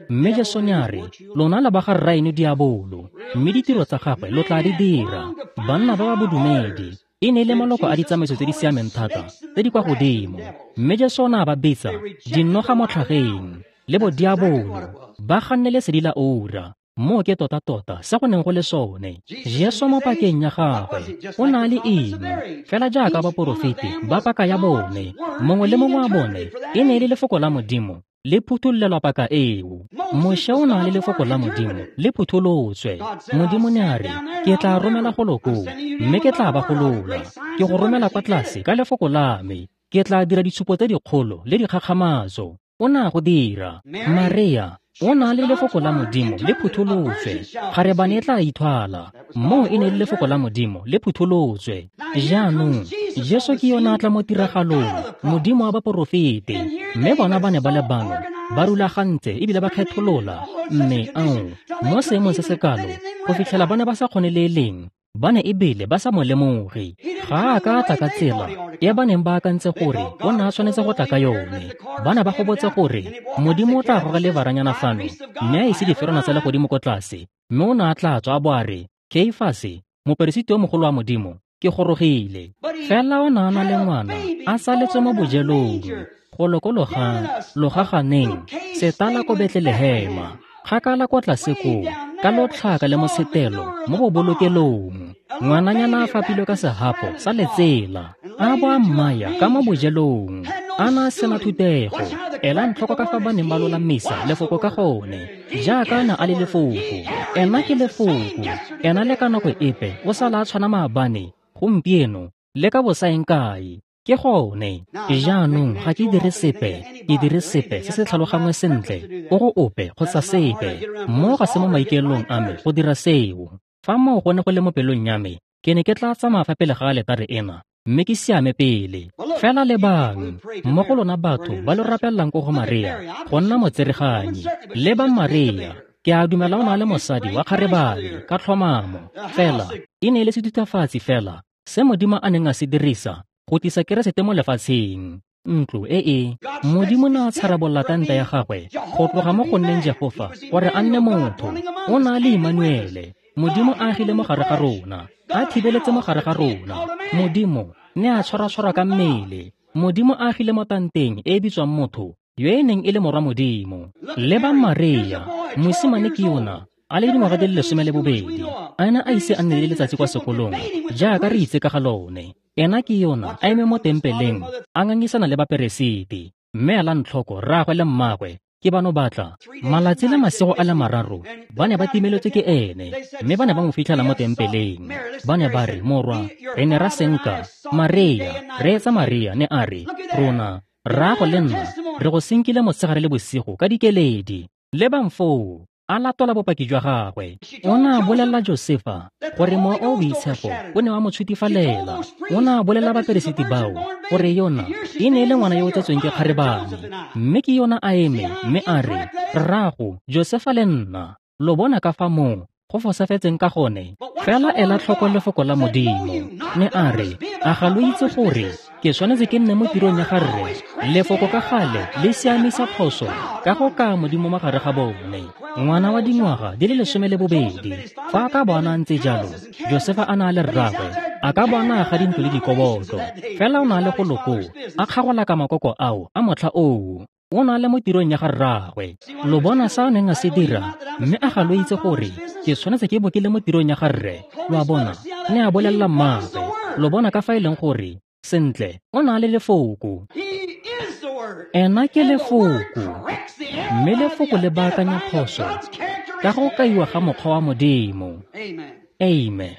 Mme Jesu ne a re, lona le ba ga rraeno diabolo, mme ditiro tsa gagwe lo tla di dira. Banna ba ba bodumedi e ne e le maloko a ditsamaiso tse di siameng thata tse di kwa godimo. Mme Jesu o ne a ba bitsa dinoga mo tlhageng le bodiabolo, ba ganne lesedi la oura. Moo ke tota-tota se go neng go le sone. Jesu mo pakeng ya gagwe o na le eng? Fela jaaka baporofeti ba paka ya bone, mongwe le mongwe wa bone e ne e le lefoko la Modimo le phuthololelwa paka eo. Moshe o na le lefoko la Modimo le phutholotswe. Modimo ne a re, ke tla romela golo koo, mme ke tla ba golola. Ke go romela kwa tlase ka lefoko la me. Ke tla dira ditshupo tse dikgolo le dikgakgamatso. O ne a go dira. Maria o na le lefoko la Modimo le phutholotswe. Kgarebane e tla ithwala. Moo e ne le lefoko la Modimo le phutholotswe. Jaanong Jesu ke yona a tla mo tiragalong, Modimo wa baporofeti. Mme bona ba ne ba le bano, ba rulagantse ebile ba kgetholola, mme ao mo seemong se se kalo go fitlhela ba ne ba sa kgone le e leng, ba ne ebile ba sa mo lemoge. Ga a ka a tla ka tsela e ba neng ba akantse gore o ne a tshwanetse go tla ka yone. Ba ne ba gobotse gore Modimo o tla goga levaranyana fano mme a ise diferwana tsa legodimo ko tlase, mme o ne a tla tswa a bo a re, Keifase, moperesiti yo mogolo wa Modimo, ke gorogile. Fela o ne a na le ngwana a saletswe mo bojelong, go lokologa logaganeng setala ko Betlelehema, kgakala kwa tlase koo, ka lotlhaka le mosetelo mo bobolokelong. Ngwananyana a fapilwe ka sehapo sa letsela, a bo a mmaya ka mo bojelong, a na a sena thutego. Elang tlhoko ka fa ba neng ba lolamisa lefoko ka gone, jaaka a na a le lefoko. Ena ke lefoko, ena le ka nako epe o sala a tshwana maabane, gompieno, le ka bosaeng kae. Ke gone. Jaanong ga ke dire sepe, ke dire sepe se se tlhalogangwe sentle ko go ope kgotsa sepe. Mo ga se mo maikaelelong a me go dira seo. Fa moo go ne go le mo pelong ya me, Ke ne ke tla tsamaya fa pele ga aletare ena mme ke siame pele. Fela lebang, mo go lona batho ba lo rapelelang ko go Maria go nna motsereganyi. Lebang Maria, ke a dumela o na le mosadi wa kgarebane ka tlhomamo. Fela e ne e le sethutafatsi fela se Modimo a neng a se dirisa go tlisa Keresete mo lefatsheng. Ntlo e e Modimo ne a tsharabolola tanta ya gagwe go tloga mo go nneng Jehofa gore a nne motho. O na le Emmanuele, Modimo a agile mo gare ga rona, a thibeletse mo gare ga rona. Modimo ne a tshwara-tshwara ka mmele. Modimo a agile mo tanteng e e bitswang motho, yo e neng e le morwa Modimo. Lebang Maria, mosimane ke yona, a le dingwaga di le lesome le bobedi, a ena a ise a nne le letsatsi kwa sekolong jaaka re itse ka ga lone. Ena ke yona a eme mo tempeleng a ngangisana le baperesiti. Mme elang tlhoko rraagwe le mmagwe ke bano batla malatsi le masigo a le mararo ba ne ba timeletswe ke ene, mme ba ne ba mo fitlhela mo tempeleng. Ba ne ba re, morwa, re ne ra senka Maria. Reetsa Maria ne a re, rona rraago le nna re go senkile motshegare le bosigo ka dikeledi. Lebang foo, a latola bopaki jwa gagwe. O ne a bolelela Josefa gore Mowa o o Boitshepo o ne wa mo tshutifalela. O ne a bolelela baperesiti bao gore yona e ne e le ngwana yo o tsetsweng ke kgarebane, mme ke yona a eme mme a re, rraago Josefa le nna, lo bona ka fa moo go fosafetseng ka gone. Fela ela tlhoko lefoko la Modimo. Ne a re, a ga lo itse gore ke tshwanetse ke nne mo tirong ya ga rre? Lefoko ka gale le siamisa phoso ka go kaya Modimo mo gare ga bone. Ngwana wa dingwaga di le lesome le bobedi, fa a ka bona a ntse jalo, Josefa a na le rraagwe, a ka bona a ga dintlo le dikoboto. Fela o na le go loko a kgagola ka makoko ao a motlha oo. O na le mo tirong ya ga rraagwe. Lo bona sa a neng a se dira, mme a ga lo itse gore ke tshwanetse ke bo ke le mo tirong ya ga rre. Lo a bona, ne a bolelela mmaagwe. Lo bona ka fa e leng gore sentle o na le lefoko. Ena ke lefoko, mme lefoko le baakanya phoso ka go kaiwa ga mokgwa wa Modimo. Amen.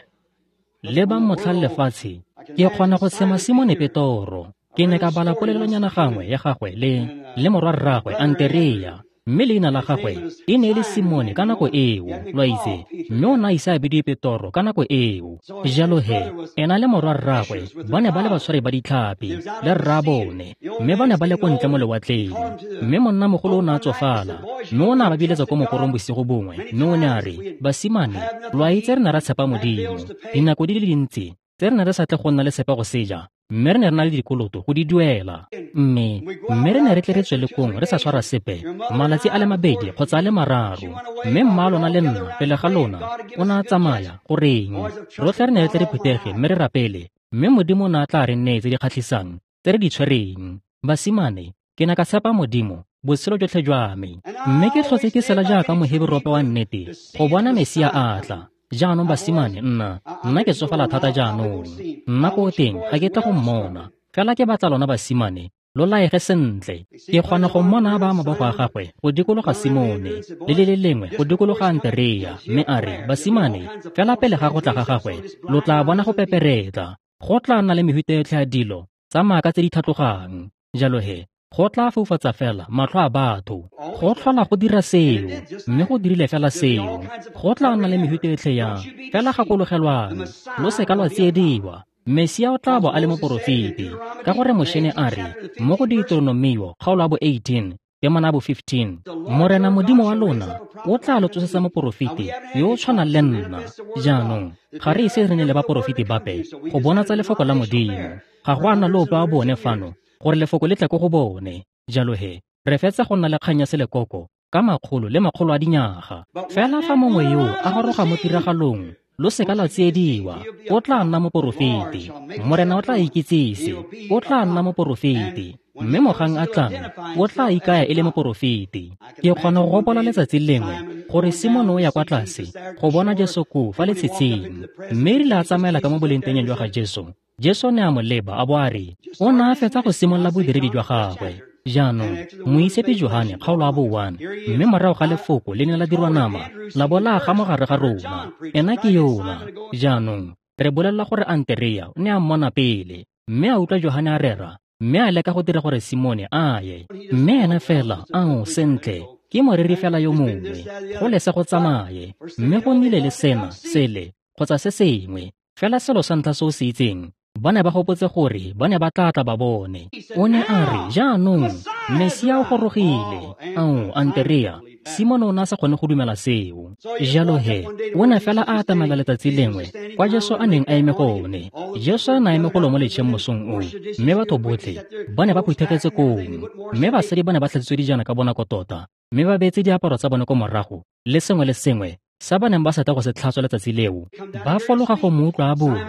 Lebang motlhang lefatshe, ke kgona go tshema Simone Petoro. Ke ne ka bala polelonyana gangwe ya gagwe le le morwa rraagwe Anterea, mme leina la gagwe e ne e le Simone ka nako eo, lo a itse, mme o ne a ise a bidiwe Petoro ka nako eo. Jalo he, ena le morwa rraagwe ba ne ba le batshwari ba ditlhapi le rraabone, mme ba ne ba le ko ntle mo lewatleng. Mme monnamogolo o ne a tsofala, mme o ne a ba biletsa ko mokorong bosigo bongwe, mme o ne a re, basimane, lo a itse re ne ra tshepa Modimo dinako di le dintsi tse re ne re sa tle go nna le tshepa go seja, mme re ne re na le dikoloto go di duela. Mme mme re ne re tle re tswele kong re sa tshwara sepe malatsi a le mabedi kgotsa a le mararo. Mme mma lona le nna pele ga lona o ne a tsamaya. Goreng, rotlhe re ne re tle re phuthege mme re rapele, mme Modimo o ne a tla re nnee tse di kgatlhisang tse re di tshwereng. Basimane, ke ne ka tshepa Modimo botshelo jotlhe jwa me, mme ke tlhotse ke sela jaaka Moheberope wa nnete go bona Mesia a tla. Jaanong basimane, nna nna ke tsofala thata jaanong. Nna ko teng ga ke tla go mmona, fela ke batla lona basimane lo laege sentle. Ke kgona go mmona a baya mabogo a gagwe go dikologa Simone le le le lengwe go dikologa Anterea, mme a re, basimane, fela pele ga go tla ga gagwe lo tla bona go peperetla. Go tla nna le mehuta yotlhe ya dilo tsa maaka tse di tlhatlogang. Jalo he, go tla foufatsa fela matlho a batho. Go tlhola go dira seo, mme go dirile fela seo. Go tla nna le mehuta yotlhe ya fela gakologelwang, lo seka lwa tsiediwa. Mesia o tla bo a le moporofeti, ka gore Moshe ne a re mo go Deuteronomio kgaolo ya bo eighteen temana ya bo fifteen, Morena Modimo wa lona o tla lo tsosetsa moporofeti yo o tshwanang le nna. Jaanong ga re ise re ne le baporofeti bape go bonatsa lefoko la Modimo. Ga go a nna le ope wa bone fano gore lefoko le tle ko go bone. Jalo he, re fetsa go nna le kgang ya selekoko ka makgolo le makgolo a dinyaga. Fela fa mongwe yo a goroga mo tiragalong, lo seka la tsiediwa, o tla nna moporofeti. Morena o tla ikitsise, o tla nna moporofeti. Mme mogang a tlang, o tla ikaya e le moporofeti. Ke kgona go gopola letsatsi lengwe gore Simone o ya kwa tlase go bona Jesu koo fa letshitshing, mme erile a tsamaela ka mo bolengtengeng jwa ga Jesu, Jesu ne a mo leba a bo a re, o ne a fetsa go simolola bodiredi jwa gagwe. Jaanong, Moitshepi Johane kgaolo ya bo one, mme morago ga lefoko le ne la dirwa nama, la bo la aga mo gare ga rona. Ena ke yona. Jaanong, re bolelela gore Anterea o ne a mmona pele, mme a utlwa Johane a rera, mme a leka go dira gore Simone a ye. Mme ena fela, ao sentle, ke moreri fela yo mongwe, go lese go tsamaye, mme go nnile le sena, sele, kgotsa se sengwe. Fela selo sa ntlha se o se itseng, ba ne ba gopotse gore ba ne ba tla tla ba bone. O ne a re, jaanong, Mesia o gorogile. Ao, Anterea, Simone o ne a sa kgone go dumela seo. Jalo he, o ne fela a atamela letsatsi lengwe kwa Jesu a neng a eme gone. Jesu a ne a eme golo mo letšheng mosong oo, mme batho botlhe ba ne ba phuthegetse koo. Mme basadi ba ne ba tlhatswitswe dijana ka bonako tota, mme ba beetse diaparo tsa bone ko morago le sengwe le sengwe sa ba neng ba sa tla go se tlhatswa letsatsi leo. Ba fologa go mo utlwa a bua.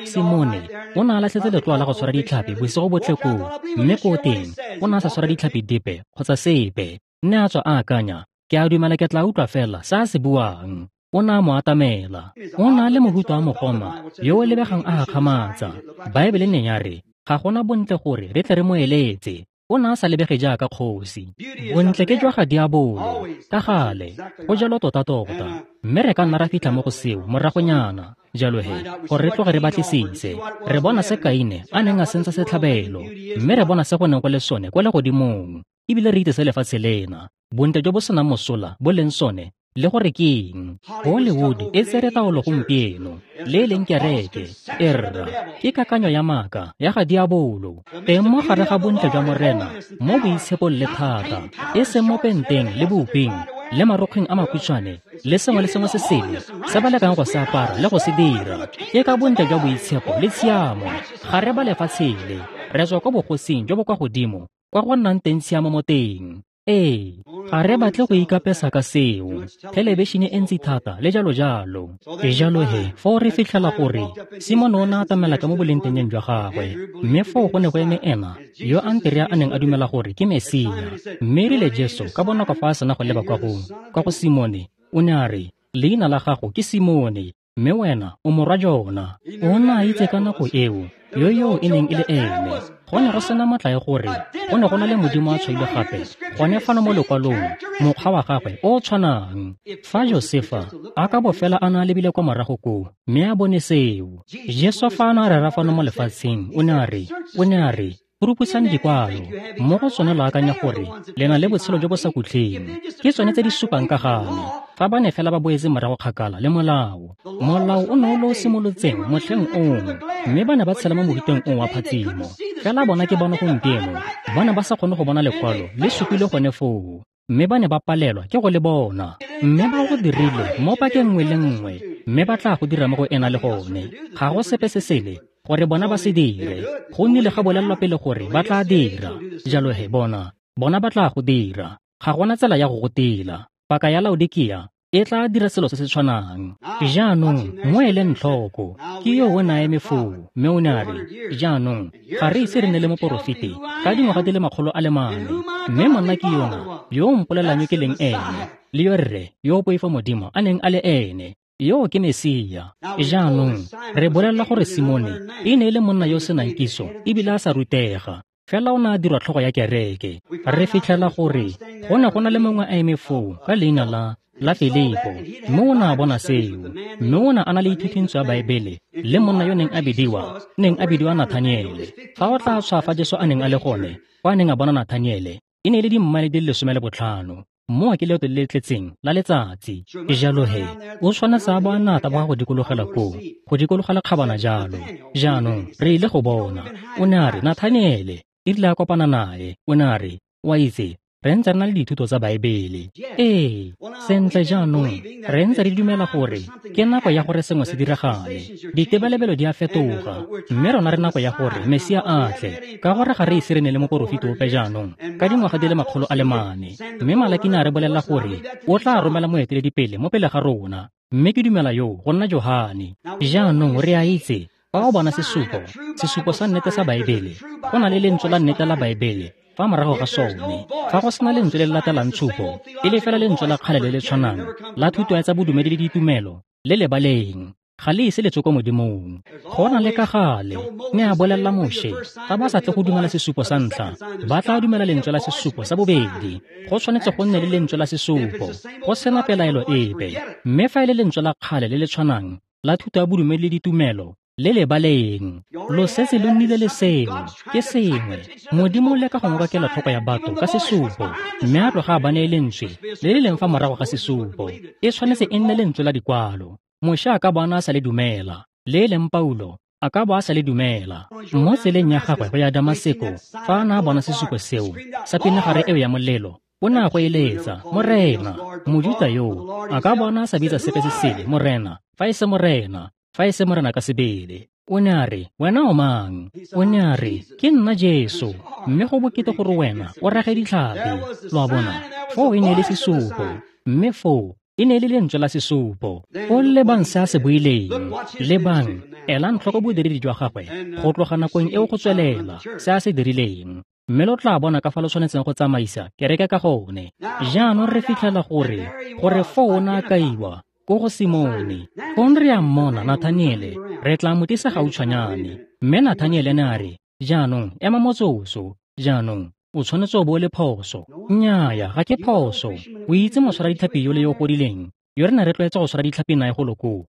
Simone o ne a latlhetse letloa la go tshwara ditlhapi bosigo botlhe koo, mme koo teng o ne a sa tshwara ditlhapi dipe kgotsa sepe. Nne a tswa a akanya, ke a dumela ke tla utlwa fela se a se buang. O ne a mo atamela. O ne a le mohuta wa mogoma yo o lebegang a gakgamatsa. Baebele ne ya re, ga gona bontle gore re tle re mo eletse. O ne a sa lebege jaaka kgosi. Bontle ke jwa ga diabolo, ka gale, go jalo tota-tota. Mme re ka nna ra fitlha mo go seo moragonyana. Jalo he, gore re tloge re batlisise, re bona se Kaine a neng a sentse setlhabelo, mme re bona se go neng go le sone kwa legodimong, ebile re itse se lefatshe lena, bontle jo bo senang mosola bo leng sone, le gore ke eng. Hollywood e tsere taolo gompieno, le e leng kereke, e rra, ke kakanyo ya maaka ya ga diabolo. Teng mo gare ga bontle jwa Morena, mo boitshepong le thata, e seng mo penteng le boping, le marokgweng a makhutshwane, le sengwe le sengwe se sele se ba lekang go se apara le go se dira. Ke ka bontle jwa boitshepo le tshiamo. Ga re ba lefatshe le, re tswa kwa bogosing jo bo kwa godimo, kwa go nnang teng tshiamo mo teng. Ee, ga re batle go ikapesa ka seo, thelebišene e ntsi thata le jalo jalo. Jalo he, foo re fitlhela gore Simone o ne a atamela ka mo bolengtengeng jwa gagwe, mme foo go ne go eme ena yo Anterea a neng a dumela gore ke Mesia. Mme erile Jesu ka bonako fa a sena go leba kwa go kwa go Simone, o ne a re, leina la gago ke Simone, mme wena o morwa Jona. O ne a itse ka nako eo yo yo e neng e le ene. Go ne go sena matla ya gore go ne go na le Modimo a tshwailwe gape gone fano mo lekwalong, mokgwa wa gagwe o o tshwanang. Fa Josefa a ka bo fela a ne a lebile kwa morago koo mme a bone seo. Jesu fa a ne a rera fano mo lefatsheng, o ne a re, o ne a re, rupusang dikwalo, mo go tsone lo akanya gore le na le botshelo jo bo sa khutleng. Ke tsone tse di supang ka ga me. Fa ba ne fela ba boetse morago kgakala le molao, molao o ne o le o simolotseng motlheng ono, mme ba ne ba tshela mo mohuteng oo wa phatsimo. Fela bona ke bona gompieno, ba ne ba sa kgone go bona lekwalo le supile gone foo, mme ba ne ba palelwa ke go le bona. Mme ba go dirile mo pakeng nngwe le nngwe, mme ba tla go dira mo go ena le gone. Ga go sepe se sele gore bona ba se dire, go nnile ga bolelelwa pele gore ba tla dira. Jalo he bona, bona ba tla go dira. Ga gona tsela ya go go tila. Paka ya Laodikia e tla dira selo se se tshwanang. Jaanong mo eleng tlhoko, ke yo o ne a eme foo, mme o ne a re, jaanong ga re ise re ne le moporofeti ka dingwaga di le makgolo a le mane, mme monna ke yona yo o mpolelang yo ke leng ene, le yo rre yo o poifa Modimo a neng a le ene. Yo ke Mesia. Jaanong re bolelela gore Simone e ne e le monna yo o senang kitso ebile a sa rutega, fela o ne a dirwa tlhogo ya kereke. Re fitlhela gore go ne go na le mongwe a eme foo ka leina la la Filipo, mme o ne a bona seo, mme o ne a na le ithutintso ya Baebele le monna yo neng a bidiwa neng a bidiwa Nathaniele. Fa o tla tshwa fa Jesu a neng a le gone, kwa a neng a bona Nathaniele, e ne e le dimmaele di le lesome le botlhano. Mo ke leeto le le tletseng la letsatsi. Jalo he, o tshwanetse a bo a ne a taboga go dikologela koo, go dikologela kgabana jalo. Jaanong re ile go bona. O ne a re, Nathaniele, e rile a kopana nae, o ne a re, wa itse, re ntse re na le dithuto tsa Baebele. Ee, sentle jaanong, re ntse re dumela gore ke nako ya gore sengwe se diragale. Ditebelebelo di a fetoga, mme rona re nako ya gore Mesia a tle, ka gore ga re ise re ne le moporofeti ope jaanong ka dingwaga di le makgolo a le mane. Mme Malaki ne a re bolelela gore o tla romela moeteledipele mo pele ga rona, mme ke dumela yo go nna Johane. Jaanong re a itse, fa o bona sesupo, sesupo sa nnete sa Baebele, go na le lentswe la nnete la Baebele fa morago ga sone. Fa go sena lentswe le le latelang tshupo, e le fela lentswe la kgale le le tshwanang la thuto ya tsa bodumedi le ditumelo le lebaleng, ga le ise le tswe ko Modimong. Go na le ka gale, mme a bolelela Moshe, fa ba sa tle go dumela sesupo sa ntlha, ba tla dumela lentswe la sesupo sa bobedi. Go tshwanetse go nne le lentswe la sesupo, go sena pelaelo epe. Mme fa e le lentswe la kgale le le tshwanang la thuto ya bodumedi le ditumelo le lebaleng, lo setse lo nnile le seo, ke sengwe. Modimo o leka go ngoka kelotlhoko ya batho ka sesupo, mme a tloga a ba neye lentswe le le leng fa morago ga sesupo. E tshwanetse e nne lentswe la dikwalo. Moshe a ka bona a sa le dumela, Le e leng Paulo a ka bo a sa le dumela. Mo tseleng ya gagwe go ya Damaseko, fa a ne a bona sesupo seo sa pinagare eo ya molelo, o ne a go eletsa, Morena. Mojuta yoo a ka bona a sa bitsa sepe se sele Morena, fa e se Morena, fa e se Morena ka sebele. O ne a re, wena o mang? O ne a re, ke nna Jesu, mme go bokete gore wena o rage ditlhapi. Lo a bona, foo e ne e le sesupo, mme foo e ne e le lentswe la sesupo. O lebang se a se buileng, lebang, elang tlhoko bodiredi jwa gagwe go tloga nakong eo go tswelela, se a se dirileng. Mme lo tla bona ka fa lo tshwanetseng go tsamaisa kereke ka gone. Jaanong re fitlhela gore, gore foo o ne a kaiwa ko go Simone. Fong re a mmona Nathaniele, re tla mo tlisa gautshwanyane. Mme Nathaniele ne a re, jaanong ema motsotso, jaanong o tshwanetse o bo o le phoso. Nnyaya, ga ke phoso. O itse motshwara ditlhapi yole yo o godileng, yo re ne re tlwaetse go tshwara ditlhapi nae golo koo.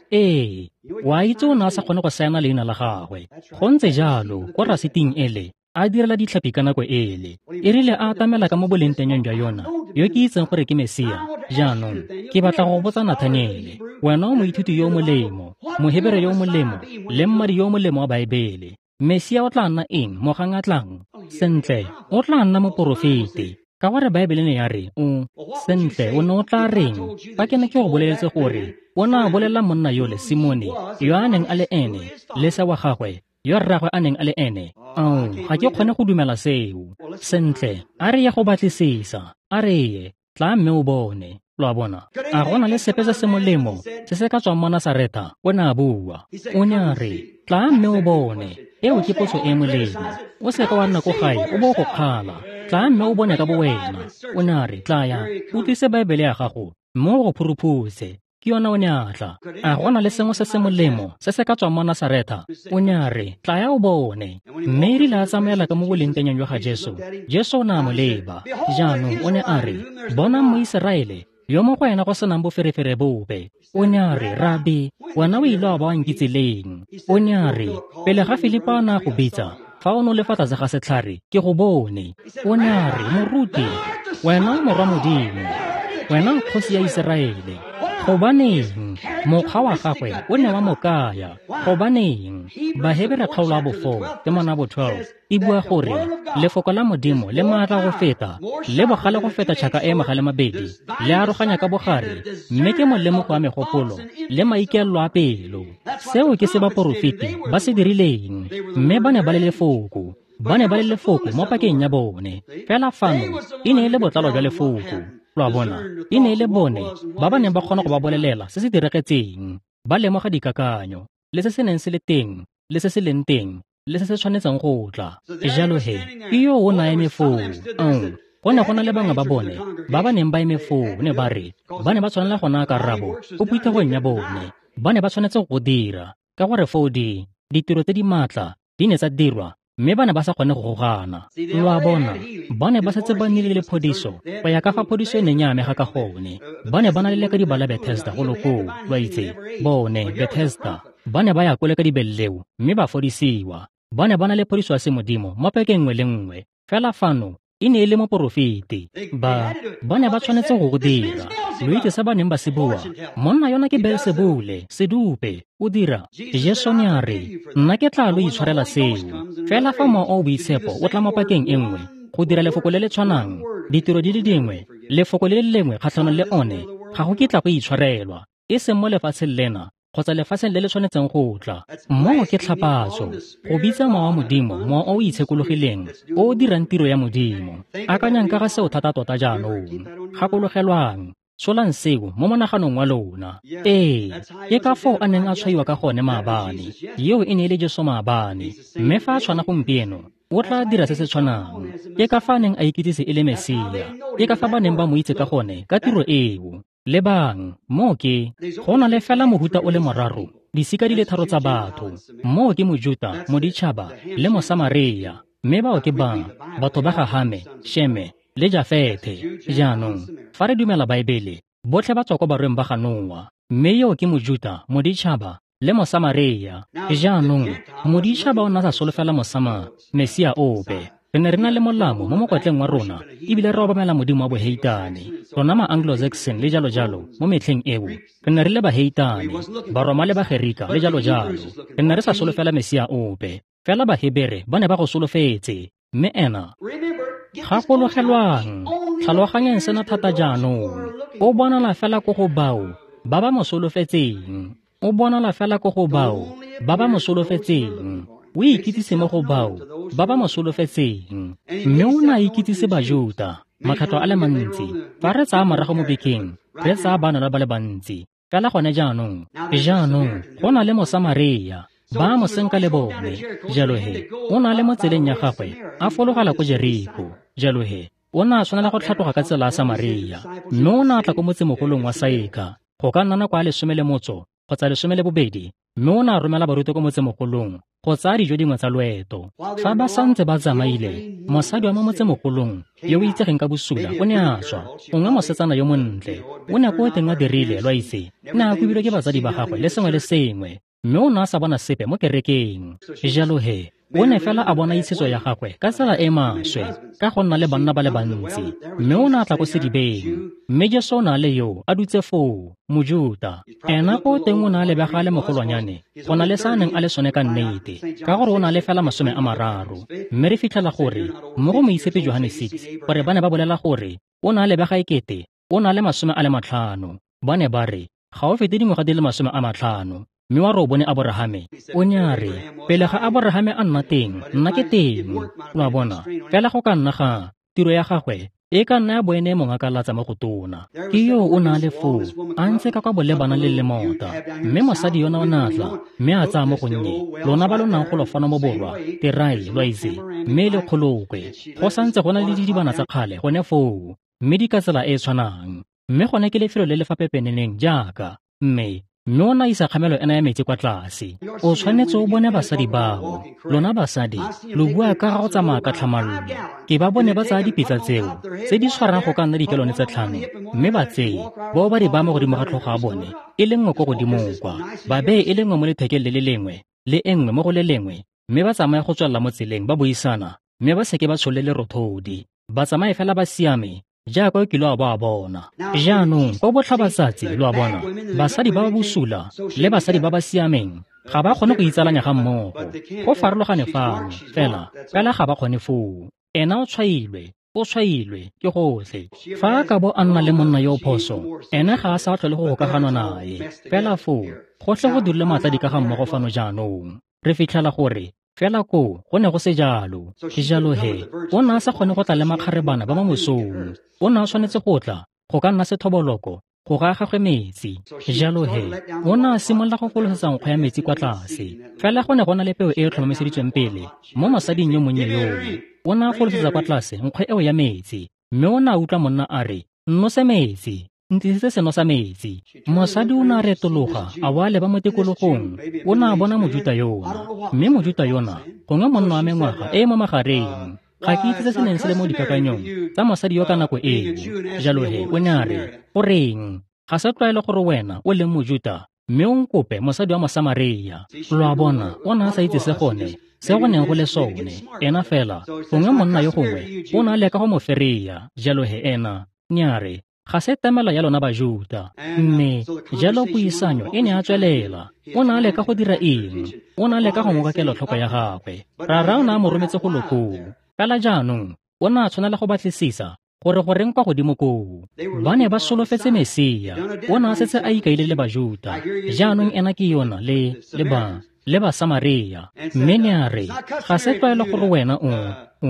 Ee, wa itse o ne a sa kgone go saena leina la gagwe. Go ntse jalo, ko rasiting ele, a direla ditlhapi ka nako ele. E rile a atamela ka mo bolengtengeng jwa yona, yo ke itseng gore ke Mesia. Jaanong, ke batla go botsa Nathaniele, wena o moithuti yo o molemo, Mohebere yo o molemo, le mmadi yo o molemo wa Baebele. Mesia o tla nna eng mogang a tlang? Sentle, o tla nna moporofeti. Ka gore Baebele ne ya re, o sentle, o ne o tla reng? Fa ke ne ke go boleletse gore o ne a bolelela monna yole Simone, yo a neng a le ene, lesa wa gagwe, yo rragwe a neng a le ene. Ao, ga ke kgone go dumela seo. Sentle, a re ye go batlisisa, a re ye, tla mme o bone. Lo a bona, a go na le sepe se se molemo se se ka tswang mo Nasaretha? O ne a bua. O ne a re, tla mme o bone. Eo ke potso e molemo. O seka wa nna ko gae o bo go kgala. Tla mme o bone ka bo wena. O ne a re, tlaya, o tlise Baebele ya gago mme o go phuruphutse. Ke yona o ne a tla. A go na le sengwe se se molemo se se ka tswang mo Nasaretha? O ne a re, tlaya o bone. Mme e rile a tsamaela ka mo bolengtengeng jwa ga Jesu, Jesu o ne a mo leba. Jaanong o ne a re, bonang Moiseraele yo mo go ena go senang boferefere bope. O ne a re, Rabi, wena o ile wa ba wa nkitse leng? O ne a re, pele ga Filipo a ne a go bitsa, fa o ne o le fa tlase ga setlhare, ke go bone. O ne a re, moruti, wena o morwa Modimo, wena o kgosi ya Iseraele. Gobaneng? Mokgwa wa gagwe o ne wa mo kaya. Gobaneng? Bahebere kgaolo ya bo four, temana bo twelve, e bua gore lefoko la Modimo le maatla go feta, le bogale go feta tšhaka e magale mabedi, le aroganya ka bogare, mme ke molemogo wa megopolo le maikaelelo a pelo. Seo ke se baporofeti ba se dirileng, mme ba ne ba le lefoko. Ba ne ba le lefoko mo pakeng ya bone. Fela fano e ne e le botlalo jwa lefoko. Lo a bona, e ne e le bone ba ba neng ba kgona go ba bolelela se se diragetseng, ba lemoga dikakanyo, le se se neng se le teng, le se se leng teng, le se se tshwanetseng go tla. Jalo he, ke yo o ne a eme foo. Ao, go ne go na le bangwe ba bone ba ba neng ba eme foo, ne ba re, ba ne ba tshwanela go naya karabo ko phuthegong ya bone. Ba ne ba tshwanetse go dira, ka gore foo di ditiro tse di maatla di ne tsa dirwa, mme ba ne ba sa kgone go gogana. Lo a bona, ba ne ba setse ba nnile le phodiso go ya ka fa phodiso e neng ya amega ka gone. Ba ne ba na le lekadiba la Bethesda golo koo, lo a itse, bone Bethesda. Ba ne ba ya kole ka dibeleleo mme ba fodisiwa. Ba ne ba na le phodiso ya semodimo mo pakeng nngwe le nngwe. Fela fano e ne e le moporofeti. Ba ba ne ba tshwanetse go go dira. Lo itse se ba neng ba se bua, monna yona ke Beelsebule, sedupe, o dira. Jesu ne a re, nna ke tla lo itshwarela seo. Fela fa Mowa o o Boitshepo o tla mo pakeng e nngwe go dira lefoko le le tshwanang, ditiro di le dingwe, lefoko le le lengwe kgatlhanong le one, ga go kitla go itshwarelwa, e seng mo lefatsheng lena kgotsa lefatsheng le le tshwanetseng go tla. Moo ke tlhapatso, go bitsa Mowa wa Modimo, Mowa o o itshekologileng, o o dirang tiro ya Modimo. Akanyang ka ga seo thata tota jaanong. Gakologelwang, tsholang seo mo monaganong wa lona. Ee, ke ka foo a neng a tshwaiwa ka gone maabane. Eo e ne e le Jesu maabane, mme fa a tshwana gompieno, o tla dira se se tshwanang. Ke ka fa a neng a ikitsise e le Mesia. Ke ka fa ba neng ba mo itse ka gone ka tiro eo. Lebang, moo ke, go na le fela mohuta o le moraro, disika di le tharo tsa batho. Moo ke Mojuta, Moditšhaba, le Mosamaria. Mme bao ke ba, batho ba ga Hame, Sheme, le Jafethe. Jaanong, fa re dumela Baebele, botlhe ba tswa ko barweng ba ga Noa. Mme yo ke Mojuta, Moditšhaba, le Mosamaria. Jaanong, Moditšhaba o ne a sa solofela Mosama, Mesia ope. Re ne re na le molamo mo mokwatleng wa rona ebile re obamela modimo wa boheitane. Rona ma-Anglo-Saxon le jalo-jalo mo metlheng eo re ne re le baheitane, Baroma le Bagerika le jalo-jalo. Re ne re sa solofela Mesia ope, fela Bahebere ba ne ba go solofetse. Mme ena, gakologelwang, tlhaloganyang sena thata jaanong. O bonala fela ko go bao ba ba mo solofetseng. O bonala fela ko go bao ba ba mo solofetseng. O ikitsise mo go bao ba ba mo solofetseng. Mme o ne a ikitsise Bajuta makgetlo a le mantsi. Fa re tsaya morago mo bekeng, re tsaya bana ba le bantsi. Fela gone jaanong, jaanong go na le Mosamaria, ba mo senka le bone. Jalo he, o na le mo tseleng ya gagwe a fologela ko Jeriko. Jalo he, o ne a tshwanela go tlhatloga ka tsela ya Samaria, mme o ne a tla ko motsemogolong wa Saeka go ka nna nako ya lesome le motso kgotsa lesome le bobedi, mme o ne a romela barutwa ko motsemogolong go tsaya dijo dingwe tsa loeto. Fa ba santse ba tsamaile, mosadi wa mo motsemogolong yo o itsegeng ka bosula o ne a tswa, gongwe mosetsana yo montle. O ne ko teng a dirile, lo a itse, ne a kobilwe ke batsadi ba gagwe le sengwe le sengwe, mme o ne a sa bona sepe mo kerekeng. Jalo he, o ne fela a bona itshetso ya gagwe ka tsela e maswe ka go nna le banna ba le bantsi, mme o ne a tla ko sedibeng. Mme Jesu o ne a le yo a dutse foo, Mojuta. Ena ko teng o ne a lebega a le mogolwanyane go na le sa a neng a le sone ka nnete, ka gore o ne a le fela masome a mararo. Mme re fitlhela gore mo go Moitshepi Johane six gore ba ne ba bolela gore o ne a lebega ekete o ne a le masome a le matlhano. Ba ne ba re ga o fete dingwaga di le masome a matlhano. Mme wa re o bone Aborahame. O ne a re, pele ga Aborahame a nna teng, nna ke teng. Lo a bona, fela go ka nna ga tiro ya gagwe e ka nna ya bo ene mongakalatsa mo go tona. Ke yo o ne a le foo, a ntse ka kwa bolebana le lemota. Mme mosadi yona o ne a tla, mme a tsaya mo gonnye. Lona ba lo nang go lo fano mo borwa, terai, lo a itse, mme le kgolokwe. Go santse go na le didibana tsa kgale gone foo, mme di ka tsela e e tshwanang. Mme gone ke lefelo le le fa pepeneneng jaaka, mme mme o ne a isa kgamelo ena ya metsi kwa tlase. O tshwanetse o bone basadi bao. Lona basadi, lo bua ka ga go tsamaya ka tlhamallo. Ke ba bone ba tsaya dipitsa tseo tse di tshwarang go ka nna dikelone tse tlhano, mme ba tseye bao ba di baya mo godimo ga tlhogo ya bone, e le nngwe ko godimo kwa, ba beye e le nngwe mo lethekeng le le lengwe le e nngwe mo go le lengwe, mme ba tsamaye go tswelela mo tseleng ba buisana, mme ba seke ba tsholole lerothodi. Ba tsamaye fela ba siame jaaka o kile wa ba bona. Jaanong ko botlhabatsatsi, lo a bona, basadi ba ba bosula le basadi ba ba siameng ga ba kgone go itsalanya ga mmogo. Go farologane fano, fela fela ga ba kgone foo. Ena o tshwailwe, o tshwailwe ke gotlhe. Fa a ka bo a nna le monna yo o phoso, ene ga a sa tlhole go gokaganwa nae. Fela foo, gotlhe go dirile matladi ka ga mmogo fano jaanong. Re fitlhela gore fela koo go ne go se jalo. Jalo he, o ne a sa kgone go tla le makgarebana ba mo mosong. O ne a tshwanetse go tla go ka nna sethoboloko go ga gagwe metsi. Jalo he, o ne a simolola go folosetsa nkgo ya metsi kwa tlase. Fela go ne go na le peo e e tlhomamiseditsweng pele mo mosading yo monnye yoo. O ne a folosetsa kwa tlase nkgo eo ya metsi, mme o ne a utlwa monna a re, "Nnose metsi, ntlisetse seno sa metsi." Mosadi o ne a retologa a bo a leba mo tikologong. O ne a bona Mojuta yona, mme Mojuta yona gongwe monna wa mengwaga e e mo magareng. Ga ke itse se se neng se le mo dikakanyong tsa mosadi yo ka nako eo. Jalo he, o ne a re, "Goreng, ga se tlwaelo gore wena o leng Mojuta mme o nkope mosadi wa Mosamaria." Lo a bona, o ne a sa itse se gone se go neng go le sone. Ena fela gongwe monna yo gongwe o ne a leka go mo fereya. Jalo he ena ne a re, ga se temelo ya lona Bajuta. Mme jalo puisanyo e ne a tswelela. O ne a leka go dira eng? O ne a leka go ngoka kelotlhoko ya gagwe. Rara o ne a mo rometse go lokoo. Fela jaanong o ne a tshwanela go batlisisa gore goreng kwa godimo koo. Ba ne ba solofetse Mesia. O ne a setse a ikaile le Bajuta. Jaanong ena ke yona le le ba le Basamaria. Mme ne a re, ga se tlwaelo gore wena o o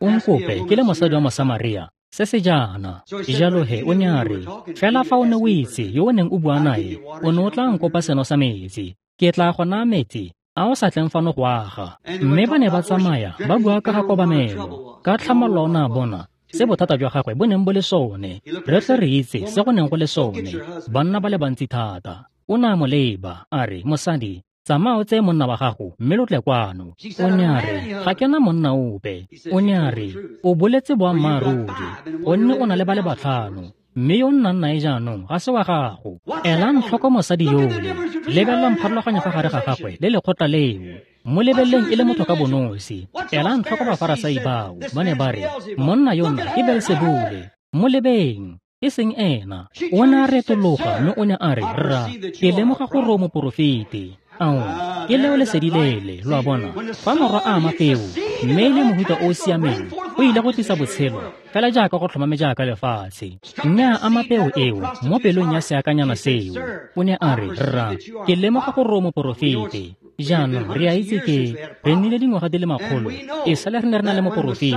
o nkope ke le mosadi wa Mosamaria se se jaana. Jalo he o ne a re, fela fa o ne o itse yo o neng o bua nae, o ne o tla nkopa seno sa metsi. Ke tla go naya metsi a o sa tleng fano go aga. Mme ba ne ba tsamaya ba bua ka ga kobamelo. Ka tlhamallo o ne a bona se bothata jwa gagwe bo neng bo le sone. Re tle re itse se go neng go le sone. Banna ba le bantsi thata. O ne a mo leba a re, "Mosadi, tsamaya o tseye monna wa gago mme lo tle kwano." O ne a re, "Ga ke na monna ope." O ne a re, "O boletse boammaaruri, gonne o na le ba le batlhano, mme yo o nnang nae jaanong ga se wa gago." Elang tlhoko mosadi yole. Lebelelang pharologanyo fa gare ga gagwe le lekgotla leo. Mo lebeleleng e le motho ka bonosi. Elang tlhoko Bafarasai bao, ba ne ba re, monna yona ke Beelsebule. Mo lebeng, e seng ena. O ne a retologa mme o ne a re, rra, ke lemoga gore o moporofeti. Ao, ke leo lesedi lele, lo a bona. Fa morwa a ama peo, mme e le mohuta o o siameng, o ile go tlisa botshelo, fela jaaka go tlhomame jaaka lefatshe. Mme a ama peo eo mo pelong ya seakanyana seo. O ne a re, rra, ke lemoga gore o moporofeti. Jaanong re a itse ke re nnile dingwaga di le makgolo e sale re ne re na le moporofeti,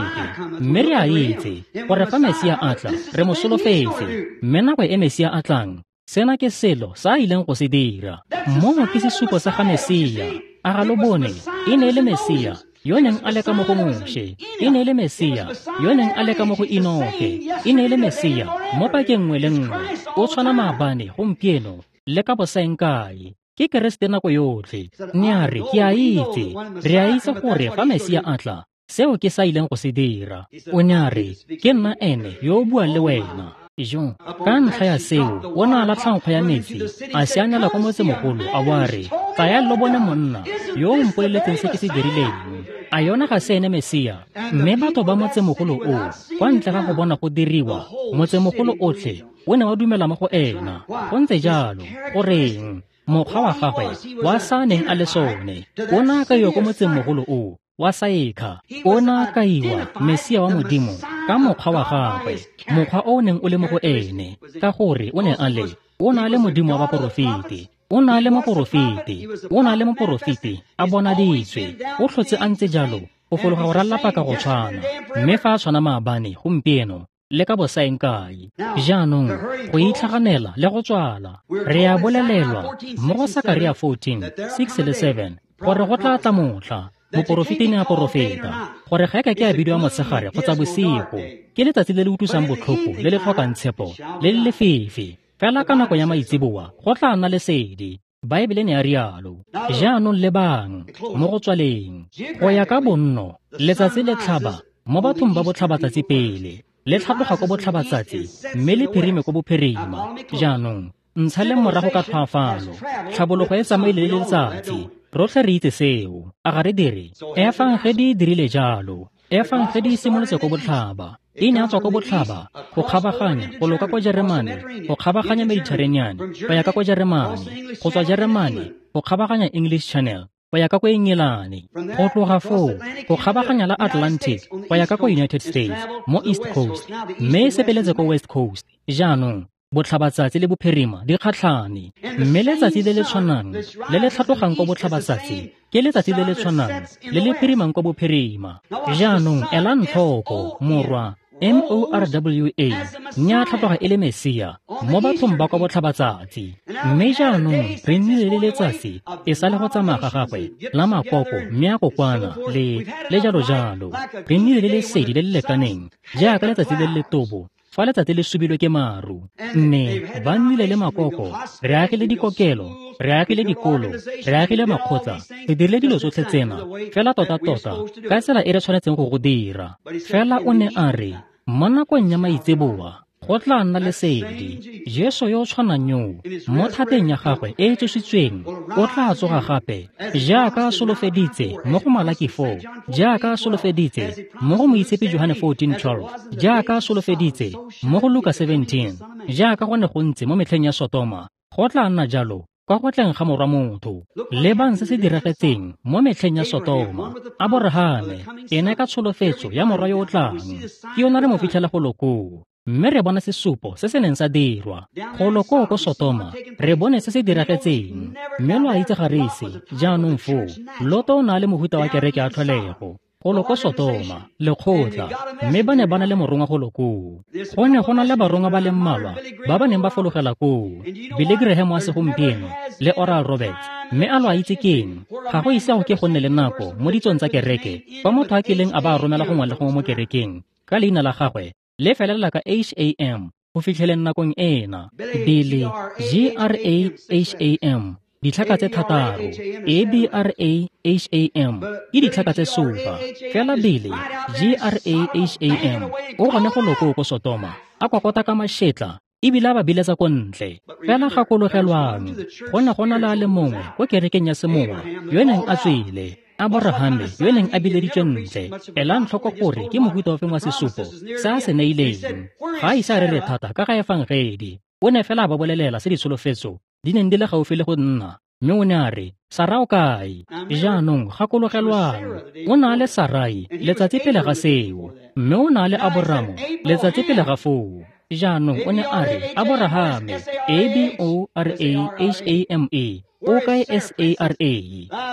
mme re a itse gore fa Mesia a tla re mo solofetse, mme nako e Mesia a tlang, sena ke selo sa a ileng go se dira. Moo ke sesupo sa ga Mesia. A ga lo bone? E ne e le Mesia yo neng a le ka mo go Moshe, e ne e le Mesia yo neng a le ka mo go Enoke, e ne e le Mesia mo pakeng nngwe le nngwe. O tshwana maabane, gompieno le ka bosaeng kae. Ke Keresete nako yotlhe. Ne a re, ke a itse, re a itse gore fa Mesia a tla, seo ke sa ileng go se dira. O ne a re, ke nna ene yo o buang le wena. Jo, ka ntlha ya seo, o ne a latlha nkgo ya metsi, a sianela kwa motsemogolo, a bo a re, tsaya lo bone monna yo o mpoleletseng se ke se dirileng. A yona ga se ene Mesia? Mme batho ba motsemogolo o, kwa ntle ga go bona go diriwa, motsemogolo otlhe o ne wa dumela mo go ena. Go ntse jalo, goreng? Mokgwa wa gagwe wa sa neng a le sone, o ne a kaiwa ko motsemogolo o wa Saekha. O ne a kaiwa Mesia wa Modimo ka mokgwa wa gagwe, mokgwa o o neng o le mo go ene, ka gore o ne a le, o ne a le Modimo wa baporofeti. O ne a le moporofeti, o ne a le moporofeti a bonaditswe. O tlhotse a ntse jalo go fologa go ralala paka go tshwana, mme fa a tshwana maabane, gompieno le ka bosaeng kae. Jaanong go itlhaganela le go tswala, re a bolelelwa mo go Sakaria fourteen, six le seven gore go tla tla motlha moporofeti ne a porofeta gore ga e ka ke a bidiwa motshegare kgotsa bosigo, ke letsatsi le le utlwisang botlhoko le le tlhokang tshepo le le lefefe. Fela ka nako ya maitseboa go tla nna lesedi. Baebele ne a rialo. Jaanong lebang mo go tswaleng go ya ka bonno, letsatsi le tlhaba mo bathong ba botlhabatsatsi pele, le tlhatloga ko botlhabatsatsi mme le phirime ko bophirima. Jaanong ntsha le morago ka tlhoafalo, tlhabologo e tsamaile le letsatsi. Rotlhe re itse seo, a ga re dire? Efangedi e dirile jalo. Efangedi e simolotse ko botlhaba, e ne a tswa ko botlhaba go kgabaganya go loka ko Jeremane, go kgabaganya Mediterranean go ya ka ko Jeremane, go tswa Jeremane go kgabaganya English Channel go ya ka ko Engelane, go tloga foo go kgabaganya la Atlantic go ya ka ko United States mo East Coast, mme e sepeletse ko West Coast. Jaanong botlhabatsatsi le bophirima di kgatlhane, mme letsatsi le le tshwanang le le tlhatlogang ko botlhabatsatsi ke letsatsi le le tshwanang le le phirimang ko bophirima. Jaanong elang tlhoko morwa M O R W A ne a tlhatloga e le Mesia mo bathong ba kwa botlhabatsatsi. Mme jaanong re nnile le letsatsi e sa le go tsamaya ga gagwe la makoko mme a kokwana le le jalo jalo. Re nnile le lesedi le le lekaneng jaaka letsatsi le le letobo fa letsatsi le subilwe ke maru. Mme ba nnile le makoko, re agile dikokelo, re agile dikolo, re agile makgotla, re dirile dilo tsotlhe tsena fela tota-tota ka tsela e re tshwanetseng go go dira. Fela o ne a re, mo nakong ya maitseboa go tla nna lesedi. Jesu yo o tshwanang yoo mo thateng ya gagwe e e tsositsweng o tla tsoga gape, jaaka a solofeditse mo go Malaki four, jaaka a solofeditse mo go Moitshepi Johane fourteen twelve, jaaka a solofeditse mo go Luka seventeen, jaaka go ne go ntse mo metlheng ya Sotoma, go tla nna jalo kwa go tleng ga morwa motho. Lebang se se diragetseng mo metlheng ya Sotoma. Aborahame ene ka tsholofetso ya morwa yo o tlang, ke yona re mo fitlhela go lokoo. Mme re bona sesupo se se neng sa dirwa go loko ko Sotoma, re bone se se diragetseng. Mme lo a itse ga re ise jaanong foo Loto o na le mohuta wa kereke ya tlholego go loko Sotoma, lekgotla, mme ba ne ba na le morongwa go lokoo. Go ne go na le barongwa ba le mmalwa ba ba neng ba fologela koo, Billy Graham wa segompieno le Oral Roberts. Mme a lo a itse keng? Ga go ise go ke go nne le nako mo ditsong tsa kereke fa motho a kileng a ba romela gongwe le gongwe mo kerekeng ka leina la gagwe le felela ka H A M go fitlheleng nakong ena. Billy G R A H A M, ditlhaka tse thataro, A B R A H A M ke ditlhaka tse supa. Fela Billy G R A H A M o gone go loko ko Sotoma, a kokota ka mašetla ebile a ba biletsa ko ntle. Fela gakologelwang, go ne go na le a le mongwe ko kerekeng ya semowa yo neng a tswile, Aborahame yo neng a bileditswe ntle, elang tlhoko gore ke mohuta ofe wa sesupo se a se neileng. Ga a ise a rere thata ka ga efangedi, o ne fela a ba bolelela se ditsholofetso di neng di le gaufi le go nna, mme o ne a re, Sara o kae? Jaanong gakologelwang, o ne a le Sarai letsatsi pele ga seo, mme o ne a le Aboramo letsatsi pele ga foo. Jaanong o ne a re, Aborahame, A B O R A H A M E, o kae S A R A,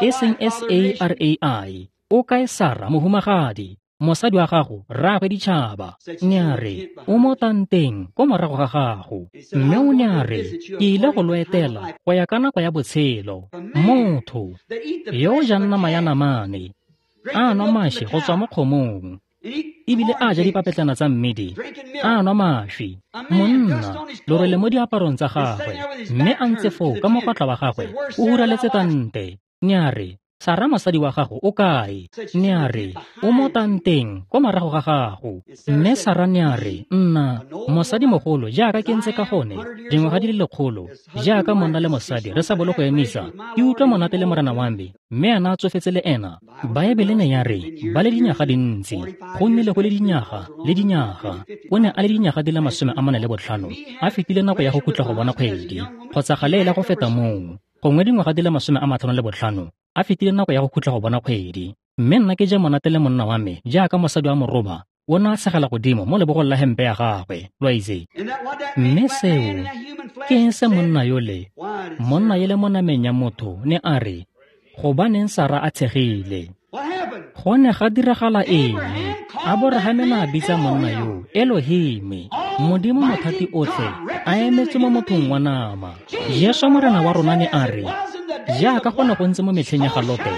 e seng S A R A I, o kae Sara mohumagadi, mosadi wa gago, rraagwe ditšhaba. Ne a re, o mo tanteng ko morago ga gago. Mme o ne a re, ke ile go lo etela go ya ka nako ya botshelo. Motho yo o jang nama ya namane, a nwa mašwi go tswa mo kgomong, ebile a ja dipapetlana tsa mmidi, a nwa mašwi. Monna lorole mo diaparong tsa gagwe, mme a ntse foo ka mokwatla wa gagwe o huraletse tante. Ne a re, Sara mosadi wa gago o kae? Ne a re, o mo tanteng ko morago ga gago. Mme Sara ne a re, nna mosadimogolo jaaka ke ntse ka gone dingwaga di le lekgolo, jaaka monna le mosadi re sa bolo go emisa, ke utlwa monate le morena wa me, mme ena a tsofetse le ena. Baebele ne ya re ba le dinyaga dintsi, go nnile go le dinyaga le dinyaga. O ne a le dinyaga di le masome a mane le botlhano, a fetile nako ya go khutla go bona kgwedi, kgotsa ga le ele go feta moo, gongwe dingwaga di le masome a matlhano le botlhano, a fetile nako ya go khutla go bona kgwedi. Mme nna ke ja monate le monna wa me jaaka mosadi wa moroba, o ne a tshegela godimo mo lebogong la hempe ya gagwe, lo a itse. Mme seo ke eng se monna yole, monna yele mo nameng ya motho, ne a re, gobaneng Sara a tshegile? Go ne ga diragala eng? Aborahame ne a bitsa monna yo Elohime, Modimo mothati otlhe, a emetse mo mothong wa nama. Jesu Morena wa rona ne a re, jaaka go ne go ntse mo metlheng ya ga Lote,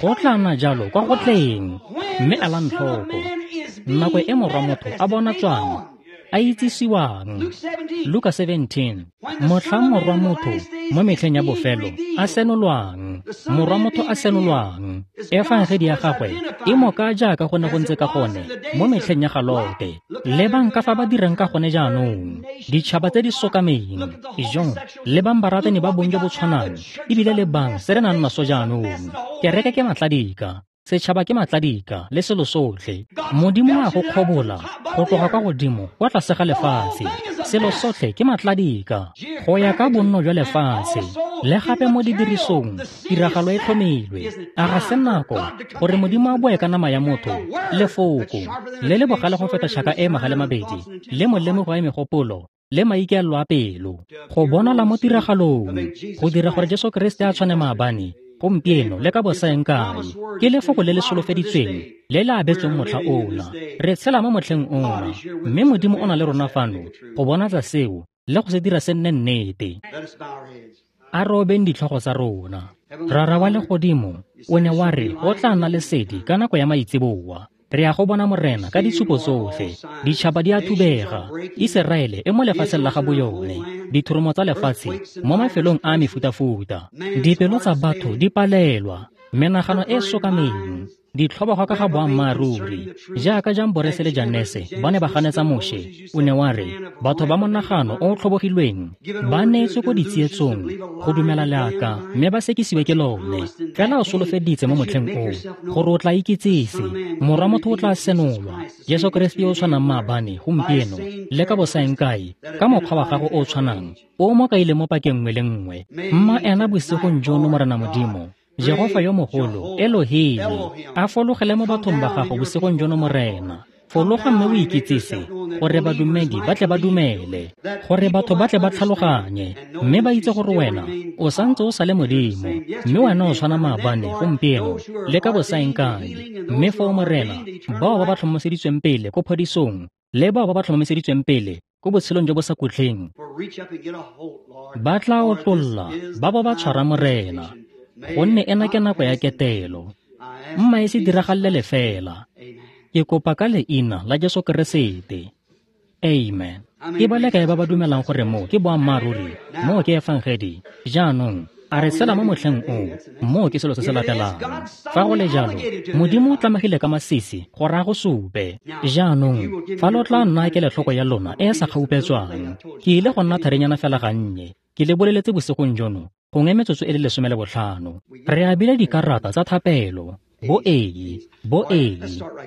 go tla nna jalo kwa go tleng. Mme elang tlhoko, nako e morwa motho a bona tswang, a itsisiwang. Luka seventeen, motlhang morwa motho mo metlheng ya bofelo a senolwang, morwa motho a senolwang, efangedi ya gagwe e mo ka jaaka go ne go ntse ka gone mo metlheng ya ga Lote. Lebang ka fa ba dirang ka gone jaanong, ditšhaba tse di sokameng, ijong, lebang baratani ba bong jo bo tshwanang, ebile lebang se re nang naso jaanong. Kereke ke matladika, setšhaba ke matladika le selo sotlhe. Modimo a go kgobola go tloga kwa godimo kwa tlase ga lefatshe. Selo sotlhe ke matladika go ya ka bonno jwa lefatshe. Le gape mo didirisong tiragalo e tlhomilwe. A ga se nako gore Modimo a boe ka nama ya motho, lefoko le le bogale go feta tšhaka e magale mabedi, le molemo go ya megopolo le maikaelelo a pelo, go bonala mo tiragalong, go dira gore Jesu Kriste a tshwane maabane, gompieno le ka bosaeng kae. Ke lefoko le le solofeditsweng le le abetsweng motlha ona. Re tshela mo motlheng ona, mme Modimo o na le rona fano go bonatsa seo le go se dira se nne nnete. A re obeng ditlhogo tsa rona. Rara wa legodimo, o ne wa re go tla nna lesedi ka nako ya maitseboa. Re ya go bona Morena ka ditshupo tsotlhe. Ditšhaba di a thubega, Iseraele e mo lefatsheng la ga boyone, dithoromo tsa lefatshe mo mafelong a mefutafuta, dipelo tsa batho di palelwa, menagano e sokameng, ditlhobogo ka ga boammaaruri. Jaaka Jamborese le Janese ba ne ba ganetsa Moshe, o ne wa re batho ba monagano o o tlhobogilweng ba neetswe ko ditsietsong go dumela leaka, mme ba sekisiwe ke lone. Fela o solofeditse mo motlheng oo gore o tla ikitsise, morwa motho o tla senolwa, Jesu Kriste yo o tshwanang maabane, gompieno le ka bosaeng kae, ka mokgwa wa gago o o tshwanang o mo kaile mo pakeng nngwe le nngwe. Mma ena bosigong jono, Morena Modimo, Jehofa yo mogolo, Elohim, a fologele mo bathong ba gago bosigong jono, Morena. Fologa mme o ikitsise gore badumedi ba tle ba dumele, gore batho ba tle ba tlhaloganye, mme ba itse gore wena o santse o sa le Modimo, mme wena o tshwana maabane, gompieno le ka bosaeng kae. Mme foo, Morena, bao ba ba tlhomoseditsweng pele ko phodisong, le bao ba ba tlhomoseditsweng pele ko botshelong jo bo sa khutleng, ba tla otlolla ba bo ba tshwara Morena, gonne ena ke nako ya ketelo. Mma e se diragalele lefela. Ke kopa ka leina la Jesu Keresete. Amen. Ke ba le kae ba ba dumelang gore mo ke boammaaruri, mo ke efangedi? Jaanong a re tshela mo motlheng o, mo ke selo se se latelang. Fa go le jalo, Modimo o tlamegile ka masisi gore a go supe. Jaanong fa lo tla nna kelotlhoko ya lona e e sa kgaupetswang, ke ile go nna tharenyana fela gannye. Ke le boleletse bosigong jono gongwe metsotso e le lesome le botlhano. Re abile dikarata tsa thapelo, bo A, bo A,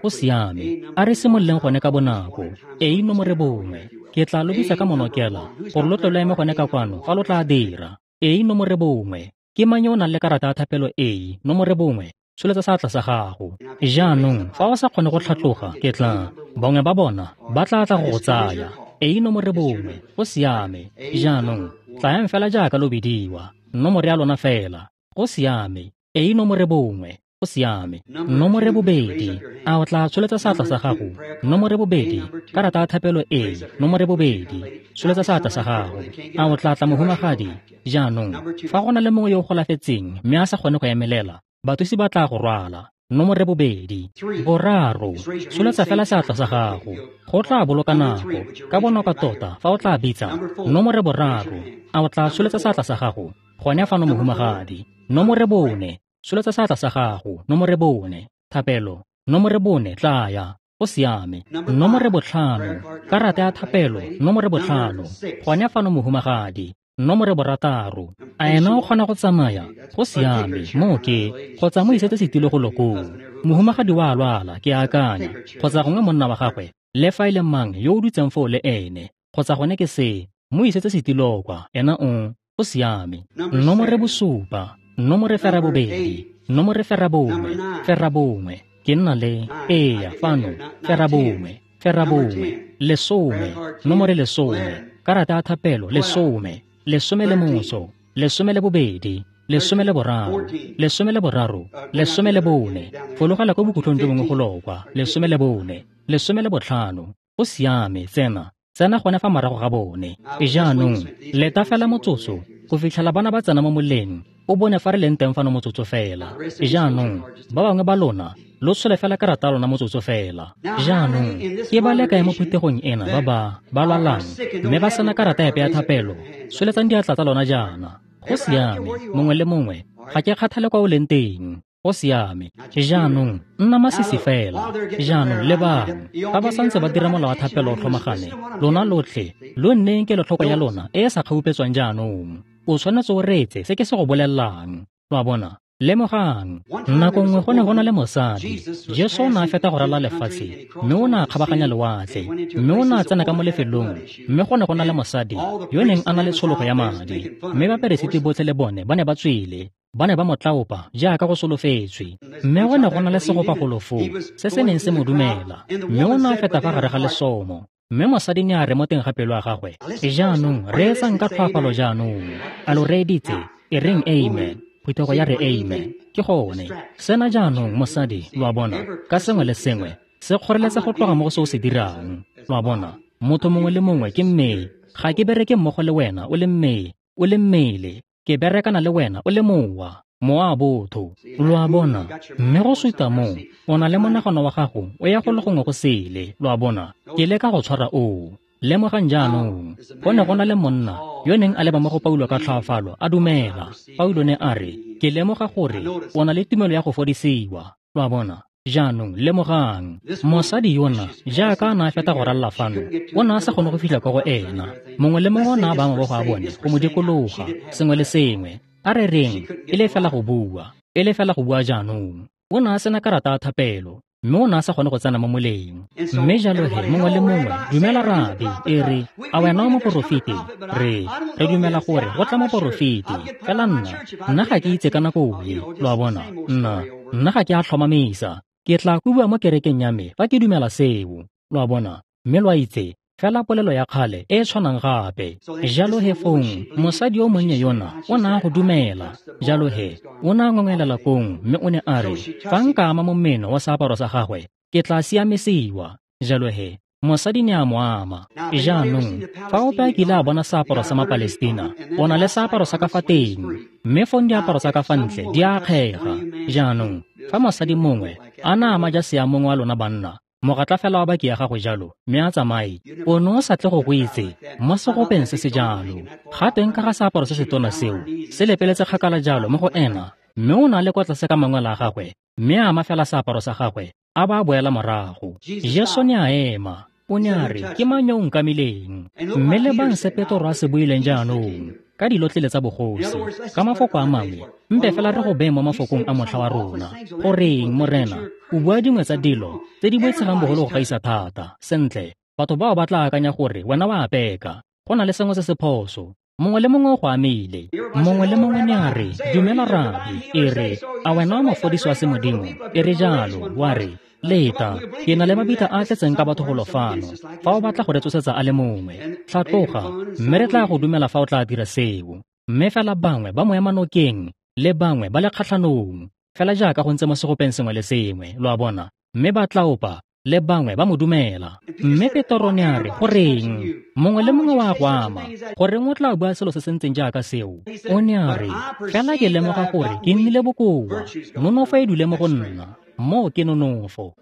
go siame. A re simololeng gone ka bonako. A nomore bongwe. Ke tla lo bitsa ka monokela gore lo tle lo eme gone ka kwano fa lo tla dira. A nomore bongwe. Ke mang yo o nang le karata ya thapelo A nomore bongwe? Tsholetsa seatla sa gago. Jaanong fa o sa kgone go tlhatloga, ke tla bangwe ba bona ba tla tla go go tsaya. A nomore bongwe, go siame. Jaanong tlayang fela jaaka lo bidiwa, nomore ya lona fela. Go siame. A nomore bongwe, go siame. Nomore bobedi, a o tla tsholetsa seatla sa gago? Nomore bobedi, karata ya thapelo A, nomore bobedi, tsholetsa seatla sa gago. A o tla tla mohumagadi? Jaanong fa go na le mongwe yo o golafetseng mme a sa kgone go emelela, bathusi ba tla go rwala. Nomore bobedi. Boraro, tsholetsa fela seatla sa gago. Go tla boloka nako, ka bonako tota fa o tla bitsa. Nomore boraro, a o tla tsholetsa seatla sa gago? Gone fano mohumagadi. Nomore bone, tsholetsa seatla sa gago. Nomore bone, thapelo. Nomore bone, tlaya. Go siame. Nomore botlhano, karata ya thapelo. Nomore botlhano, gone fano mohumagadi. Nomore borataro, a ena o kgona go tsamaya? Go siame, moo ke kgotsa mo isetse setilo go lokong. Mohumagadi wa lwala, ke akanya, kgotsa gongwe monna wa gagwe, le fa e le mang yo o dutseng foo le ene, kgotsa gone ke se, mo isetse setilo kwa, ena o, go siame. Nomore bosupa, nomore ferabobedi, nomore ferabongwe, ferabongwe, ke nna le, eya, fano, ferabongwe, ferabongwe, lesome, nomore lesome, karata ya thapelo, lesome, lesome le motso, lesome le bobedi, lesome le boraro, lesome le boraro, lesome le bone, fologela ko bokhutlong jo bongwe go lokwa, lesome le bone, lesome le botlhano. Go siame, tsena, tsena gone fa morago ga bone. Jaanong leta fela motsotso go fitlhela bana ba tsena mo moleng, o bone fa re leng teng fano motsotso fela. Jaanong ba bangwe ba lona lo tshole fela karata ya lona motsotso fela. Jaanong ke ba le kae mo phuthegong ena ba ba ba lwalang mme ba sena karata epe ya thapelo? Tsholetsang diatla tsa lona jaana. Go siame, mongwe le mongwe, ga ke kgathale kwa o leng teng. Go siame. Jaanong nna masisi fela. Jaanong lebang, fa ba santse ba dira molao wa thapelo o tlhomagane, lona lotlhe lo nneng kelotlhoko ya lona e e sa kgaupetswang jaanong. O tshwanetse o reetse se ke se go bolelelang. Lo a bona? Lemogang, nako nngwe go ne go na le mosadi. Jesu o ne a feta go ralala lefatshe, mme o ne a kgabaganya lewatle, mme o ne a tsena ka mo lefelong, mme go ne go na le mosadi yo neng a na le tshologo ya madi, mme baperesiti botlhe le bone ba ne ba tswile, ba ne ba mo tlaopa jaaka go solofetswe. Mme go ne go na le segopa golo foo se se neng se mo dumela, mme o ne a feta fa gare ga lesomo. Mme mosadi ne a re mo teng ga pelo ya gagwe, jaanong reetsang ka tlhoafalo jaanong. A lo reeditse? E reng amen. Phuthego ya re amen. Ke gone. Sena jaanong mosadi, lo a bona, ka sengwe le sengwe se kgoreletsa go tloga mo go se o se dirang. Lo a bona, motho mongwe le mongwe ke mmele. Ga ke bereke mmogo le wena o le mmele, o le mmele. Ke berekana le wena o le mowa, mowa botho. Lo a bona, mme go suta moo, o na le monagano wa gago o ya go le gongwe go sele. Lo a bona, ke leka go tshwara oo. Lemogang jaanong, go ne go na le monna yo neng a leba mo go Paulo ka tlhoafalo, a dumela. Paulo ne a re, ke lemoga gore o na le tumelo ya go fodisiwa. Lo a bona, jaanong lemogang, mosadi yona jaaka a ne a feta go ralala fano, o ne a sa kgone go fitlha kwa go ena. Mongwe le mongwe o ne a baya mabogo a bone go mo dikologa, sengwe le sengwe. A re reng, e le fela go bua, e le fela go bua jaanong. O ne a sena karata ya thapelo, mme o ne a sa kgone go tsena mo moleng. Mme jalo he, mongwe le mongwe, dumela rabi, e re, a wena o moporofeti? Re, re dumela gore go tla moporofeti. Fela nna, nna ga ke itse ka nako e, lo a bona, nna, nna ga ke a tlhomamisa. Ke tla bua mo kerekeng ya me fa ke dumela seo, lo a bona. Mme lo a itse, fela polelo ya kgale e e tshwanang gape. Jalo he fong, mosadi yo monnye yona o ne a go dumela. Jalo he, o ne a ngongelela kong, mme o ne a re, fa nka ama momeno wa seaparo sa gagwe, ke tla siamisiwa. Jalo he, mosadi ne a mo ama. Jaanong, fa ope a kile a bona seaparo sa Mapalestina, o na le seaparo sa ka fa teng, mme fong diaparo tsa ka fa ntle di a akgega. Jaanong, fa mosadi mongwe a na ama jase ya mongwe wa lona banna, mogatla fela wa baki ya gago jalo, mme a tsamaye, o ne o sa tle go go itse mo segopeng se se jalo. Ga teng ka ga seaparo se se tona seo, se lepeletse kgakala jalo mo go ena, mme o na le kwa tlase ka mangwele a gagwe, mme a ama fela seaparo sa gagwe, a ba a boela morago. Jesu ne a ema, o ne a re, ke mang yo o nkamileng? Mme lebang se Petro a se buileng jaanong. ka dilotlele tsa bogosi. Ka mafoko a mangwe, mpe fela re go beye mo mafokong a motlha wa rona. Goreng, Morena, o bua dingwe tsa dilo tse di boitshegang bogolo go gaisa thata. Sentle, batho bao ba tla akanya gore wena wa peka. Go na le sengwe se se phoso. Mongwe le mongwe o go amile. Mongwe le mongwe ne a re, dumela Rabi, e re, a wena o mofodisi wa semodimo? E re jalo, wa re, leta, ke na le mabitla a tletseng ka batho golo fano. Fa o batla go re tsosetsa a le mongwe, tlhatloga, mme re tla go dumela fa o tla dira seo. Mme fela bangwe ba mo ema nokeng, le bangwe ba le kgatlhanong, fela jaaka go ntse mo segopeng sengwe le sengwe, lo a bona, mme ba tlaopa, le bangwe ba mo dumela. Mme Petro ne a re, goreng? Mongwe le mongwe wa go ama. Goreng o tla bua selo se se ntseng jaaka seo? O ne a re, fela ke lemoga gore ke nnile bokoa. Nonofo e dule mo go nna. Moo ke nonofo.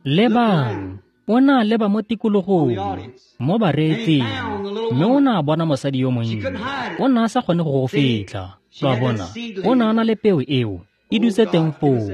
Lebang, o ne a leba mo tikologong, mo bareetsing, mme o ne a bona mosadi yo monnye. O ne a sa kgone go go fitlha. Lo a bona, o ne a na le peo eo, e dutse teng foo.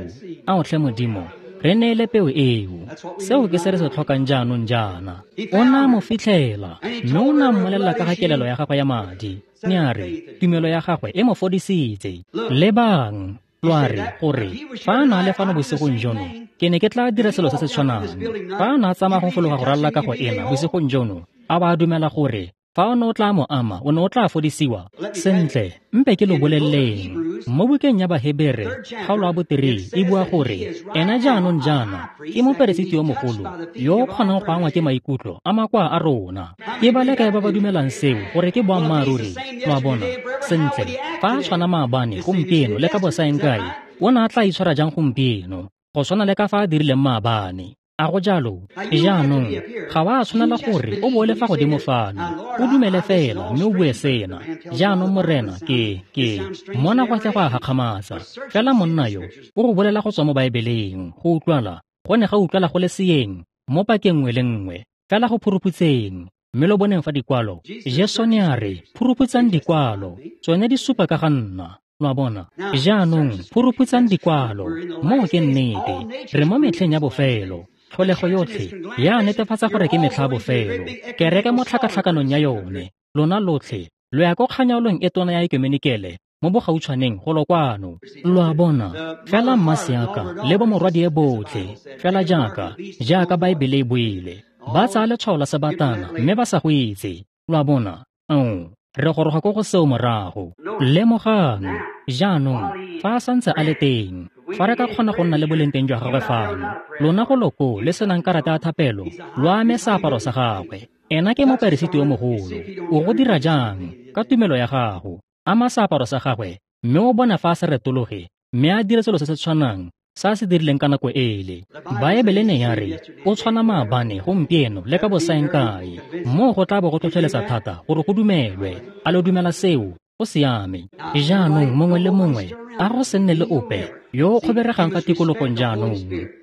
Ao tlhe Modimo, re neele peo eo. Seo ke se re se tlhokang jaanong jaana. O ne a mo fitlhela, mme o ne a mmolelela ka ga kelelo ya gagwe ya madi. Ne a re, tumelo ya gagwe e mo fodisitse. Lebang, lo a re, gore, fa a na le fano bosigong jono, ke ne ke tla dira selo se se tshwanang. Fa a na a tsamaya go fologa go ralala kago ena bosigong jono, a ba dumela gore fa o ne o tla mo ama, o ne o tla fodisiwa. Sentle, mpe ke lo boleleng. Mo bukeng ya Bahebere, kgaolo ya boterei e bua gore ena jaanong jaana ke moperesiti yo mogolo yo o kgonang go angwa ke maikutlo a makoa a rona. Ke ba le kae ba ba dumelang seo gore ke boammaaruri? Lo a bona? Sentle, fa a tshwana maabane, gompieno le ka bosaeng kae, o ne a tla itshwara jang gompieno go tshwana le ka fa a dirileng maabane? A go jalo? Jaanong, ga wa tshwanela gore o bo le fa godimo fano. O dumele fela mme o bue sena. Jaanong Morena, ke, ke, mona go tle go a gakgamatsa. Fela monna yo, o go bolela go tswa mo Baebeleng, go utlwala, go ne ga utlwala go le seeng, mo pakeng nngwe le nngwe, fela go phuruphutseng. Mme lo boneng fa dikwalo, Jesu ne a re, phuruphutsang dikwalo, tsone di supa ka ga nna. Lo a bona? Jaanong, phuruphutsang dikwalo, moo ke nnete. Re mo metlheng ya bofelo. Tlholego yotlhe ya netefatsa gore ke metlha bofelo. Kereke mo tlhakatlhakanong ya yone, lona lotlhe lo ya ko kganyaolong e tona ya ekumenikele mo bogautshwaneng golo kwano. Lo a bona? Fela mmaseaka le bomorwadie botlhe, fela jaaka jaaka Baebele e buile, ba tsaya letshwao la sebatana mme ba sa go itse. Lo a bona? Ao, re goroga ko go seo morago. Lemogang, jaanong, fa a santse a le teng, fa re ka kgona go nna le boleng teng jwa gagwe fano, lona go loko le senang karata ya thapelo, lo ame seaparo sa gagwe. Ena ke moperesiti yo mogolo. O go dira jang? Ka tumelo ya gago. Ama seaparo sa gagwe, mme o bona fa a se retologe, mme a dire selo se se tshwanang sa se dirileng ka nako ele. Baebele ne ya re, o tshwana maabane, gompieno le ka bosaeng kae. Moo go tla bo go tlhotlheletsa thata gore go dumelwe. A lo dumela seo? Go siame. Jaanong mongwe le mongwe, a go se nne le ope yo o kgoberegang fa tikologong jaanong.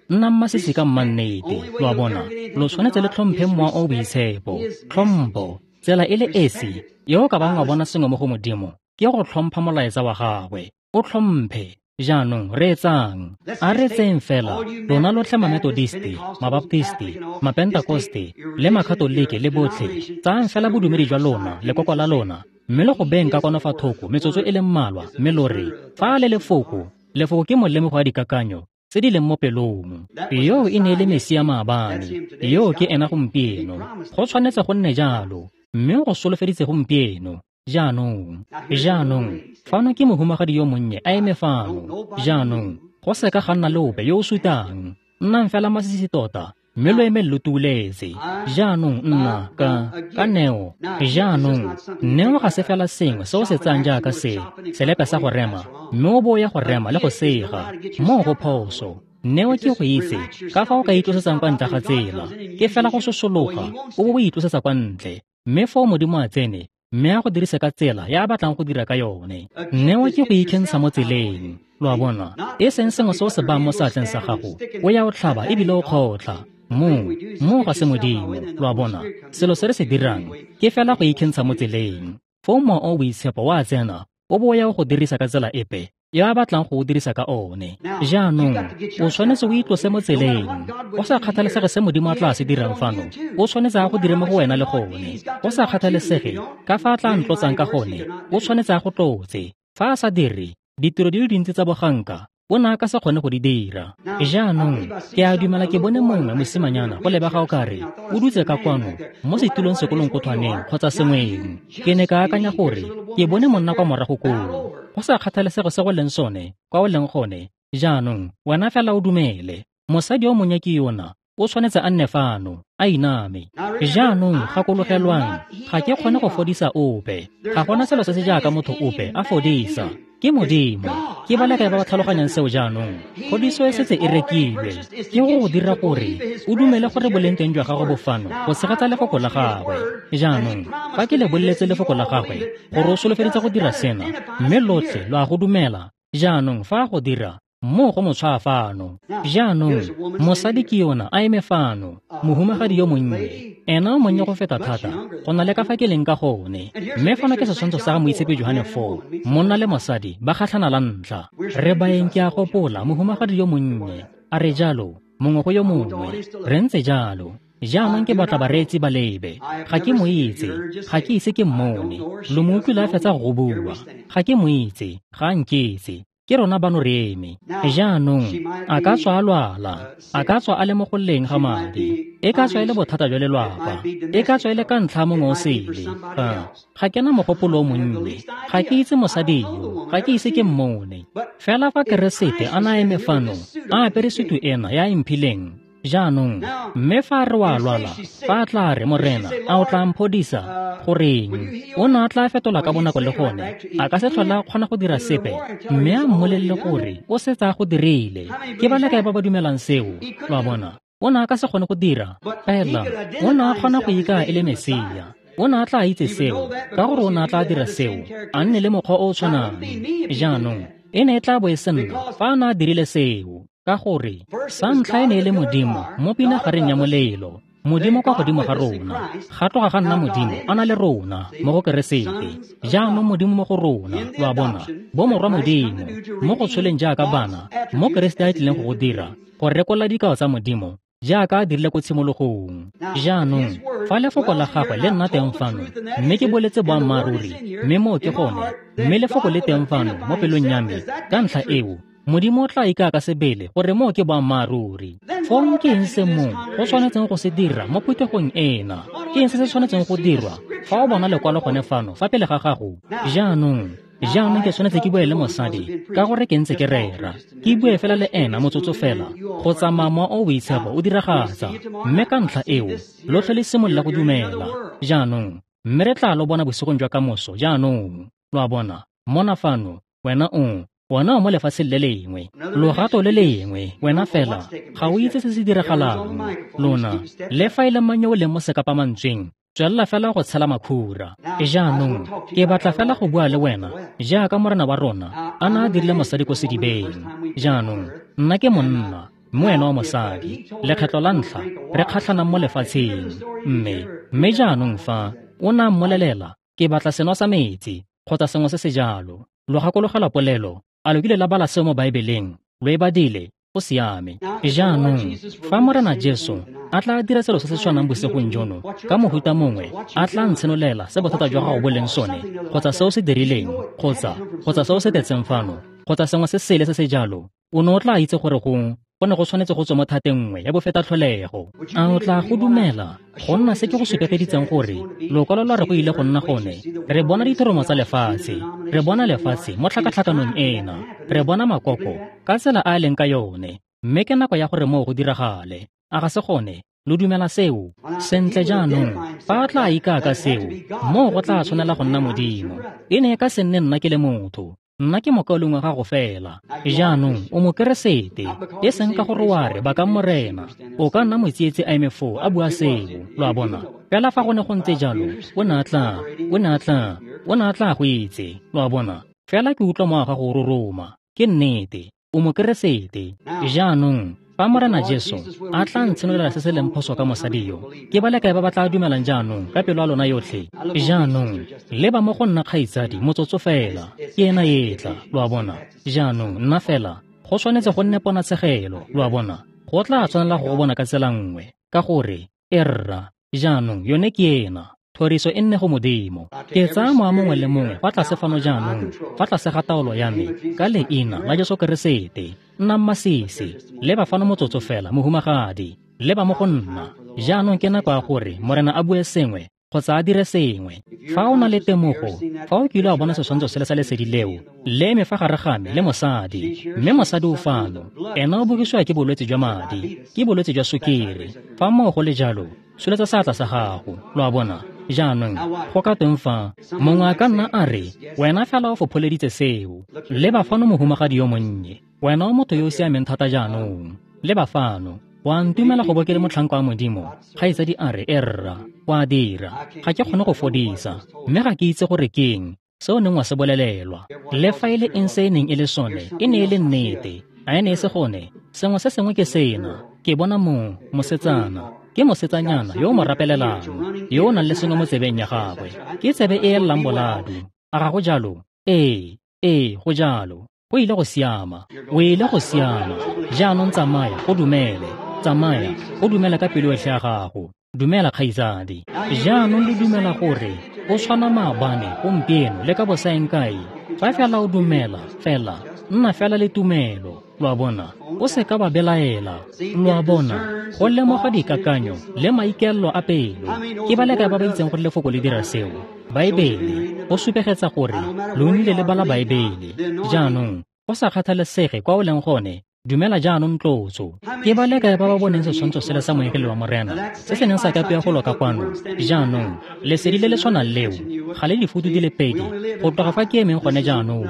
Nnang masisi ka mmannete. Lo a bona? Lo tshwanetse le tlhomphe Mowa o o Boitshepo. Tlhompho, tsela e le esi yo o ka bang wa bona sengwe mo go Modimo, ke go tlhompha molaetsa wa gagwe. O tlhomphe. Jaanong reetsang. A re tseyeng fela lona lotlhe Mametodisti, Mabaptisti, Mapentakoste le Makatolike le botlhe. Tsayang fela bodumedi jwa lona, lekoko la lona, mme le go beng ka kwano fa thoko metsotso e le mmalwa, mme lo re, fa le lefoko, lefoko ke molemogo wa dikakanyo tse di leng mo pelong. Yo e ne e le Mesia maabane, yo ke ena gompieno. Go tshwanetse go nne jalo, mme go solofeditse gompieno. Jaanong, jaanong, fano ke mohumagadi yo monnye a eme fano. Jaanong, go seka ga nna le ope yo o sutang. Nnang fela masisi tota, mme lo eme lo tuuletse. Jaanong nna ka ka neo. Jaanong, neo ga se fela sengwe se o se tsayang jaaka se, selepe sa go rema, mme o bo ya go rema le go sega. Moo go phoso. Neo ke go itse ka fa o ka itlosetsang kwa ntle ga tsela. Ke fela go sosologa, o bo o itlosetsa kwa ntle. Mme foo Modimo a tsene, mme a go dirise ka tsela ya a batlang go dira ka yone. Neo ke go ikentsha mo tseleng. Lo a bona? E seng sengwe se o se bayang mo seatleng sa gago, o ya o tlhaba ebile o kgotlha. Moo, moo ga se Modimo. Lo a bona? Selo se re se dirang ke fela go ikentsha mo tseleng. Foo Mowa o o Boitshepo wa tsena, o bo o ya go dirisa ka tsela epe yo a batlang go o dirisa ka one. Jaanong o tshwanetse o itlose mo tseleng. Go sa kgathalesege se Modimo a tla se dirang fano, o tshwanetse a go dire mo go wena le gone. Go sa kgathalesege ka fa a tla ntlotsang ka gone, o tshwanetse a go tlotse. Fa a sa dire, ditiro di le dintsi tsa boganka o ne a ka se kgone go di dira. Jaanong ke a dumela ke bone mongwe mosimanyana go lebega o kare o dutse ka kwano mo setulong sekolong kothwaneng kgotsa sengweng. Ke ne ka akanya gore ke bone monna kwa morago koo. Go sa kgathalesege se go leng sone, kwa o leng gone, jaanong wena fela o dumele. Mosadi yo monnye ke yona, o tshwanetse a nne fano, a iname. Jaanong gakologelwang, ga ke kgone go fodisa ope. Ga gona selo se se jaaka motho ope a fodisa. Ke Modimo. Ke ba le kae ba ba tlhaloganyang seo jaanong? Phodiso e setse e rekilwe. Ke go go dira gore o dumele gore boleng teng jwa gago bo fano go tshegetsa lefoko la gagwe. Jaanong fa ke le boleletse lefoko la gagwe gore o solofeditse go dira sena, mme lotlhe lo a go dumela. Jaanong fa a go dira, mo go mo tshwaa fano. Jaanong mosadi ke yona a eme fano, mohumagadi yo monnye. Ena o monnye go feta thata go na le ka fa ke leng ka gone. Mme fano ke setshwantsho sa ga Moitshepi Johane four, monna le mosadi ba kgatlhana la ntlha. Re baeng ke a gopola mohumagadi yo monnye a re jalo mongwe go yo mongwe, re ntse jalo. Jaanong ke batla bareetsi ba lebe. Ga ke mo itse, ga ke ise ke mmone. Lo mo utlwile a fetsa go bua. Ga ke mo itse, ga a nkitse. Ke rona bano re eme. Jaanong a ka tswa a lwala, a ka tswa a le mo go lleng ga madi, e ka tswa e le bothata jwa lelwapa, e ka tswa e le ka ntlha mongwe o sele. Ga ga ke na mogopolo o monnye, ga ke itse mosadi yo, ga ke ise ke mmone. Fela fa Keresete a na eme fano, a apere sutu ena ya emphileng, jaanong mme fa re wa lwala, fa a tla re, Morena, a o tla mphodisa? Goreng, o ne a tla fetola ka bonako le gone, a ka se tlhola a kgona go dira sepe, mme a mmolelele gore o setse a go dirile. Ke ba le kae ba ba dumelang seo? Lo a bona, o ne a ka se kgone go dira, fela o ne a kgona go ikaya e le Mesia. O ne a tla itse seo, ka gore o ne a tla dira seo, a nne le mokgwa o o tshwanang. Jaanong e ne e tla bo e se nna fa a ne a dirile seo, ka gore sa ntlha e ne e le Modimo mo pinagareng ya molelo, Modimo kwa godimo ga rona. Ga tloga ga nna Modimo a na le rona mo go Keresete. Jaanong Modimo mo go rona, lo a bona, bomorwa Modimo mo go tsholeng jaaka bana, mo Keresete a tlileng go go dira, go rekolla dikao tsa Modimo jaaka a dirile ko tshimologong. Jaanong fa lefoko la gagwe le nna teng fano, mme ke boletse boammaaruri, mme moo ke gone, mme lefoko le teng fano mo pelong ya me, ka ntlha eo Modimo o tla ikaya ka sebele gore moo ke boammaaruri. Fong ke eng se mo go tshwanetseng go se dira mo phuthegong ena? Ke eng se se tshwanetseng go dirwa fa o bona lekwalo gone fano fa pele ga gago? Jaanong jaanong ke tshwanetse ke bue le mosadi ka gore ke ntse ke rera. Ke bue fela le ena motsotso fela, go tsamaya mowa o boitshepo o diragatsa. Mme ka ntlha eo lotlhe le simolola go dumela. Jaanong mme re tla lo bona bosigong jwa kamoso. Jaanong lo a bona, mona fano wena o wena o mo lefatsheng le lengwe, logato le lengwe, wena fela ga o itse se se diragalang. Lona le fa e le mang yo o leng mo sekapamantsweng, tswelela fela go tshela makhura. Jaanong ke batla fela go bua le wena jaaka Morena wa rona a ne a dirile mosadi ko sedibeng. Jaanong nna ke monna, mme wena o mosadi. Lekgetlo la ntlha re kgatlhanang mo lefatsheng. Mme mme jaanong fa o ne a mmolelela, ke batla seno sa metsi kgotsa sengwe se se jalo. Lo gakologelwa polelo, a lo kile la bala seo mo Baebeleng? Lo e badile? Go siame. Jaanong fa Morena Jesu a tla dira selo se se tshwanang bosigong jono, ka mohuta mongwe a tla ntshenolela se bothata jwa gago bo leng sone, kgotsa se o se dirileng, kgotsa kgotsa se o se tletseng fano, kgotsa sengwe se sele se se jalo, o ne o tla itse gore go go ne go tshwanetse go tswa mo thateng nngwe ya bofetatlholego. A o tla go dumela go nna se ke go supegeditseng gore lokwalo lwa re go ile go nna gone? Re bona dithoromo tsa lefatshe, re bona lefatshe mo tlhakatlhakanong ena, re bona makoko ka tsela a a leng ka yone, mme ke nako ya gore moo go diragale. A ga se gone? Lo dumela seo? Sentle jaanong, fa a tla ikaya ka seo, moo go tla tshwanela go nna Modimo. E ne e ka se nne nna ke le motho. Nna ke mokaulengwe wa gago fela. Jaanong o Mokeresete, e seng ka gore wa re bakang Morena. O ka nna motsietsi a eme foo a bua seo, lo a bona. Fela fa go ne go ntse jalo, o ne a tla, o ne a tla, o ne a tla go itse, lo a bona. Fela ke utlwa mowa wa gago o roroma. Ke nnete, o Mokeresete. Jaanong Fa Morena Jesu a tla ntshenolela se se leng phoso ka mosadi yo, ke ba le kae ba ba tla dumelang jaanong ka pelo ya lona yotlhe? Jaanong leba mo go nna kgaitsadi motsotso fela, ke ena e tla, lo a bona. Jaanong nna fela go tshwanetse go nne ponatshegelo, lo a bona. Go tla tshwanela go go bona ka tsela nngwe, ka gore e rra jaanong yone ke ena. Thoriso e nne go Modimo. Ke tsaya mowa mongwe le mongwe fa tlase fano jaanong, fa tlase ga taolo ya me, ka leina la Jesu Keresete. Nnang masisi, leba fano motsotso fela, mohumagadi, leba mo go nna. Jaanong ke nako ya gore Morena a bue sengwe kgotsa a dire sengwe. Fa o na le temogo, fa o kile wa bona setshwantsho sele sa lesedi leo, le eme fa gare ga me le mosadi, mme mosadi o fano, ena o bogisiwa ke bolwetse jwa madi, ke bolwetse jwa sukiri. Fa moo go le jalo, tsholetsa seatla sa gago, lo a bona. Jaanong go ka tweng fa mongwe a ka nna a re, wena fela o fopholeditse seo. Leba fano mohumagadi yo monnye, wena o motho yo o siameng thata jaanong. Leba fano, wa ntumela go bo ke le motlhanka wa Modimo? Kgaitsadi a re, e rra, o a dira. Ga ke kgone go fodisa, mme ga ke itse gore ke eng se o neng wa se bolelelwa. Le fa e le eng se e neng e le sone, e ne e le nnete. A e ne e se gone? Sengwe se sengwe ke sena. Ke bona mo mosetsana, ke mosetsanyana yo o mo rapelelang, yo o nang le sengwe mo tsebeng ya gagwe. Ke tsebe e ellang boladu. A ga go jalo? Ee, ee, go jalo. Go ile go siama, o ile go siama. Jaanong tsamaya, go dumele. Tsamaya, go dumela ka pelo yotlhe ya gago. Dumela kgaitsadi. Jaanong le dumela gore o tshwana maabane, gompieno le ka bosaeng kae? Fa fela o dumela, fela, nna fela le tumelo, lo a bona. O se ka ba belaela, lo a bona. Go lemoga dikakanyo le maikaelelo a pelo. Ke ba le kae ba ba itseng gore lefoko le dira seo? Baebele, go supegetsa gore lo nnile le bala Baebele. Jaanong, go sa kgathalesege kwa o leng gone, dumela jaanong tlotso. Ke ba le kae ba ba boneng setshwantsho sele sa moengele wa Morena se se neng sa kapiwa go loka kwano? Jaanong lesedi le le tshwanang leo ga le difutu di le pedi go tloga fa ke emeng gone jaanong,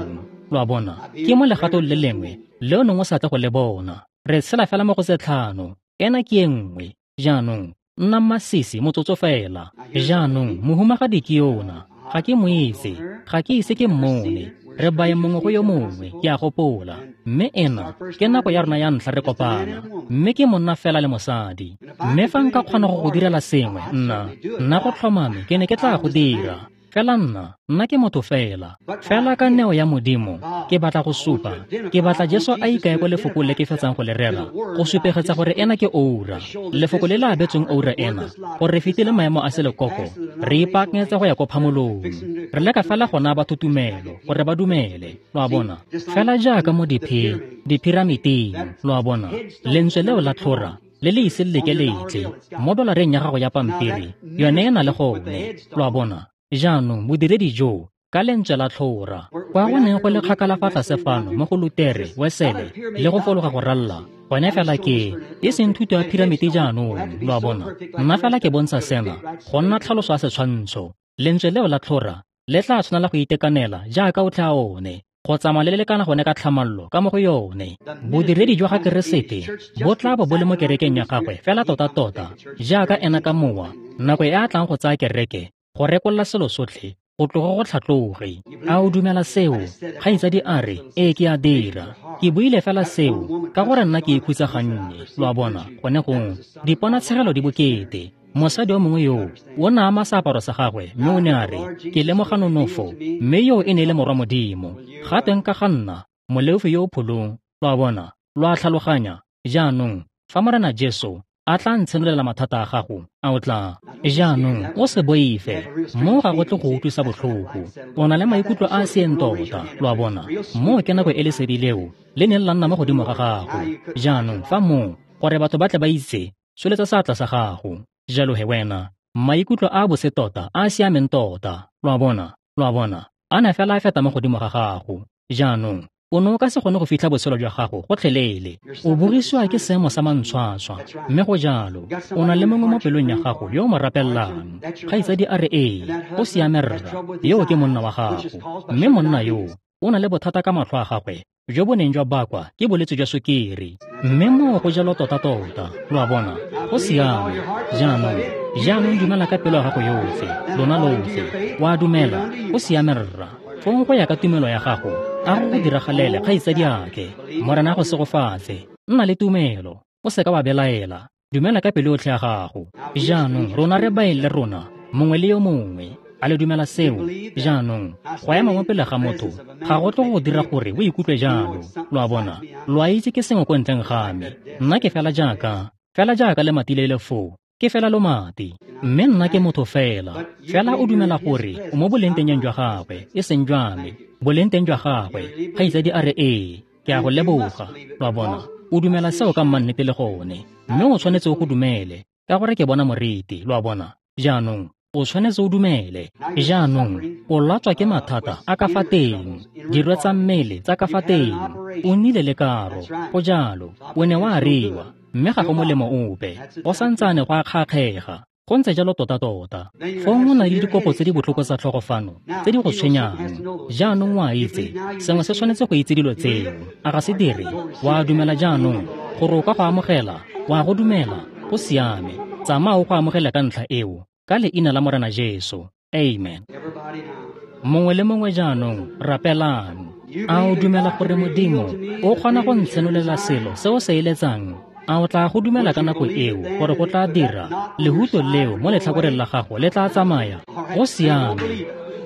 lo a bona. Ke mo legatong le lengwe le o neng o sa tle go le bona. Re tshela fela mo go tse tlhano, ena ke e nngwe. Jaanong nna masisi motsotso fela. Jaanong mohumagadi ke yona, ga ke mo itse, ga ke ise ke mmone. Re bae mongwe go yo mongwe, ke a gopola. Mme ena ke nako ya rona ya ntlha re kopana, mme ke monna fela le mosadi. Mme fa nka kgona go go direla sengwe, nna nna go tlhomame ke ne ke tla go dira. Fela nna, nna ke motho fela. Fela ka neo ya Modimo, ke batla go supa. Ke batla Jesu a ikae ko lefoko le ke fetsang go le rera, go supegetsa gore ena ke oura. Lefoko le le abetsweng oura ena, gore re fetile maemo a selekoko, re ipaakanyetsa go ya ko phamolong. Re leka fela go naya batho tumelo, gore ba dumele, lo a bona. Fela jaaka mo diphi, dipiramiting, lo a bona. Lentswe leo la tlhora, le le ise le leke letle, mo dolareng ya gago ya pampiri, yone e na le gone, lo a bona. Jaanong bodiredi jo ka lentswe la tlhora, kwa go neng go le kgakala fa tlase fano mo go Lutere, Wesele le go fologa go ralla, gone fela ke e seng thuto ya piramiti jaanong, lo a bona. Nna fela ke bontsha sena go nna tlhaloso ya setshwantsho. Lentswe leo la tlhora le tla tshwanela go itekanela jaaka o tla one, go tsamaya le le lekana gone ka tlhamallo ka mo go yone. Bodiredi jwa ga Keresete bo tla bo bo le mo kerekeng ya gagwe fela tota-tota jaaka ena ka mowa, nako e a tlang go tsaya kereke go rekolla selo sotlhe go tloga go tlhatloge. A o dumela seo? Kgaitsadi a re, ee ke a dira. Ke buile fela seo ka gore nna ke ikhutsa gannye, lo a bona. Gone gong diponatshegelo di bokete. Mosadi yo mongwe yoo o ne a ama seaparo sa gagwe, mme o ne a re, ke lemoga nonofo, mme yoo e ne e le morwa Modimo. Ga teng ka ga nna, moleofi yo o pholong, lo a bona, lo a tlhaloganya. Jaanong fa Morena Jesu a tla ntshenolela mathata a gago, a o tla? Jaanong o se boife, mo ga go tle go utlwisa botlhoko. O na le maikutlo a a seeng tota, lo a bona. Moo ke nako e lesedi leo le neng la nna mo godimo ga gago. Jaanong fa moo, gore batho ba tle ba itse, tsholetsa seatla sa gago. Jalo he wena, maikutlo a bose tota, a a siameng tota, lo a bona, lo a bona, a ne fela a feta mo godimo ga gago. Jaanong o ne o ka se kgone go fitlha botshelo jwa gago gotlhelele. O bogisiwa ke seemo sa mantshwatshwa, mme go jalo. O na le mongwe mo pelong ya gago yo o mo rapelelang. Kgaitsadi a re, ee, o siame rra, yo ke monna wa gago. Mme monna yo o na le bothata ka matlho a gagwe jo bo neng jwa bakwa ke bolwetse jwa sukiri. Mme moo go jalo tota-tota, lo a bona. Go siame. Jaanong, jaanong dumela ka pelo ya gago yotlhe, lona lotlhe. Wa dumela, go siame rra. Fong go ya ka tumelo ya gago, a go go diragalele kgaitsadiake. Morena a go segofatse. Nna le tumelo. O seka wa belaela. Dumela ka pelo yotlhe ya gago. Jaanong rona re baeng le rona, mongwe le yo mongwe. A le dumela seo? Jaanong go ema mo pele ga motho ga go tle go dira gore o ikutlwe jalo. Lo a bona? Lo a itse ke sengwe ko ntleng ga me. Nna ke fela jaaka, fela jaaka lemati le le foo. Ke fela lomati. Mme nna ke motho fela. Fela o dumela gore o mo bolengtengeng jwa gagwe, e seng jwa me. Bolengteng jwa gagwe. Kgaitsadi a re ee, ke a go leboga. Lo a bona? O dumela seo ka mmannete le gone. Mme o tshwanetse o go dumele, ka gore ke bona moriti. Lo a bona? Jaanong o tshwanetse o dumele. Jaanong o latswa ke mathata a ka fa teng, dirwe tsa mmele tsa ka fa teng. O nnile le karo, go jalo. O ne wa ariwa, mme ga go molemo ope. Go santsane go a kgakgega. Go ntse jalo tota-tota. Fong o na le dikopo tse di botlhoko tsa tlhogo fano, tse di go tshwenyang. Jaanong o a itse, sengwe se tshwanetse go itse dilo tseo. A ga se dire? Wa dumela jaanong gore o ka go amogela? Wa go dumela? Go siame. Tsamaya o go amogele ka ntlha eo, ka leina la Morena Jesu. Amen. Mongwe le mongwe jaanong, rapelang. A o dumela gore Modimo o kgona go ntshenolela selo se o se eletsang? A o tla go dumela ka nako eo gore go tla dira lehuto leo mo letlhakoreng la gago le tla tsamaya? Go siame.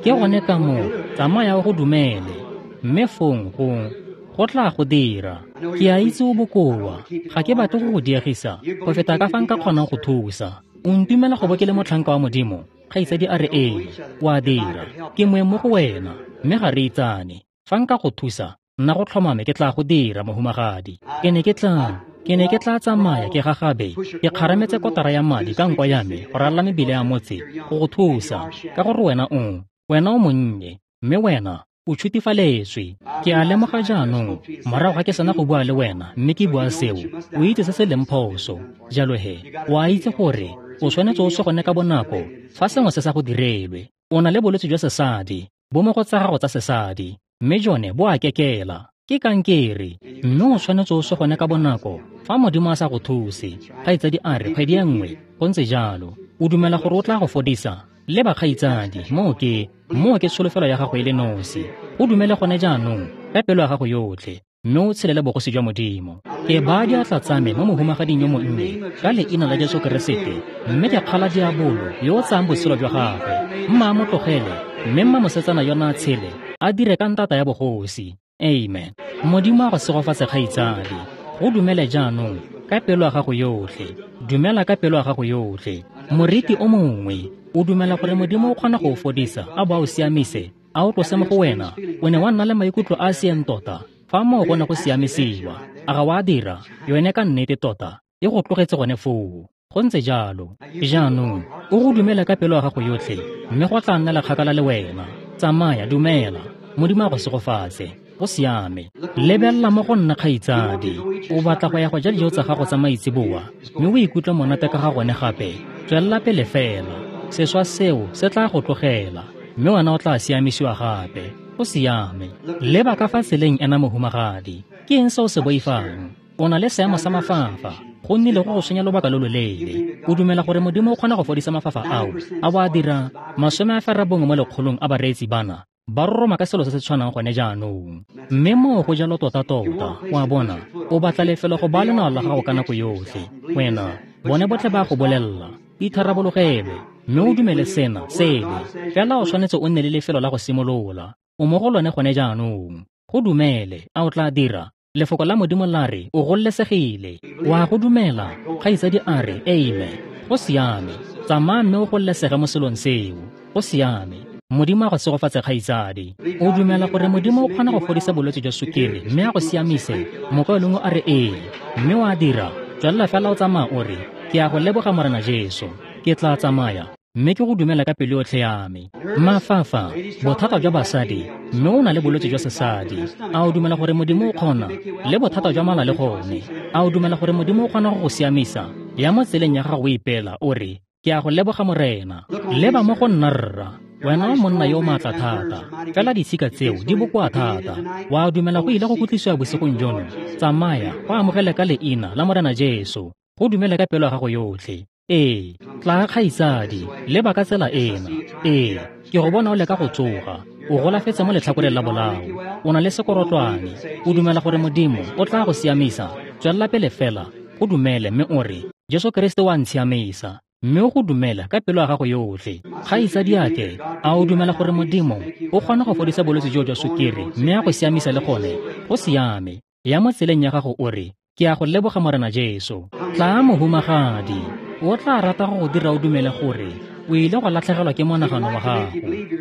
Ke gone ka moo, tsamaya o go dumele, mme fong go go tla go dira. Ke a itse o bokoa. Ga ke batle go go diegisa go feta ka fa nka kgonang go thusa. O ntumela go bo ke le motlhanka wa Modimo? Kgaitsadi a re ee, o a dira. Ke moeng mo go wena, mme ga re itsane. Fa nka go thusa, nna go tlhomame ke tla go dira, mohumagadi. Ke ne ke tla Ke ne ke tla tsamaya ke gagabe, ke kgarametse kotara ya madi ka nko ya me go ralala mebile ya motse go go thusa, ka gore wena o, wena o monnye, mme wena o tshutifaletswe. Ke a lemoga jaanong, morago ga ke sena go bua le wena, mme ke bua seo, o itse se se leng phoso. Jalo he, o a itse gore o tshwanetse o se gone ka bonako fa sengwe se sa go direlwe. O na le bolwetse jwa sesadi, bo mo go tsa gago tsa sesadi, mme jone bo a kekela. Ke kankere, mme o tshwanetse o se gone ka bonako fa Modimo a sa go thuse. Kgaitsadi a re kgwedi e nngwe, go ntse jalo. O dumela gore o tla go fodisa? Le bakgaitsadi, moo ke, moo ke tsholofelo ya gago e le nosi. O dumele gone jaanong ka pelo ya gago yotlhe, mme o tshelele bogosi jwa Modimo. Ke baya diatla tsa me mo mohumagading yo monnye ka leina la Jesu Keresete, mme ke kgala diabolo yo o tsayang botshelo jwa gagwe. Mma a mo tlogele, mme mma mosetsana yona a tshele, a dire ka ntata ya bogosi. Amen. Modimo a go segofatse, kgaitsadi. Go dumele jaanong ka pelo ya gago yotlhe. Dumela ka pelo ya gago yotlhe. Moriti o mongwe, o dumela gore Modimo o kgona go o fodisa, a bo a o siamise, a o tlose mo go wena? O ne wa nna le maikutlo a a siang tota fa moo go ne go siamisiwa. A ga wa dira? Yone ka nnete tota e go tlogetse gone foo. Go ntse jalo. Jaanong o go dumele ka pelo ya gago yotlhe, mme go tla nnela kgakala le wena. Tsamaya, dumela. Modimo a go segofatse. Go siame. Lebelela mo go nna, kgaitsadi. O batla go ya go ja dijo tsa gago tsa maitseboa, mme o ikutlwe monate ka ga gone gape? Tswelela pele fela. Seswa seo se tla go tlogela, mme wena o tla siamisiwa gape. Go siame. Leba ka fa tseleng ena, mohumagadi. Ke eng se o se boifang? O na le seemo sa mafafa. Go nnile go go tshwenya lobaka lo loleele. O dumela gore Modimo o kgona go fodisa mafafa ao? A bo a dira? Masome a ferabongwe mo lekgolong a bareetsi bana ba roroma ka selo se se tshwanang gone jaanong. Mme moo go jalo tota-tota. O a bona? O batla lefelo go baya lenao la gago ka nako yotlhe. Wena, bone botlhe ba go bolelela, itharabologelwe, mme o dumele sena, sele. Fela o tshwanetse o nne le lefelo la go simolola. O mo go lone gone jaanong. Go dumele, a o tla dira? Lefoko la Modimo la re o gololesegile. Wa go dumela? Kgaitsadi a re amen. Go siame. Tsamaya mme o gololesege mo selong seo. Go siame. Modimo a go segofatse, kgaitsadi. O dumela gore Modimo o kgona go fodisa bolwetse jwa sukiri mme a go siamise? Mokaulengwe a re ee, mme wa dira. Tswelela fela o tsamaya o re, ke a go leboga Morena Jesu. Ke tla tsamaya, mme ke go dumela ka pelo yotlhe ya me. Mafafa, bothata jwa basadi, mme o na le bolwetse jwa sesadi. A o dumela gore Modimo o kgona? Le bothata jwa mala le gone. A o dumela gore Modimo o kgona go go siamisa? Ya mo tseleng ya gago o ipela, o re, ke a go leboga Morena. Leba mo go nna, rra. Wena o monna yo o maatla thata, fela ditshika tseo di bokoa thata. Wa dumela go ile go kutlwisiwa bosigong jono? Tsamaya, go amogele ka leina la Morena Jesu. Go dumele ka pelo ya gago yotlhe. Ee, tla kgaitsadi, leba ka tsela ena. Ee, ke go bona o leka go tsoga. O golafetse mo letlhakoreng la bolao. O na le sekorotlwane. O dumela gore Modimo o tla go siamisa? Tswelela pele fela. Go dumele mme o re, Jesu Keresete o a ntshiamisa, mme o go dumela ka pelo ya gago yotlhe. Kgaitsadiake, a o dumela gore Modimo o kgona go fodisa bolwetse joo jwa sukiri mme a go siamisa le gone? Go siame. Ya mo tseleng ya gago o re, ke a go leboga Morena Jesu. Tla mohumagadi, o tla rata go go dira o dumele gore o ile go latlhegelwa ke monagano wa gago.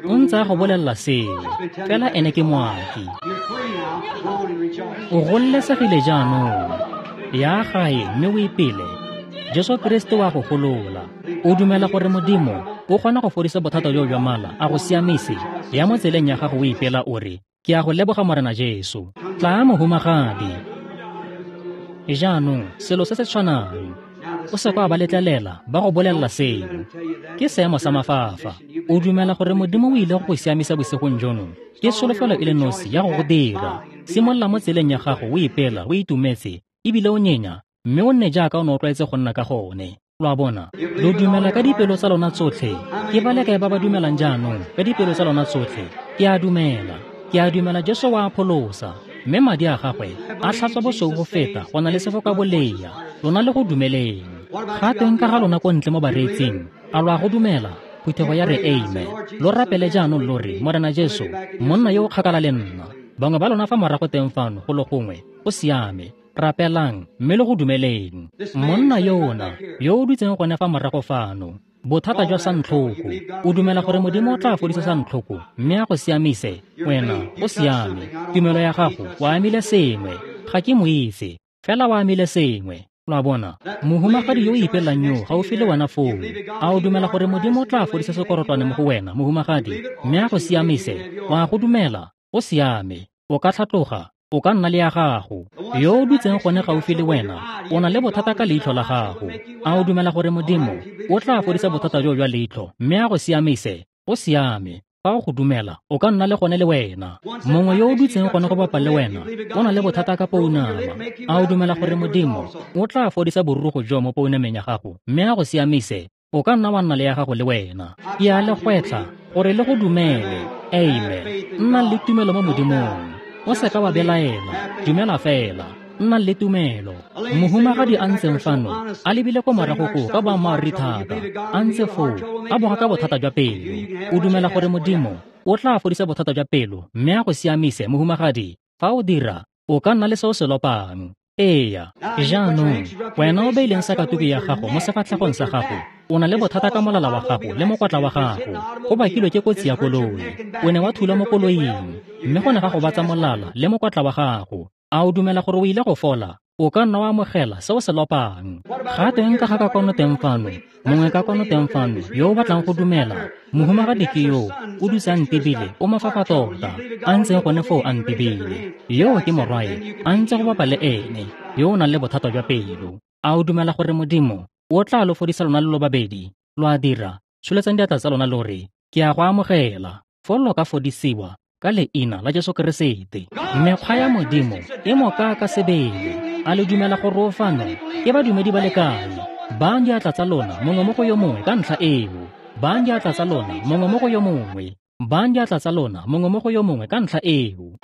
O ntse a go bolelela seo, fela ene ke moaki. O gololesegile jaanong. Ya gae mme o ipele. Jesu Keresete wa go golola. O dumela gore Modimo o kgona go fodisa bothata joo jwa mala, a go siamise? Ya mo tseleng ya gago o ipela o re, ke a go leboga Morena Jesu. Tla mohumagadi. Jaanong selo se se tshwanang. O se kwa ba letlelela ba go bolelela seo. Ke seemo sa mafafa. O dumela gore Modimo o ile go go siamisa bosigong jono? Ke tsholofelo e le nosi ya go go dira. Simolola mo tseleng ya gago o ipela, o itumetse, ebile o nyenya, mme o nne jaaka o ne o tlwaetse go nna ka gone. Lo a bona? Lo dumela ka dipelo tsa lona tsotlhe. Ke ba le kae ba ba dumelang jaanong ka dipelo tsa lona tsotlhe? Ke a dumela. Ke a dumela Jesu wa pholosa, mme madi a gagwe a tlhatswa bosweu go feta go na le sefoka bolea. Lona le go dumeleng. Ga teng ka ga lona ko ntle mo bareetsing, a lo a go dumela? Phuthego ya re amen. Lo rapele jaanong lo re, Morena Jesu, monna yo o kgakala le nna. Bangwe ba lona fa morago teng fano go le gongwe, go siame. Rapelang mme le go dumeleng. Monna yona yo o dutseng gone fa morago fano, bothata jwa santlhoko, o dumela gore Modimo o tla fodisa santlhoko mme a go siamise? Wena o siame. Tumelo ya gago o amile sengwe. Ga ke mo itse, fela o amile sengwe. Lo a bona? Mohumagadi yo o ipelang yo gaufi le wena foo, a o dumela gore Modimo o tla fodisa sekorotlwane mo go wena, mohumagadi, mme a go siamise? O a go dumela? O siame. O ka tlhatloga, o ka nna le ya gago. Yo o dutseng gone gaufi le wena, o na le bothata ka leitlho la gago. A o dumela gore Modimo o tla fodisa bothata joo jwa leitlho mme a go siamise? O siame. Fa o go dumela, o ka nna le gone le wena. Mongwe yo o dutseng gone go bapa le wena, o na le bothata ka pounama. A o dumela gore Modimo o tla fodisa borurugo jo mo pounameng ya gago mme a go siamise? O ka nna wa nna le ya gago le wena. Ke a le gwetlha gore le go dumele. Amen. Nna le tumelo mo Modimong. O se ka wa belaela, dumela fela. Nna le tumelo. Mohumagadi a ntseng fano, a lebile ko morago koo ka boammaaruri thata, a ntse foo, a boga ka bothata jwa pelo. O dumela gore Modimo o tla fodisa bothata jwa pelo mme a go siamise, mohumagadi? Fa o dira, o ka nna le se o se lopang. Eya. Jaanong, wena o beileng sakatuku ya gago mo sefatlhegong sa gago, o na le bothata ka molala wa gago le mokwatla wa gago. Go bakilwe ke kotsi ya koloi. O ne wa thula mo koloing, mme go ne ga gobatsa molala le mokwatla wa gago. A o dumela gore o ile go fola? O ka nna wa amogela se o se lopang. Ga teng ka ga ka kwano teng fano, mongwe ka kwano teng fano yo o batlang go dumela. Mohumagadi ke yo o dutse a ntebile, o mafafa tota, a ntseng gone foo a ntebile. Yo ke morwae, a ntse go bapa le ene, yo o nang le bothata jwa pelo. A o dumela gore Modimo o tla lo fodisa lona le lo babedi? Lo a dira? Tsholetsang diatla tsa lona lo re, ke a go amogela. Foo lo ka fodisiwa ka leina la Jesu Keresete. Mekgwa ya Modimo e moka ka sebele. A le dumela gore o fano? Ke badumedi ba le kae? Baang diatla tsa lona mongwe mo go yo mongwe ka ntlha eo. Baang diatla tsa lona mongwe mo go yo mongwe. Baang diatla tsa lona mongwe mo go yo mongwe ka ntlha eo.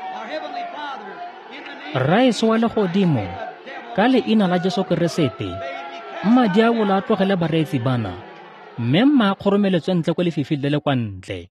Rraetsho wa legodimo, ka leina la Jesu Keresete, mma diabolo a tlogele bareetsi bana, mme mma a kgoromeletswe ntle ko lefifing le le kwa ntle.